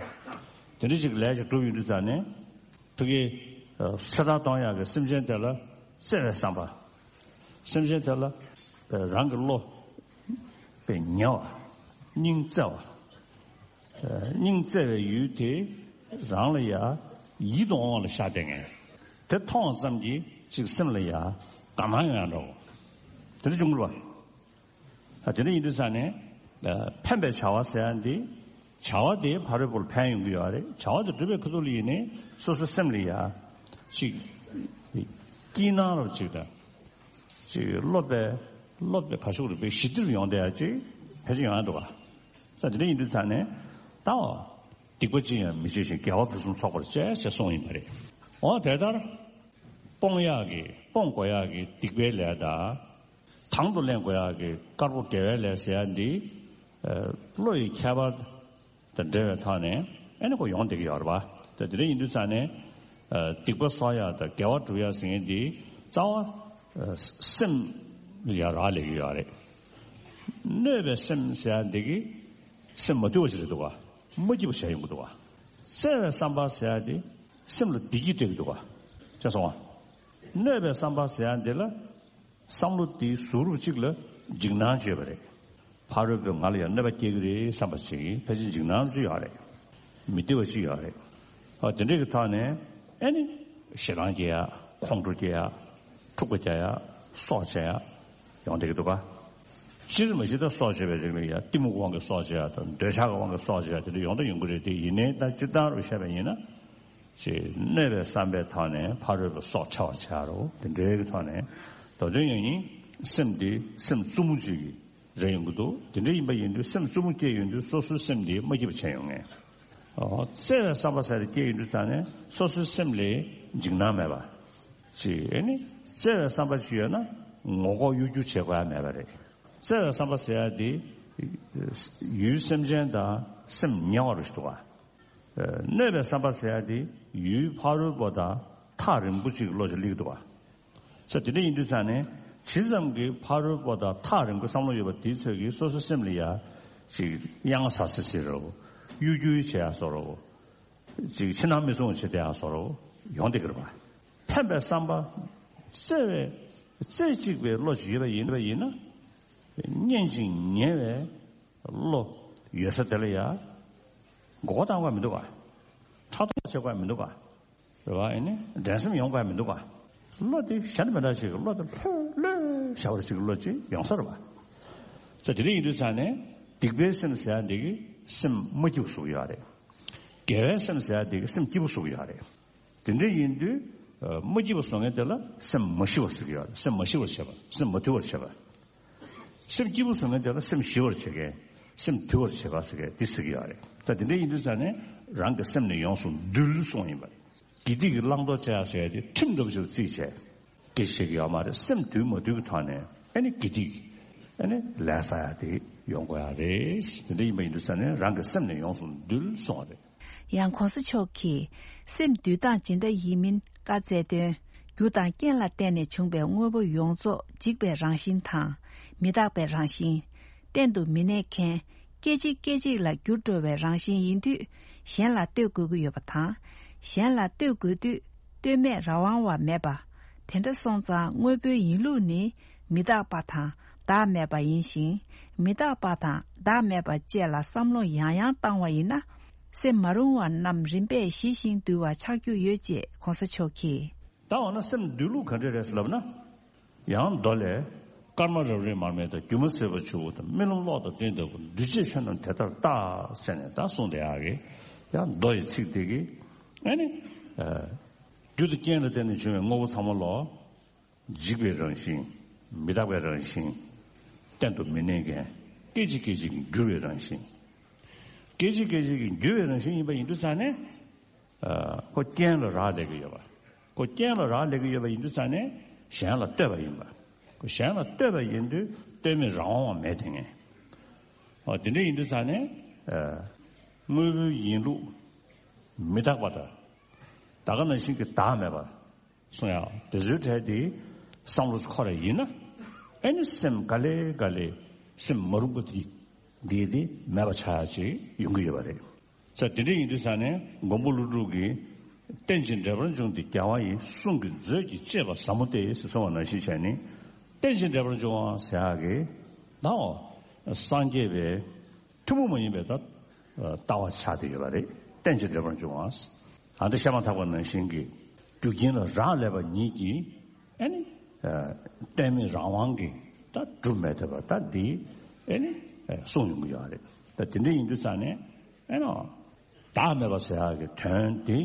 དེ་འདྲ་ཅིག་ལས་ཅིག་སྒྲུབ་ཡོང་དུས་ཙང་ནས་ཕ་གི་ཚེ་ཐར་གཏོང་ཡག་གི་སེམས་ཅན་དེ་ལ་བརྩེ་བའི་བསམ་པ། སེམས་ཅན་དེ་ལ་རང་གི་བློ་དཔེ་ཉེ་བ། སྙིང་བརྩེ་བ། སྙིང་བརྩེ་བའི་ཡུལ་དེ་རང་ལ་ཡ་ཡིད་དུ་འོང་བ་ལ་ཤར་བསྡད་མཁན། དེ་མཐོང་བ་ཙམ་གྱིས་ཅིག་སེམས་ལ་ཡ་དགའ་སྣང་ཡོང་ཡ་འདྲ་བོ། དེ་འདྲ་བྱུང་དགོས་པ། ཨ་དེ་འདྲ་ཡིན་དུས་ཙང་ནས་ཕན་པའི་བྱ་བ་ཟེར་ཡ་འདི་བྱ་བ་དེ་ཕ་རོལ་པོ་ལ་ཕན་ཡོང་གི་ཡོད་རེད། བྱ་བ་དེ་སྒྲུབ་པའི་ཁ་ཐུག་ལ་ཡིན་ནའི་སོ་སོའི་སེམས་ལ་ཡ་ཅིག་སྐྱིད་སྣང་རབ་ཅིག་དང་། ཅིག་སློབ་པའི་སློབ་པའི་ག་ཤུག་རུ་པའི་ཞི་བདེ་རུ་ཡོང་བསྡད་ཡ་ཅིག་ཕལ་ཆེར་ཡོང་ཡ་འདུག་ག་ད་དེ་འདྲ་ཡིན་དུས་ཙང་ནས་ད་བ། སྡིག་པ་ཅི་ཡང་མི་བྱེད་ཅིང་དགེ་བ་ཕུན་སུམ་ཚོགས་པར་སྤྱད་ཞེས་གསུངས་ཡིན་པ་རེད། འོ་དེ་ལྟར། སྤོང་ཡག་གི་སྤོང་དགོས་ཡག་གི་སྡིག་པའི་ལས་དང་། དང་དུ་ལེན་དགོས་ཡག་གི་དཀར་པོ་དགེ་བའི་ལས་ཟེར་ཡ་འདི། བློ་ཡི་ཁྱད་པར་དང་འབྲེལ་བའི་ཐོག་ནས་ཨེ་ནི་ཁོ་ཡོང་བསྡད་ཀྱི་ཡོད་རེད་པ། ད་དེ་འདྲ་ཡིན་དུས་ཙང་ནས་སྡིག་པ་གསོག་ཡ་དང་དགེ་བ་སྒྲུབ་ཡ་ཟེར་མཁན་འདི་རྩ་བ་སེམས་ལ་ཡ་རག་ལས་ཀྱི་ཡོད་རེད། གནོད་པའི་སེམས་ཟེར་ཡ་འདི་གི་སེམས་མ་དུལ་བ་ཞིག་རེད་འདུག་ག་མ་སྐྱིད་པ་བྱས་ཡོང་གི་འདུག་ག་བརྩེ་བའི་བསམ་པ་ཟེར་ཡ་འདི་སེམས་ལ་བདེ་སྐྱིད་སྤྲད་ཀྱི་འདུག་ག་བྱས་སོང་ང་། གནོད་པའི་བསམ་པ་ཟེར་ཡ་འདི་ལ་བསམ་བློ་དེའི་གཟུགས་རུས་གཅིག་ལ་འཇིགས་སྣང་བྱེད་པ་རེད། ཕ་རོལ་པོས་ང་ལ་ཡང་གནོད་པ་སྐྱེལ་གྱི་རེད་བསམ་པ་ཞིག་ཕལ་ཆེར་འཇིགས་སྣང་ཅིག་ཡོད་རེད། མི་བདེ་བ་ཞིག་ཡོད་རེད། ཨ་དེ་འདྲས་ཀྱི་ཐོག་ནས་ཨེ་ནི་ཞེ་སྡང་སྐྱེ་ཡ་ཁོང་ཁྲོ་སྐྱེ་ཡ་འཁྲུག་པ་རྒྱག་ཡ་སྲོག་བཅད་ཡ་ཡོང་བསྡད་ཀྱི་འདུག་ག་སྤྱིར་མ་གཞི་ད་སྲོག་བཅད་པའི་རིགས་ལ་ཡ་གཏི་མུག་དབང་གིས་སྲོག་བཅད་ཡ་དང་འདོད་ཆགས་ཀྱི་དབང་གིས་སྲོག་བཅད་ཡ་དེ་འདྲ་ཡོང་ད་ཡོང་གི་རེད་དེ་ཡིན་ནའི་ད་སྤྱིར་བཏང་རུ་བཤད་པ་ཡིན་ན། ཅེས་གནོད་པའི་བསམ་པའི་ཐོག་ནས་ཕ་རོལ་པོའི་སྲོག་འཕྲལ་བར་བྱ་རོགས་དེ་འདྲའི་གི་ཐོག་ནས་མདོ་དོན་ཡང་ཡིན་སེམས་འདི་སེམས་རྩུབ་མོ་ཅིག་རེ་ཡོང་གི་འདུག་དེ་འདྲ་ཡིན་པ་ཡིན་དུས་སེམས་རྩུབ་མོ་སྐྱེས་ཡོང་དུས་སོ་སོའི་སེམས་འདི་མ་སྐྱིད་པ་བྱས་ཡོང་ངེས། ཨོ་བརྩེ་བའི་བསམ་པ་ཟེར་སྐྱེས་ཡོང་དུས་ཙང་ནས་སོ་སོའི་སེམས་ལ་འཇིགས་སྣང་མེད་པ་ཅིག་ཨེ་ནི་བརྩེ་བའི་བསམ་པ་ཅིག་ཡོད་ན་ངོ་ལྐོག་གཡོ་སྒྱུ་བྱེད་དགོས་ཡ་མེད་པ་རེད། བརྩེ་བའི་བསམ་པ་ཟེར་ཡ་འདི་ཡུལ་སེམས་ཅན་དང་སེམས་ཉེ་བ་རུ་ཞིག་འདུག་ག་གནོད་པའི་བསམ་པ་ཟེར་ཡ་དེ་ཡུལ་ཕ་རོལ་པོ་དང་ཐག་རིང་པོ་ཅིག་གི་བློ་ཅིག་སླེབས་འདུག་བ། ས་དེ་འདྲ་ཡིན་དུས་ཙང་ནས་ཇི་ཙམ་གྱི་ཕ་རོལ་པོ་དང་ཐག་རིང་པོའི་བསམ་བློ་ཡོད་པ་དེའི་ཚོད་ཀྱིས་སོ་སོའི་སེམས་ལ་ཡ་ཅིག་གཡང་ཟ་སི་སི་རོ། གཡོ་སྒྱུ་བྱེད་ཡ་བཟོ་རོ། ཅིག་ཕྱི་ནང་མི་སྲུང་བྱེད་བསྡད་ཡ་བཟོ་རོ། ཡོང་བསྡད་ཀྱི་རེད་བ། ཕན་པའི་བསམ་པ། བརྩེ་བའི་རྩེ་གཅིག་པའི་བློ་ཅིག་ཡོད་པ་ཡིན་པ་ཡིན་ན། སྙན་ཅིང་ཉེ་བའི་བློ་ཡོད་ས་དེ་ལ་ཡ། མགོ་སྐོར་བཏང་དགོས་མི་འདུག་ག་ཕྲག་དོག་བྱེད་དགོས་མི་འདུག་ག་རེད་བ། ཨེ་ནི་འགྲན་སེམས་ཡོང་དགོས་མི་འདུག་ག་བློ་དེ་གཞན་དང་མི་འདྲ་ཞིག་གི་བློ་དེ་ལྷོད་ལྷོད་བྱ་བར་ཅིག་གི་བློ་ཅིག་ཡོང་ས་རེད་བ། ས་དེ་འདྲ་ཡིན་དུས་ཙང་ནས་སྡིག་པའི་སེམས་ཟེར་ཡ་འདི་གི་སེམས་མ་སྐྱིད་པོ་བཟོ་གི་ཡོད་རེད། དགེ་བའི་སེམས་ཟེར་ཡ་འདི་གི་སེམས་སྐྱིད་པོ་བཟོ་གི་ཡོད་རེད། དེ་འདྲ་ཡིན་དུས། ཨ། མ་སྐྱིད་པ་བཟོ་མཁན་དེ་ལ་སེམས་མ་ཞི་བ་ཟེར་གྱི་ཡོད་རེད། སེམས་མ་ཞི་བར་བྱེད་པ། སེམས་མ་དུལ་བར་བྱེད་པ། སེམས་སྐྱིད་པོ་བཟོ་མཁན་དེ་ལ་སེམས་ཞི་བར་བྱེད་མཁན། སེམས་དུལ་བར་བྱེད་པ་ཟེར་མཁན་འདི་ཟེར་གྱི་ཡོད་རེད། ད་དེ་འདྲ་ཡིན་དུས་ཙང་ནས་རང་གི་སེམས་ནི་ཡོངས་སུ་འདུལ་གསུངས་ཡིན་པ་རེད། དགེ་སྡིག་གི་བླང་དོར་བྱ་ཡ་ཟེར་ཡ་དེ་ཁྲིམས་འདྲ་པོ་ཞིག་ལ་བརྩིས་བྱས། དེ་བྱེད་ཀྱི་ཡོད་མ་རེད། སེམས་དུལ་མ་དུལ་གྱི་ཐོག་ནས་ཨ་ནི་དགེ་སྡིག་ཨ་ནི་ལས་བསགས་ཡ་དེ་ཡོང་དགོས་ཡ་རེད། དེ་འདྲ་ཡིན་པ་ཡིན་དུས་ཙང་ནས་རང་གི་སེམས་ནི་ཡོངས་སུ་འདུལ་གསུངས་པ་རེད། ཡང་གོང་ས་མཆོག་གིས་སེམས་འདུལ་སྟངས་ཇི་འདྲ་ཡིན་མིན་བཀའ་སྩལ་དོན། རྒྱུ་དང་རྐྱེན་ལ་བརྟེན་ནས་བྱུང་བའི་དངོས་པོ་ཡོངས་རྫོགས་འཇིག་པའི་རང་བཞིན་དང་། མི་རྟག་པའི་རང་བཞིན། གཏན་དུ་མི་གནས་མཁན། སྐད་ཅིག་སྐད་ཅིག་ལ་འགྱུར་འགྲོ་བའི་རང་བཞིན་ཡིན་དུས། གཞན་ལ་ལྟོས་དགོས་ཀྱི་ཡོད་པ་དང་། གཞན་ལ་ལྟོས་དགོས་དུས་ལྟོས་མེད་རང་དབང་བ་མེད་པ། དེ་འདྲ་སོང་ཙང་དངོས་པོའི་ཡིན་ལུགས་ནི་མི་རྟག་པ་དང་བདག་མེད་པ་ཡིན་ཞིང་། མི་རྟག་པ་དང་བདག་མེད་པ་བཅས་ལ་བསམ་བློ་ཡང་ཡང་བཏང་བ་ཡིན་ན། སེམས་མ་རུང་བ་རྣམས་རིམ་པས་ཞི་ཞིང་དུལ་བ་ཆགས་རྒྱུ་ཡོད་ཅེས་གོང་ས་མཆོག་གིས། ད་འོ་ན་སེམས་འདུལ་ལུགས་ག་འདྲ་རེད་ལབ་ན། ཡང་མདོ་ལས། སྐར་མ་རབ་རིབ་མར་མེ་དང་། སྒྱུ་མ་ཟིལ་པ་ཆུ་བོ་དང་། རྨི་ལམ་གློག་དང་སྤྲིན་ལྟ་བུ། འདུས་བྱས་ཆོས་རྣམས་དེ་ལྟར་བལྟ། ཟེར་ནས་ད་གསུངས་བསྡད་ཡག་གི། ཡང་མདོ་ཡི་ཚིག་དེ་གིས་ཨ་ནི། རྒྱུ་དང་རྐྱེན་ལ་བརྟེན་ནས་བྱུང་བའི་དངོས་པོ་ཚང་མ་ལོ། འཇིག་པའི་རང་བཞིན། མི་རྟག་པའི་རང་བཞིན། གཏན་དུ་མི་གནས་མཁན། སྐད་ཅིག་སྐད་ཅིག་གིས་འགྱུར་བའི་རང་བཞིན། སྐད་ཅིག་སྐད་ཅིག་གིས་འགྱུར་བའི་རང་བཞིན་ཡིན་པ་ཡིན་དུས་ཙང་ནས། ཨ། ཁོ་རྐྱེན་ལ་རག་ལས་ཀྱི་ཡོད་པ། ཁོ་རྐྱེན་ལ་རག་ལས་ཀྱི་ཡོད་པ་ཡིན་དུས་ཙང་ནས་གཞན་ལ་ལྟོས་པ་ཡིན་པ། ཁོ་གཞན་ལ་ལྟོས་པ་ཡིན་དུས་ལྟོས་མེད་རང་དབང་བ་མེད་དེ་ངེས། ཨ། དེ་འདྲ་ཡིན་དུས་ཙང་ནས། ཨ། དངོས་པོའི་ཡིན་ལུགས་མི་རྟག་པ་དང་། ད་ག་ནང་བཞིན་གྱི་བདག་མེད་པ། གསུང་ཡག་དེ་ཚོའི་གྲས་དེ་བསམ་བློ་འཁོར་བ་ཡིན་ན། ཨེ་ནི་སེམས་ག་ལེ་ག་ལེ་སེམས་མ་རུངས་པ་དེ་དེ་དེ་མེད་པ་ཆགས་ཡག་ཅིག་ཡོང་གི་ཡོད་པ་རེད། ས་དེ་འདྲ་ཡིན་དུས་ས་ནས་མགོན་པོ་ཀླུ་སྒྲུབ་ཀྱིས། རྟེན་ཅིང་འབྲེལ་པར་འབྱུང་སྟེ་རྒྱལ་བ་ཡི། གསུང་གི་མཛོད་ཀྱིས་གཅེས་པ་ཟབ་མོ་སྟེ། ཟེར་གསུངས་པ་ནང་བཞིན་བྱས་ནས། རྟེན་ཅིང་འབྲེལ་པར་འབྱུང་བ་ཟེར་ཡག་གི་ནའོ། སངས་རྒྱས་པའི་ཐུན་མོང་མ་ཡིན་པའི་ད་ལྟ་བ་ཆགས་བསྡད་ཡོད་པ་རེད། རྟེན་ཅིང་འབྲེལ་པར་འབྱུང་བ། ད་འདི་བཤད་མ་ཐག་པ་ནང་བཞིན་གྱི་རྒྱུ་རྐྱེན་ལ་རག་ལས་པ་ཉིད་ཀྱིས་ཨེ་ནི་ལྟོས་མེད་རང་དབང་གིས་ད་སྒྲུབ་མི་ཐུབ་པ་ད་འདི་ཨེ་ནི་གསུངས་ཡོང་གི་ཡོད་རེད། ད་དེ་འདྲ་ཡིན་དུས་ཙང་ནས་ཨེ་ནོ། བདག་མེད་པ་ཟེར་ཡག་གི་དོན་དེ།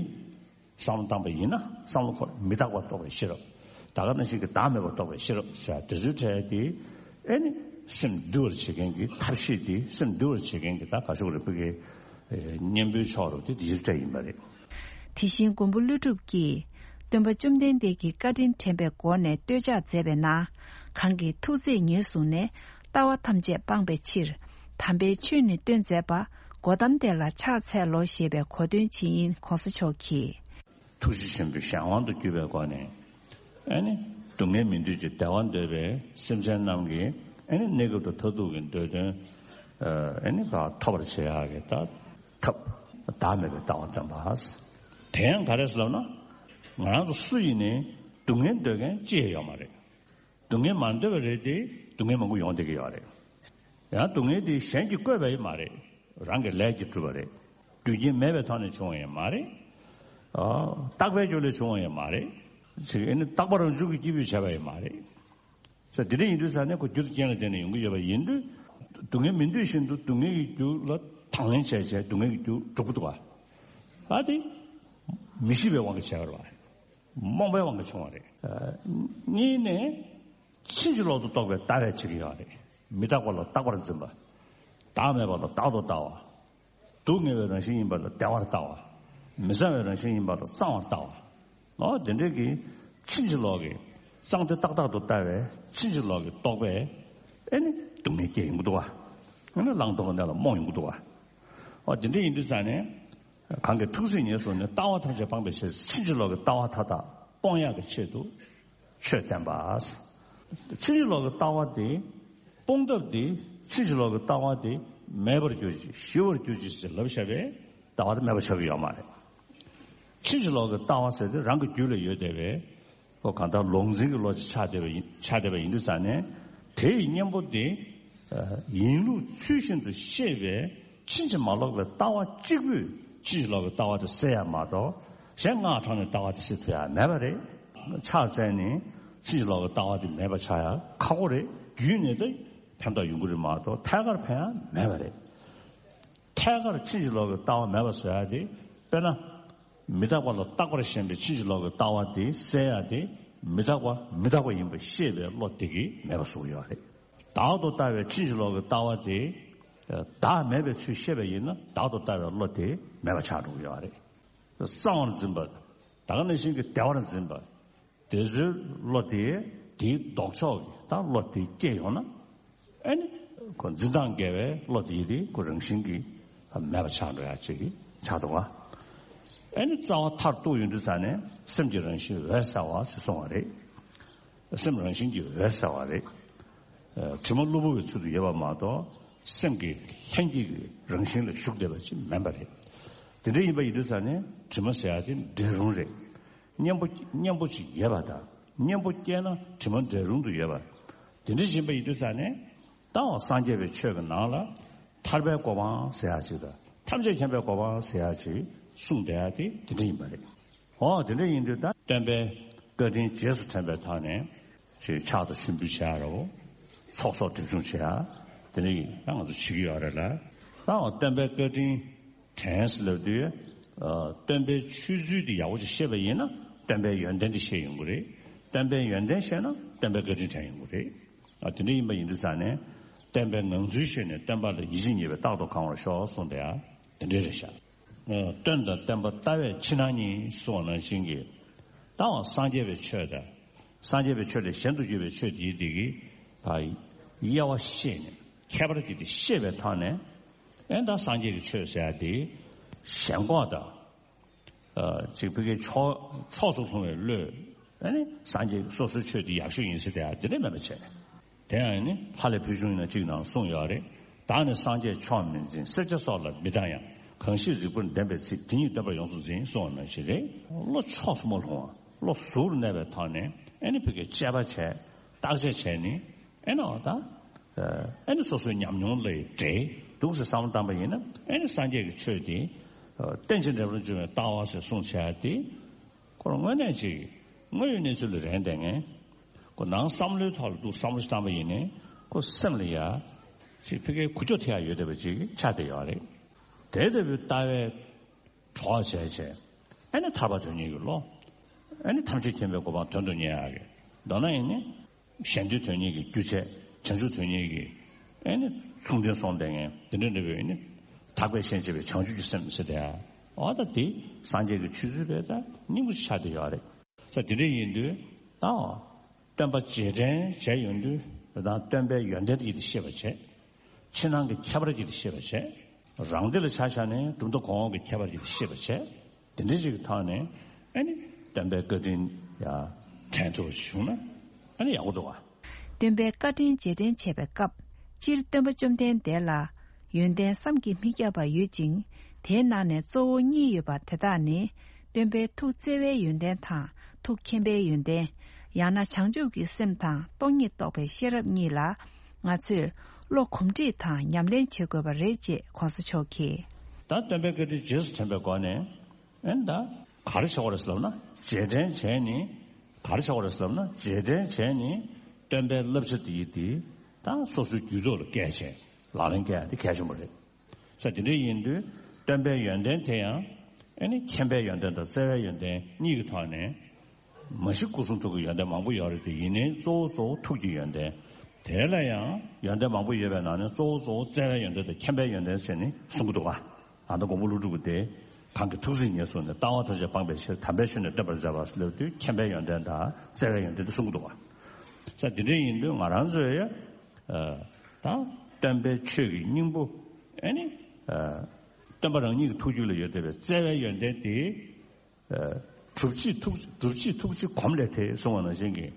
བསམ་བློ་བཏང་པ་ཡིན་ན་བསམ་བློ་འཁོར་མི་རྟག་པ་རྟོགས་པའི་ཤེས་རབ། ད་ག་ནང་བཞིན་གྱི་བདག་མེད་པ་རྟོགས་པའི་ཤེས་རབ་ཟེར་དེ་ཚོའི་གྲས་དེ། ཨེ་ནི་སེམས་འདུལ་བར་བྱེད་མཁན་གྱི་ཐབས་ཤེས་དེ། སེམས་འདུལ་བར་བྱེད་མཁན་གྱི་ད་ག་ཤོག་རེ་ཕུ་གའི་གཉེན་པོའི་ཕྱོགས་རུ་དེ་དེ་ཚོའི་གྲས་ཡིན་པ་རེད། དེ་བཞིན་མགོན་པོ་ཀླུ་སྒྲུབ་ཀྱིས་སྟོན་པ་བཅོམ་ལྡན་འདས་ཀྱི་བཀའ་དྲིན་དྲན་པའི་སྒོ་ནས་བསྟོད་ཕྱག་མཛད་པའི་ནང་། གང་གིས་ཐུགས་བརྩེས་ཉེར་བཟུང་ནས། ལྟ་བ་ཐམས་ཅད་སྤངས་པའི་ཕྱིར། དམ་པའི་ཆོས་ནི་སྟོན་མཛད་པ། གོ་ཏམ་དེ་ལ་ཕྱག་འཚལ་ལོ་ཞེས་པའི་གོ་སྟོན་ཇི་ཡིན་གོང་ས་མཆོག་གིས། ཐུགས་རྗེ་ཆེན་པོའི་གཞན་དབང་དུ་གྱུར་པའི་སྒོ་ནས། ཨེ་ནི། སྡུག་བསྔལ་མི་འདོད་ཅིང་བདེ་བ་འདོད་པའི་སེམས་ཅན་རྣམས་ཀྱི་ཨེ་ནི་གནས་སྐབས་དང་མཐར་ཐུག་གི་འདོད་དོན། ཨེ་ནི་ག་ཐོབ་པར་བྱེད་ཡག་གི་ད་ཐབས་བདག་མེད་པའི་ལྟ་བ་སྟོན་པ། དེ་ཡང་ག་རེ་ཟེར་ལབ་ན། ང་རང་ཚོ་སུ་ཡིན་ནའི་སྡུག་བསྔལ་འདོད་མཁན་ཅི་ཡང་ཡོད་མ་རེད། སྡུག་བསྔལ་མ་འདོད་པ་རེད་དེ་སྡུག་བསྔལ་མང་པོ་ཡོང་བསྡད་ཀྱི་ཡོད་རེད། ཡང་སྡུག་བསྔལ་དེ་གཞན་གྱིས་བཀོད་པ་ཡང་མ་རེད། རང་གི་ལས་ཀྱིས་གྲུབ་པ་རེད། རྒྱུ་རྐྱེན་མེད་པའི་ཐོག་ནས་བྱུང་བ་ཡང་མ་རེད། ཨ། རྟག་པའི་རྒྱུ་ལས་བྱུང་བ་ཡང་མ་རེད། ཅིག་ཨེ་ནི་རྟག་པ་རང་བྱུང་གི་སྐྱེས་བུས་བྱས་པ་ཡང་མ་རེད། ས་དེ་འདྲ་ཡིན་དུས་ས་ནས་ཁོ་རྒྱུ་དང་རྐྱེན་ལ་བརྟེན་ནས་ཡོང་གི་ཡོད་པ་ཡིན་དུས། སྡུག་བསྔལ་མི་འདོད་བཞིན་དུ་སྡུག་བསྔལ་གྱི་རྒྱུ་ལ་དང་ལེན་བྱས་བྱས་སྡུག་བསྔལ་གྱི་རྒྱུ་སྒྲུབ་ཀྱི་འདུག་ག་ཨ་དེ་མི་ཤེས་པའི་དབང་གིས་བྱས་པ་རེད་བ། རྨོངས་པའི་དབང་གིས་བྱུང་བ་རེད། གཉིས་ནས། ཕྱིན་ཅི་ལོག་ཏུ་རྟོག་པའི་ལྟ་བས་བྱེད་ཀྱི་ཡོད་རེད། མི་རྟག་པ་ལ་རྟག་པར་འཛིན་པ། བདག་མེད་པ་ལ་བདག་ཏུ་ལྟ་བ། སྡུག་བསྔལ་བའི་རང་བཞིན་ཡིན་པ་ལ་བདེ་བར་ལྟ་བ། མི་གཙང་བའི་རང་བཞིན་ཡིན་པ་ལ་གཙང་བར་ལྟ་བ། འོ་དེ་འདྲའི་གི་ཕྱིན་ཅི་ལོག་གི་གཙང་བདེ་རྟག་བདག་ཏུ་ལྟ་བའི་ཕྱིན་ཅི་ལོག་གི་རྟོག་པས་ཨེ་ནི་སྡུག་བསྔལ་སྐྱེ་ཡོང་གི་འདུག་བ། ཨེ་ནི་བླང་དོར་གྱི་གནས་ལ་རྨོངས་ཡོང་གི་འདུག་བ། འོ་དེ་འདྲ་ཡིན་དུས་ཙང་ནས། གང་གིས་ཐུགས་བརྩེ་ཉེར་བཟུང་ནས་ལྟ་བ་ཐམས་ཅད་སྤང་བའི་ཕྱིར་ཕྱིན་ཅི་ལོག་གི་ལྟ་བ་མཐའ་དག་སྤོང་ཡག་གི་ཆེད་དུ་ཆོས་བསྟན་པ། ཕྱིན་ཅི་ལོག་གི་ལྟ་བ་དེ་སྤོང་ཐབས་དེ་ཕྱིན་ཅི་ལོག་གི་ལྟ་བ་དེ་མེད་པར་གྱུར་ཅིག་ཞི་བར་གྱུར་ཅིག་ཟེར་ལབ་བཞག་པས་ལྟ་བ་དེ་མེད་པ་ཆགས་ཀྱི་ཡོད་མ་རེད། ཕྱིན་ཅི་ལོག་གི་ལྟ་བ་ཟེར་དེ་རང་གི་རྒྱུད་ལ་ཡོད་བསྡད་པའི་ཁོ་གང་ལྟར་ལོག་འཛིན་གྱི་བློ་ཅིག་ཆགས་བསྡད་པ་ཡིན་ཆགས་བསྡད་པ་ཡིན་དུས་ཙང་ནས་དེ་ཡི་གཉེན་པོ་དེ་ཡིན་ལུགས་ཚུལ་བཞིན་དུ་ཤེས་པའི་ཕྱིན་ཅི་མ་ལོག་པའི་ལྟ་བ་གཅིག་པུས་ཕྱིན་ཅི་ལོག་གི་ལྟ་བ་དེ་སེལ་ཡ་མ་གཏོགས་གཞན་སྔགས་ཕྲེང་ནས་ལྟ་བ་དེ་སེལ་ཐུབ་ཡ་མེད་པ་རེད། ཕྱག་འཚལ་ནས་ཕྱིན་ཅི་ལོག་གི་ལྟ་བ་དེ་མེད་པ་ཆགས་ཡ་ཁག་པོ་རེད། རྒྱུད་ནས་ད་ཕན་ཐོགས་ཡོང་གི་རེད་མ་གཏོགས་ཐད་ཀར་ཕན་ཡ་མེད་པ་རེད། ཐད་ཀར་ཕྱིན་ཅི་ལོག་གི་ལྟ་བ་མེད་པ་བཟོ་ཡ་དེ། དཔེར་ན། མི་རྟག་པ་ལ་རྟག་པར་ཞེན་པའི་ཕྱིན་ཅི་ལོག་གི་ལྟ་བ་དེ་སེལ་ཡ་དེ། མི་རྟག་པ་མི་རྟག་པ་ཡིན་པ་ཤེས་པའི་བློ་དེ་གིས་མེད་པ་བཟོ་གི་ཡོད་རེད། བདག་ཏུ་ལྟ་བའི་ཕྱིན་ཅི་ལོག་གི་ལྟ་བ་དེ། བདག་མེད་པའི་ཚུལ་ཤེས་པ་ཡིན་ན་བདག་ཏུ་ལྟ་བའི་བློ་དེ་མེད་པ་ཆགས་འགྲོ་གི་ཡོད་རེད། གཙང་བར་འཛིན་པ། ད་ག་ནང་བཞིན་གྱི་བདེ་བར་འཛིན་པ། དེ་ཚོའི་བློ་དེ་དེའི་ལྡོག་ཕྱོགས་ཀྱི་ད་བློ་དེ་སྐྱེས་ཡོང་ན། ཨེ་ནི། ཁོ་འཛིན་སྟངས་འགལ་བའི་བློ་དེ་དེ་ཁོ་རང་བཞིན་གྱིས་མེད་པ་ཆགས་འགྲོ་ཡ་ཅིག་ཆགས་འདུག་བ། ཨེ་ནི་རྩ་བ་མཐར་གཏུགས་ཡོང་དུས་ཙ་ནས་སེམས་ཀྱི་རང་བཞིན་འོད་གསལ་བ་ཞེས་གསུངས་པ་རེད། སེམས་རང་བཞིན་གྱིས་འོད་གསལ་བ་རེད། ཨ། དྲི་མ་གློ་བུར་བའི་ཚུལ་དུ་ཡོད་པ་མ་གཏོགས་སེམས་ཀྱི་ལྷན་སྐྱེས་ཀྱི་རང་བཞིན་ལ་ཞུགས་བསྡད་པ་ཅིག་མིན་པ་རེད། དེ་འདྲ་ཡིན་པ་ཡིན་དུས་ཙ་ནས་དྲི་མ་ཟེར་ཡ་དེ་འབྲལ་རུང་རེད། གཉེན་པོ་གཉེན་པོ་ཅིག་ཡོད་པ་དང་གཉེན་པོ་སྐྱེས་ན་དྲི་མ་འབྲལ་རུང་དུ་ཡོད་པ། དེ་འདྲ་ཡིན་པ་ཡིན་དུས་ཙ་ནས་ད་འོ་སངས་རྒྱས་པའི་ཆོས་ཀྱི་ནང་ལ་ཐར་པའི་གོ་འཕང་ཟེར་ཡ་ཅིག་དང་ཐམས་ཅད་མཁྱེན་པའི་གོ་འཕང་ཟེར་ཡ་ཅིག་གསུངས་བསྡད་ཡ་དེ་དེ་འདྲ་ཡིན་པ་རེད། འོ་དེ་འདྲ་ཡིན་དུས་ད་སྟོན་པའི་བཀའ་དྲིན་རྗེས་སུ་དྲན་པའི་ཐོག་ནས་ཅིག་ཕྱག་དང་ཞུ་འབུལ་བྱེད་ཡ་རོ། ཚོགས་གསོག་སྒྲིབ་སྦྱོང་བྱེད་ཡ་དེ་འདྲ་ཡིན་ད་ང་ཚོ་བྱེད་ཀྱི་ཡོད་རེད་ལ། ད་འོ་སྟོན་པའི་བཀའ་དྲིན་དྲན་ཟེར་ལབ་དུས། ཨ། སྟོན་པའི་ཆོས་ཚུལ་དེ་ཡག་པོ་ཅིག་ཤེས་པ་ཡིན་ན་སྟོན་པའི་ཡོན་ཏན་དེ་ཤེས་ཡོང་གི་རེད། སྟོན་པའི་ཡོན་ཏན་ཤེས་ན་སྟོན་པའི་བཀའ་དྲིན་དྲན་ཡོང་གི་རེད། ཨ། དེ་འདྲ་ཡིན་པ་ཡིན་དུས་ཙང་ནས་སྟོན་པའི་ངང་ཚུལ་ཤེས་ནས་སྟོན་པ་ལ་ཡིད་ཆེས་ཉེས་པའི་རྟག་ཏུ་གང་བར་ཤོག་གསུངས་དེ་ཡང་དེ་འདྲ་རེད་ཤག་ཨ། སྟོན་དང་བསྟན་པ་ལྟ་བས་ཕྱི་ནང་གཉིས་གསུངས་པ་ནང་བཞིན་གྱི། ད་འོ་སངས་རྒྱས་པའི་ཆོས་དང་། སངས་རྒྱས་པའི་ཆོས་ལས་གཞན་དུ་གྱུར་པའི་ཆོས་དེའི་དེ་གི་དབྱེ་བ་ཤེས་ནས་ཁྱད་པར་གྱིས་དེ་ཤེས་པའི་ཐོག་ནས། ཨེ་ད་སངས་རྒྱས་ཀྱི་ཆོས་ཟེར་ཡ་དེ་ཞེན་ཁོག་དང་། ཨ། ཅིག་ཕ་གིའི་ཕྱོགས་ཕྱོགས་སུ་ལྷུང་བའི་བློས། ཨ་ནི་སངས་རྒྱས་སོ་སོའི་ཆོས་དེ་ཡག་ཤོས་ཡིན་ཟེར་དེ་ཡ་དེ་འདྲ་མེད་པ་བྱས། དེ་ཡང་ནི་ལྷ་ལས་ཕུལ་བྱུང་ཡིན་ན་གཅིག་ནང་གསུངས་ཡོད་རེད། བདག་ནི་སངས་རྒྱས་ཕྱོགས་མི་འཛིན། སེར་སྐྱ་སོགས་ལ་མི་སྡང་ཡང་། གང་ཞིག་རིག་པར་ལྡན་པའི་ཚིག་དེ་ཉིད་སྟོན་པར་ཡོངས་སུ་འཛིན་གསུངས་པ་ནང་བཞིན་རེད། བློ་ཕྱོགས་སུ་མ་ལྷུང་བ། བློ་གཟུར་གནས་པའི་ཐོག་ནས་ཨེ་ནི་ཕ་གིའི་དཔྱད་པ་བྱས། བརྟག་དཔྱད་བྱས་ནི་ཨེ་ནི་འོ་ད། ཨེ་ནི་སོ་སོའི་ཉམས་མྱོང་ལ་འབྲེལ་འདུག་ཟེར་བསམ་བློ་བཏང་པ་ཡིན་ན་ཨེ་ནི་སངས་རྒྱས་ཀྱི་ཆོས་དེ། རྟེན་ཅིང་འབྲེལ་པར་འབྱུང་བའི་ལྟ་བ་ཟེར་གསུངས་བྱས་ཏེ། ཁོ་རང་དངོས་གནས་ཅིག་དངོས་ཡོད་གནས་ཚུལ་ལ་རན་བསྡད་མཁན། ཁོ་ནང་བསམ་བློའི་ཐོག་ལ་འདུག་བསམ་བློ་ཞིག་བཏང་པ་ཡིན་ནའི་ཁོ་སེམས་ལ་ཡ། ཅིག་ཕ་གིའི་ཁུག་ཀྱོག་ཐེབས་ཡ་ཡོད་བསྡད་པ་ཅིག་ཆགས་བསྡད་ཡོད་རེད། དེ་ལྟ་བུའི་ལྟ་བའི་གྲོགས་བྱས་བྱས། ཨ་ནི་ཐར་པ་དོན་གཉེར་གྱི་བློ། ཨ་ནི་ཐམས་ཅད་མཁྱེན་པའི་གོ་འཕང་དོན་དུ་གཉེར་ཡག་གི། མདོར་ན་ཡིན་ནི། གཞན་དོན་དོན་གཉེར་གྱི་རྒྱུ་བྱས། བྱང་ཆུབ་དོན་གཉེར་གྱི། ཨེ་ནི་མཚུངས་ལྡན་སོང་བསྡད་མཁན་དེ་འདྲ་འདྲ་བའི་ནི། དག་པའི་ཞེན་བྱེད་པའི་བྱང་ཆུབ་ཀྱི་སེམས་ཟེར་དེ། འོ་ད་དེ་སངས་རྒྱས་ཀྱི་ཆོས་ཚུལ་རེད་ད་སྙིང་པོ་ཆགས་བསྡད་ཡོད་རེད། ས་དེ་འདྲ་ཡིན་དུས་ད། སྟོན་པ་རྗེས་དྲན་བྱས་ཡོང་དུས་ད་སྟོན་པའི་ཡོན་ཏན་དེ་ཤེས་པ་བྱས། ཕྱི་ནང་གི་ཁྱད་པར་གྱིས་ཤེས་པར་བྱས། རང་སྡེ་ལ་ཆ་བཞག་ནས་གྲུབ་མཐའ་གོང་འོག་གི་ཁྱད་པར་གྱིས་ཤེས་པར་བྱས། དེ་འདྲ་ཞིག་གི་ཐོག་ནས་ཨ་ནི་སྟོན་པའི་བཀའ་དྲིན་ཡང་དྲན་ཐུབ་པ་ཞིག་བྱུང་ན་ཨ་ནི་ཡག་པོ་འདུག་བ། སྟོན་པའི་བཀའ་དྲིན་རྗེས་དྲན་བྱེད་པའི་སྐབས། སྤྱིར་སྟོན་པ་བཅོམ་ལྡན་འདས་ལ་ཡོན་ཏན་བསམ་གྱིས་མི་ཁྱབ་པ་ཡོད་ཅིང་། དེའི་ནང་ནས་གཙོ་བོ་གཉིས་ཡོད་པ་དེ་དག་ནི། སྟོན་པའི་ཐུགས་བརྩེ་བའི་ཡོན་ཏན་དང་ཐུགས་མཁྱེན་པའི་ཡོན་ཏན། ཡང་ན་བྱང་ཆུབ་ཀྱི་སེམས་དང་སྟོང་ཉིད་རྟོགས་པའི་ཤེས་རབ་གཉིས་ལ། ང་ཚོས་བློ་གོམས་འདྲིས་དང་ཉམས་ལེན་བྱེད་དགོས་པ་རེད་ཅེས་གོང་ས་མཆོག་གིས། ད་སྟོན་པའི་བཀའ་དྲིན་རྗེས་སུ་དྲན་པའི་སྒོ་ནས། ཨེ་ད་ག་རེ་བྱེད་དགོས་རེད་ཟེར་ལབ་ན། རྗེས་དྲན་བྱས་ནས་ག་རེ་བྱེད་དགོས་རེད་ཟེར་ལབ་ན། རྗེས་དྲན་བྱས་ནས་སྟོན་པའི་བསླབ་བྱ་དེ་ཡི་དེ་ད་སོ་སོའི་རྒྱུད་ཐོག་ལ་བཀལ་བྱས་ལག་ལེན་བཀལ་ཡ་དེ་གལ་ཆེན་པོ་རེད། ས་དེ་འདྲ་ཡིན་དུས་སྟོན་པའི་ཡོན་ཏན་དེ་ཡང་ཨེ་ནི་མཁྱེན་པའི་ཡོན་ཏན་དང་བརྩེ་བའི་ཡོན་ཏན་གཉིས་ཀྱི་ཐོག་ནས། མ་གཞི་སྐུ་གསུང་ཐུགས་ཀྱི་ཡོན་ཏན་མང་པོ་ཡོད་རེད་དེ། ཡིན་ནའི་གཙོ་བོ་གཙོ་བོ་ཐུགས་ཀྱི་ཡོན་ཏན། དེ་ལ་ཡང་ཡོན་ཏན་མང་པོ་ཡོད་པའི་ནང་ནས་གཙོ་བོ་གཙོ་བོ་བརྩེ་བའི་ཡོན་ཏན་དང་མཁྱེན་པའི་ཡོན་ཏན་ཟེར་ནས་གསུང་གི་འདུག་བ། ཨ་ད་མགོན་པོ་ཀླུ་སྒྲུབ་ཀྱིས་དེ། གང་གིས་ཐུགས་བརྩེ་ཉེར་བཟུང་ནས། ལྟ་བ་ཐམས་ཅད་སྤངས་པའི་ཕྱིར། དམ་པའི་ཆོས་ནི་སྟོན་པར་མཛད་པ་ལབ་དུས་མཁྱེན་པའི་ཡོན་ཏན་དང་བརྩེ་བའི་ཡོན་ཏན་དེ་གསུང་གི་འདུག་བ། ས་དེ་འདྲ་ཡིན་དུས་ང་རང་ཚོས་ཡ། ད་སྟོན་པའི་ཆོས་ཀྱི་སྙིང་པོ་ཨེ་ནི། སྟོན་པ་རང་ཉིད་ཀྱི་ཐུགས་རྒྱུད་ལ་ཡོད་བསྡད་པའི་བརྩེ་བའི་ཡོན་ཏན་དེ། སྒྲུབ་བྱེད་ཐུགས། སྒྲུབ་བྱེད་ཐུགས་རྗེ་གོམས་ལས་ཐེག་གསུངས་པ་ནང་བཞིན་གྱི།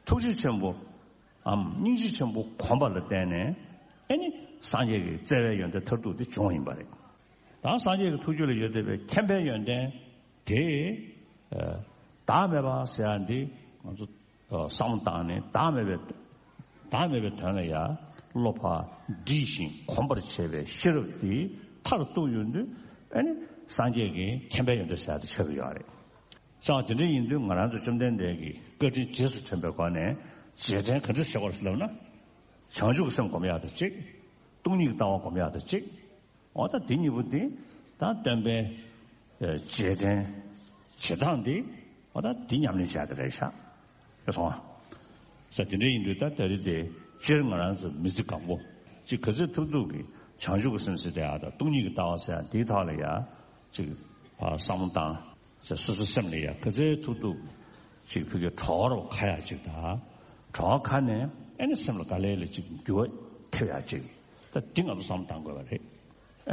ཐུགས་རྗེ་ཆེན་པོའམ་སྙིང་རྗེ་ཆེན་པོ་གོམས་པ་ལ་བརྟེན་ནས་ཨེ་ནི་སངས་རྒྱས་ཀྱི་བརྩེ་བའི་ཡོན་ཏན་མཐར་ཐུག་དེ་བྱུང་བ་ཡིན་པ་རེད། ད་སངས་རྒྱས་ཀྱི་ཐུགས་རྒྱུད་ལ་ཡོད་བསྡད་པའི་མཁྱེན་པའི་ཡོན་ཏན་དེ། བདག་མེད་པ་ཟེར་ཡ་འདི་ང་ཚོ་བསམ་བློ་བཏང་ནས། བདག་མེད་པའི། བདག་མེད་པའི་དོན་ལ་ཡང་བློ་ཕར་འདྲིས་ཤིང་གོམས་པར་བྱེད་པའི་ཤེས་རབ་དེ་མཐར་གཏུགས་ཡོང་དུས། ཨ་ནི་སངས་རྒྱས་ཀྱི་མཁྱེན་པའི་ཡོན་ཏན་ཟེར་ཡ་དེ་ཆགས་ཀྱི་ཡོད་རེད། ཙང་དེ་འདྲ་ཡིན་དུས་ང་རང་ཚོ་བཅོམ་ལྡན་འདས་ཀྱི་བཀའ་དྲིན་རྗེས་སུ་དྲན་པའི་སྒོ་ནས་རྗེས་དྲན་ག་འདྲ་བྱེད་དགོས་རེད་ཟེར་ལབ་ན། བྱང་ཆུབ་ཀྱི་སེམས་སྒོམ་ཡག་དང་གཅིག། སྟོང་ཉིད་ཀྱི་ལྟ་བ་སྒོམ་ཡག་དང་གཅིག། འོ་ད་འདི་གཉིས་པོ་འདི་ད་སྟོན་པའི་རྗེས་དྲན་བྱེད་སྟངས་འདི། འོ་ད་འདི་ཉམས་ལེན་བྱ་དེ་རེད་ཤག། རེད་སོང་ཨ། ས་དེ་འདྲ་ཡིན་དུས་ད་ད་རེས་དེ་སྤྱིར་ང་རང་ཚོ་མི་ཚེ་གང་པོ་ཅིག་ག་ཚོད་ཐུབ་ཐུབ་ཀྱིས་བྱང་ཆུབ་ཀྱི་སེམས་ཟེར་དེ་ཨ་ད་སྟོང་ཉིད་ཀྱི་ལྟ་བ་ཟེར་ཡ་འདིའི་ཐོག་ལ་ཡ་ཅིག་བསམ་བློ་བཏང་། ཅིག་སོ་སོའི་སེམས་ལ་ཡ་ག་ཚོད་ཐུབ་ཐུབ་ཅིག་ཕ་གིའི་གྲོགས་རོགས་ཁ་ཡ་ཅིག་དང་། གྲོགས་ཁ་ནས་ཨེ་ནི་སེམས་ལ་ག་ལེ་ལེ་ཅིག་འགྱུར་བ་ཐེབས་ཡ་ཅིག་ད་འདི་ང་ཚོ་བསམ་བློ་བཏང་དགོས་པ་རེད།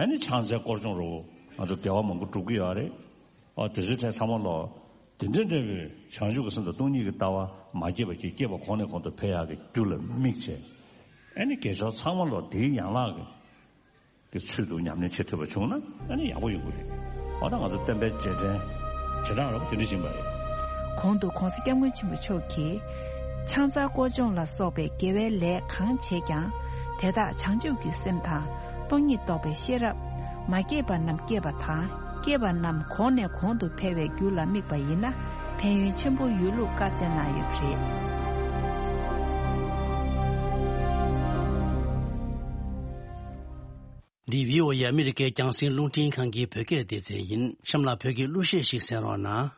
ཨ་ནི་ཕྱག་འཚལ་སྐོར་སྦྱོང་རུ་ང་ཚོ་དགེ་བ་མང་པོ་སྒྲུབ་ཀྱི་ཡོད་རེད། ཨ་དེ་ཚོའི་གྲས་ཚང་མ་ལོ། དེ་འདྲ་འདྲ་བའི་བྱང་ཆུབ་ཀྱི་སེམས་དང་སྟོང་ཉིད་ཀྱི་ལྟ་བ་མ་སྐྱེས་པ་གྱིས་སྐྱེས་པ་གོང་ནས་གོང་དུ་འཕེལ་ཡག་གི་རྒྱུ་ལ་དམིགས་བྱས། ཨ་ནི་དགེ་སྦྱོར་ཚང་མ་ལོ་དེའི་ཡན་ལག་གི་གི་ཚུལ་དུ་ཉམས་ལེན་བྱེད་ཐུབ་པ་བྱུང་ན་ཨ་ནི་ཡག་པོ་ཡོང་གི་རེད། འོ་ད་ང་ཚོ་སྟོན་པའི་རྗེས་དྲན་བྱེད་སྟངས་རོབ་དེ་འདྲ་ཡིན་པ་རེད། གོང་དུ་གོང་ས་སྐྱབས་མགོན་ཆེན་པོ་མཆོག་གིས། ཕྱག་འཚལ་སྐོར་སྦྱོང་ལ་སོགས་པའི་དགེ་བའི་ལས་གང་བྱེད་ཀྱང་། དེ་དག་བྱང་ཆུབ་ཀྱི་སེམས་དང་སྟོང་ཉིད་རྟོགས་པའི་ཤེས་རབ། མ་སྐྱེས་པ་རྣམས་སྐྱེས་པ་དང་། སྐྱེས་པ་རྣམས་གོང་ནས་གོང་དུ་འཕེལ་བའི་རྒྱུ་ལ་དམིགས་པ་ཡིན་ན། ཕན་ཡོན་ཆེན་པོ་ཡོད་ལུགས་བཀའ་སྩལ་གནང་ཡོད་པ་རེད། འདི་བྷི་ཨོ་ཨེ་ཨ་མི་རི་ཀའི་རྒྱང་སྲིང་རླུང་འཕྲིན་ཁང་གི་བོད་སྐད་སྡེ་ཚན་ཡིན། གཤམ་ལ་བོད་ཀྱི་གླུ་གཞས་ཤིག་གསན་རོགས་གནང་།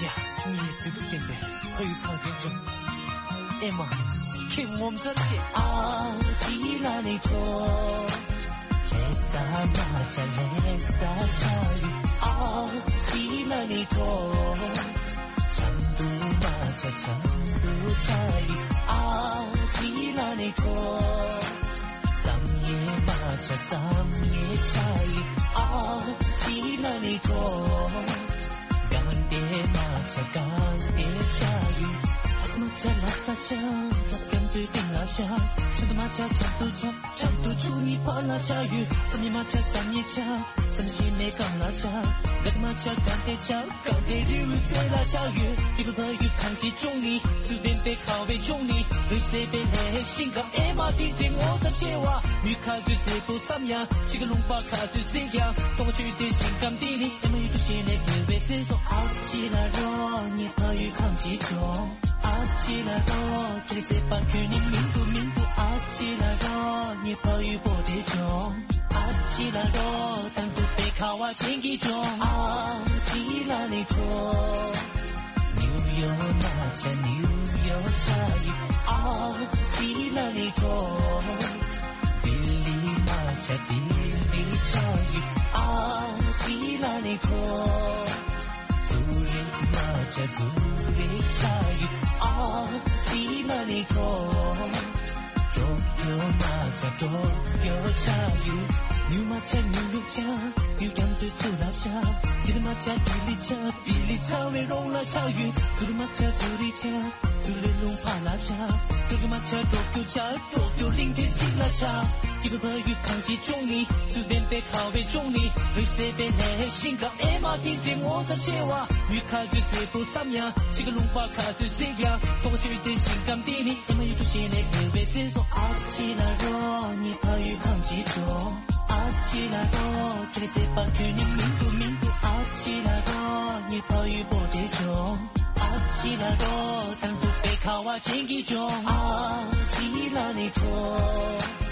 ཡ། ངའི་མཛེས་སྡུག་ལྡན་པའི་ཕ་ཡུལ་གངས་ཅན་ལྗོངས། ཨེ་མ། ཁྱེད་ངོ་མཚར་ཆེ། ཨ་ཅི་ལ་ནི་ཁྲོ། ལྷ་ས་མ་ཆ་ལྷ་ས་ཆ་ཡི། ཨ་ཅི་ལ་ནི་ཁྲོ། ཆམ་དུ་མ་ཆ་ཆམ་དུ་ཆ་ཡི། ཨ་ཅི་ལ་ནི་ཁྲོ། བསམ་ཡས་མ་ཆ་བསམ་ཡས་ཆ་ཡི། ཨ་ཅི་ལ་ནི་ཁྲོ། གང་དེ་མ་ཆ་གང་དེ་ཆ་ཡི། ལྷ་ས་མ་ཆ་ལྷ་ས་ཆ། ལྷ་ས་གང་དུ་སྟེང་ལ་ཆ། ཆམ་དུ་མ་ཆ་ཆམ་དུ་ཆ། ཆམ་དུ་ཆུ་ནི་ཕ་ལ་ཆ་ཡོད། བསམ་ཡས་མ་ཆ་བསམ་ཡས་ཆ། བསམ་ཤེས་མེད་གང་ལ་ཆ། ག་དེ་མ་ཆ་གང་དེ་ཆ། གང་དེ་རི་བོའི་རྩེ་ལ་ཆ་ཡོད། དེ་བོད་ཕ་ཡུལ་གངས་ཅན་ལྗོངས་ནི། ཚུལ་ལྡན་པའི་ཁ་བའི་ལྗོངས་ནི། འོད་གསལ་པའི་ལྷའི་ཞིང་ཁམས། ཨེ་མ་དེ་འདྲའི་ངོ་མཚར་ཆེ་བ། མི་ཁ་ཚོད་ཟེར་དུ་བསམ་ཡང་། ཕྱི་གི་ལུང་པ་ཁ་ཚོད་ཟེར་ཡང་། སྟོང་ཆོས་དེ་ཞིང་ཁམས་དེ་ནི། ཨེ་མ་ཡུལ་དུ་ཤེས་ནས་བཟོས་པའི་སེམས་སོ། ཨ་ཅི་ལ་རོ་ངའི་ཕ་ཡུལ་གངས་ཅན་ལྗོངས། ཨ་ཅི་ལ་རོ། ཁྱེད་ཚེ་པ་ཁྱོད་ནི་མིང་དུ་མིང་དུ། ཨ་ཅི་ལ་རོ་ངའི་ཕ་ཡུལ་བོད་དེ་ལྗོངས། ཨ་ཅི་ལ་རོ། དང་དུ་པའི་ཁ་བ་ཅན་གྱི་ལྗོངས། ཨ་ཅི་ལ་ནི་ཁྲོ། ནིའུ་ཡོག་མ་ཆ་ནིའུ་ཡོག་ཆ་ཡི། ཨ་ཅི་ལ་ནི་ཁྲོ། ལྡི་ལི་མ་ཆ་ལྡི་ལི་ཆ་ཡི། ཨ་ཅི་ལ་ནི་ཁྲོ། སུ་རི་མ་ ཆ་ཚུ་རེ་ཆ་ཡུ་ཨ་ཅི་ལ་ནི་ཁྲོ། ཁྲོ་ཁྱོ་མ་ཆ་ཁྲོ་ཁྱོ་ཆ་ཡུ། ཉུ་མ་ཆ་ཉུ་ལུག་ཆ། ཉུ་རྒྱམ་ཚུ་ཚུ་ལ་ཆ། དི་ལི་མ་ཆ་དི་ལི་ཆ། དི་ལི་ཚ་བའི་རོང་ལ་ཆ་ཡུ། ཐུ་རུ་མ་ཆ་ཐུ་རི་ཆ། ཐུ་རི་ལུང་ཕ་ལ་ཆ། ཐུ་རི་མ་ཆ་ཁྲོ་ཁྱོ་ཆ། ཏོ་ཀྱོ་གླིང་ཕྲན་གཅིག་ལ་ཆ། སྐྱིད་པའི་ཕ་ཡུལ་གངས་ཅན་ལྗོངས་ནི། ཚུལ་ལྡན་པའི་ཁ་བའི་ལྗོངས་ནི། རིག་གསལ་པའི་ལྷའི་ཞིང་ཁམས་ཨེ་མ་ཐིག་ཐིག་ངོ་ཚ་ཆེ་བ། མྱུལ་ཁ་དུས་ཚེ་པོ་བསམ་ཡ། ཕྱི་གི་ལུང་པ་ཁ་དུས་ཚིག་ཡ། ཏོག་ཆེ་བའི་ཞིང་ཁམས་འདི་ནི། ཨེ་མ་ཡུལ་དུ་ཤེས་ནས་ཟེར་བའི་སེམས་སོ། ཨ་ཅི་ལ་རོ་ནི་ཕ་ཡུལ་གངས་ཅན་ལྗོངས། ཨ་ཅི་ལ་རོ་ཁྱེད་ཚེ་པ་ཁྱོད་ནི་མིན་འདུག་མིན་འདུག་ཨ་ཅི་ལ་རོ་ནི་ཕ་ཡུལ་བོད་དེ་ལྗོངས། ཨ་ཅི་ལ་རོ་དང་ཐུག་པའི་ཁ་བ་ཅན་གྱི་ལྗོངས། ཨ་ཅི་ལ་ནི་ཁྲོ།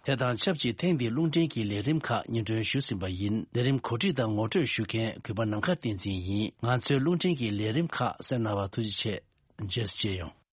དེ་དང་ཆབས་ཅིག་ཐེངས་འདིའི་རླུང་འཕྲིན་གྱི་ལས་རིམ་ཁག་སྙན་སྒྲོན་ཞུས་ཟིན་པ་ཡིན། ལས་རིམ་གོ་སྒྲིག་དང་ངོ་སྤྲོད་ཞུ་མཁན་གུས་པ་ནམ་མཁའ་བསྟན་འཛིན་ཡིན། ང་ཚོའི་རླུང་འཕྲིན་གྱི་ལས་རིམ་ཁག་གསན་གནང་བར་ཐུགས་རྗེ་ཆེ། རྗེས་སུ་མཇལ་ཡོང་།